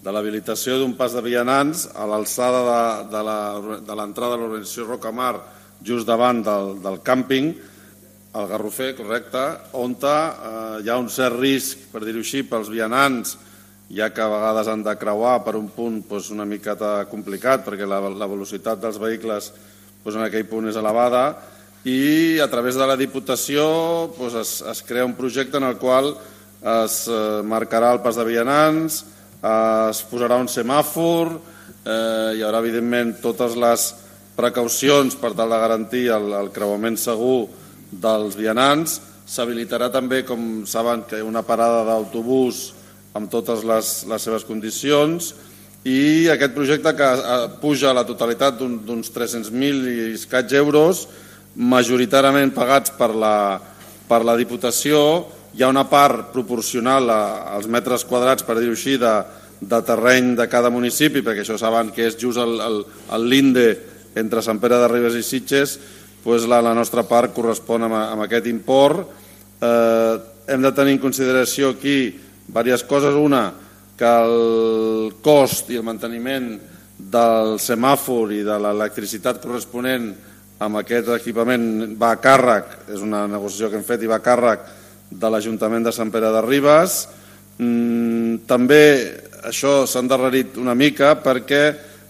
de l'habilitació d'un pas de vianants a l'alçada de l'entrada de l'organització Rocamar, just davant del, del càmping, al Garrofer, correcte, on eh, hi ha un cert risc, per dir-ho així, pels vianants, ja que a vegades han de creuar per un punt doncs, una miqueta complicat, perquè la, la velocitat dels vehicles doncs, en aquell punt és elevada, i a través de la Diputació doncs, es, es crea un projecte en el qual es eh, marcarà el pas de vianants, eh, es posarà un semàfor, eh, hi haurà evidentment totes les precaucions per tal de garantir el, el creuament segur dels vianants, s'habilitarà també, com saben, que hi ha una parada d'autobús amb totes les, les seves condicions, i aquest projecte que puja a la totalitat d'uns tres-cents mil i escaig euros, majoritàriament pagats per la, per la Diputació. Hi ha una part proporcional als metres quadrats, per dir-ho així, de, de terreny de cada municipi, perquè això saben que és just el, el, el linde entre Sant Pere de Ribes i Sitges, doncs la, la nostra part correspon amb, amb aquest import. Eh, hem de tenir en consideració aquí diverses coses. Una, que el cost i el manteniment del semàfor i de l'electricitat corresponent amb aquest equipament va a càrrec, és una negociació que hem fet i va a càrrec de l'Ajuntament de Sant Pere de Ribes. També això s'ha endarrerit una mica perquè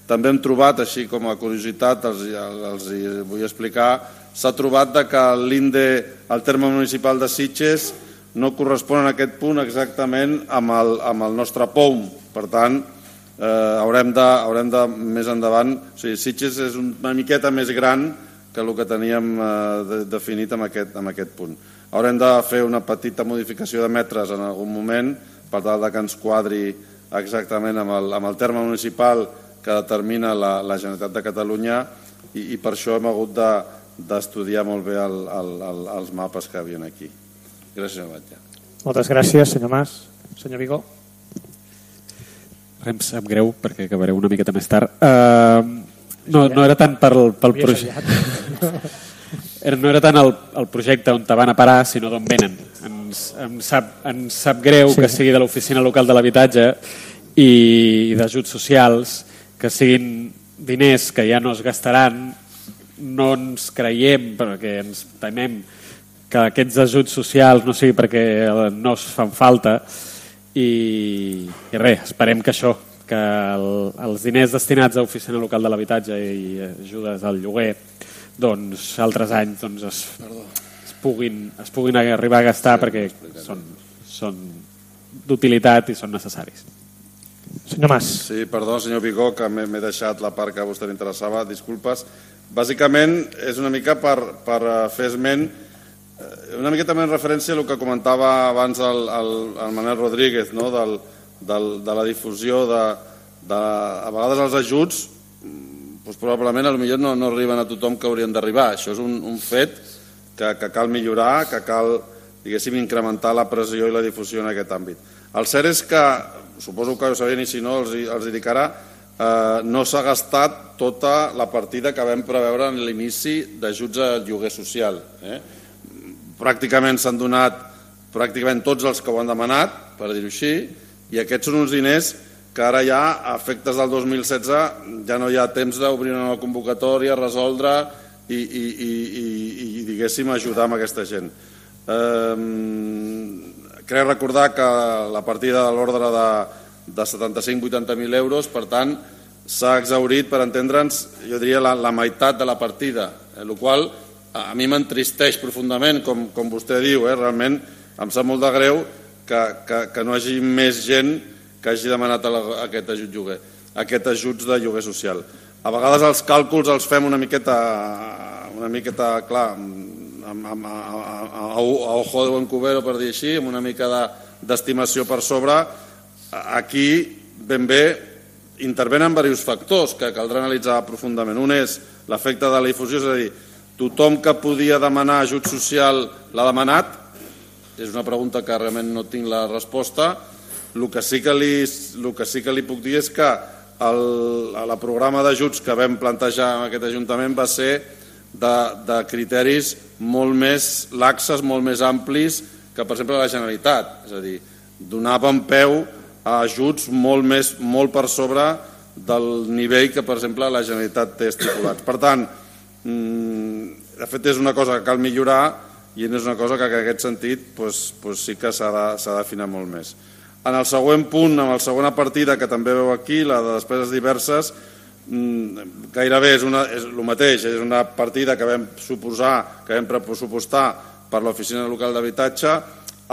també hem trobat, així com a curiositat, els, els vull explicar, s'ha trobat que l'Inde, el terme municipal de Sitges, no correspon en aquest punt exactament amb el, amb el nostre P O M. Per tant, eh, haurem, de, haurem de més endavant... O sigui, Sitges és una miqueta més gran que el que teníem eh, de, definit en aquest, en aquest punt. Haurem de fer una petita modificació de metres en algun moment per tal de que ens quadri exactament amb el, amb el terme municipal que determina la, la Generalitat de Catalunya i, i per això hem hagut d'estudiar de, molt bé el, el, el, els mapes que hi havia aquí. Gràcies, senyor Batlle. Moltes gràcies, senyor Mas. Senyor Vigó. Em sap greu, perquè acabaré una miqueta més tard. Uh, no, no era tant pel, pel projecte. No era tant el, el projecte on te van a parar, sinó d'on venen. Ens, em, sap, ens sap greu sí. que sigui de l'Oficina Local de l'Habitatge i, i d'ajuts socials, que siguin diners que ja no es gastaran, no ens creiem, perquè ens temem que aquests ajuts socials no sigui perquè no es fan falta i, i res, esperem que això, que el, els diners destinats a Oficina Local de l'Habitatge i ajudes al lloguer, doncs altres anys doncs, es, es, puguin, es puguin arribar a gastar perquè són, són d'utilitat i són necessaris. Senyor Mas. Sí, perdó, senyor Vigó, que m'he deixat la part que a vostè li interessava, disculpes. Bàsicament és una mica per, per fer esment, una mica també en referència a el que comentava abans el, el, el Manel Rodríguez, no? del, del, de la difusió de, de, a vegades els ajuts doncs probablement potser no, no arriben a tothom que haurien d'arribar. Això és un, un fet que, que cal millorar, que cal, diguéssim, incrementar la pressió i la difusió en aquest àmbit. El cert és que, suposo que ho sabien i si no els, els dic ara, eh, no s'ha gastat tota la partida que vam preveure en l'inici d'ajuts al lloguer social. Eh? Pràcticament s'han donat pràcticament tots els que ho han demanat, per dir-ho així, i aquests són uns diners que ara ja, a efectes del dos mil setze, ja no hi ha temps d'obrir una nova convocatòria, resoldre i, i, i, i, i diguéssim, ajudar amb aquesta gent. Eh, crec recordar que la partida de l'ordre de, de setanta-cinc a vuitanta mil euros, per tant, s'ha exhaurit, per entendre'ns, jo diria la, la meitat de la partida, eh, el qual a mi m'entristeix profundament, com, com vostè diu, eh, realment em sap molt de greu que, que, que no hi hagi més gent que hagi demanat aquest ajut lloguer, aquest ajuts de lloguer social. A vegades els càlculs els fem una miqueta, una miqueta clar, a, a, a, a ojo de buen cubero, per dir així, amb una mica d'estimació per sobre. Aquí, ben bé, intervenen diversos factors que caldrà analitzar profundament. Un és l'efecte de la difusió, és a dir, tothom que podia demanar ajut social l'ha demanat? És una pregunta que realment no tinc la resposta. El que sí que li, el que sí que li puc dir és que el, el programa d'ajuts que vam plantejar en aquest Ajuntament va ser de, de criteris molt més laxes, molt més amplis que, per exemple, la Generalitat. És a dir, donàvem peu a ajuts molt, més, molt per sobre del nivell que, per exemple, la Generalitat té estipulat. Per tant, de fet, és una cosa que cal millorar i és una cosa que en aquest sentit doncs, doncs sí que s'ha d'afinar molt més. En el següent punt, en la segona partida que també veu aquí, la de despeses diverses, gairebé és, una, és el mateix, és una partida que vam suposar, que vam pressupostar per l'Oficina Local d'Habitatge.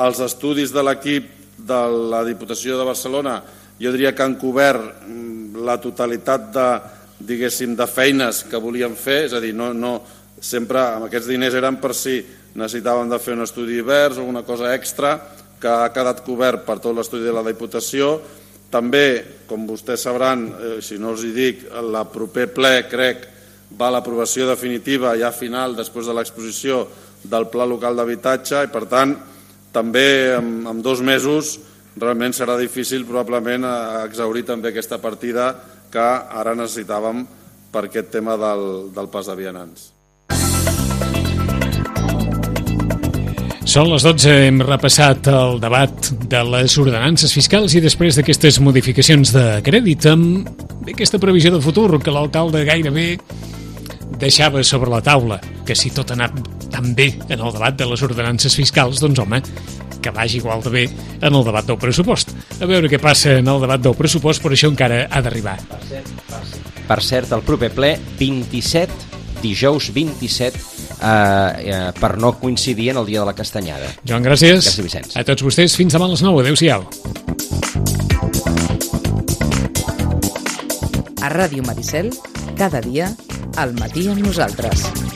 Els estudis de l'equip de la Diputació de Barcelona jo diria que han cobert la totalitat de, diguéssim, de feines que volíem fer, és a dir, no, no, sempre amb aquests diners eren per si necessitàvem de fer un estudi divers o una cosa extra, que ha quedat cobert per tot l'estudi de la Diputació. També, com vostès sabran, eh, si no els hi dic, el proper ple, crec, va a l'aprovació definitiva ja final, després de l'exposició del Pla Local d'Habitatge, i per tant, també en, en dos mesos realment serà difícil probablement exhaurir també aquesta partida que ara necessitàvem per aquest tema del, del pas de vianants. Són les dotze, hem repassat el debat de les ordenances fiscals i després d'aquestes modificacions de crèdit amb aquesta previsió de futur que l'alcalde gairebé deixava sobre la taula, que si tot ha anat tan bé en el debat de les ordenances fiscals, doncs home, que vagi igual de bé en el debat del pressupost. A veure què passa en el debat del pressupost, però això encara ha d'arribar. Per cert, per cert, per cert, el proper ple, vint-i-set, dijous vint-i-set, eh, eh, per no coincidir en el dia de la Castanyada. Joan, gràcies. Gràcies, Vicenç. A tots vostès, fins demà a les nou. Adéu-siau. A Ràdio Maricel, cada dia, al matí amb nosaltres.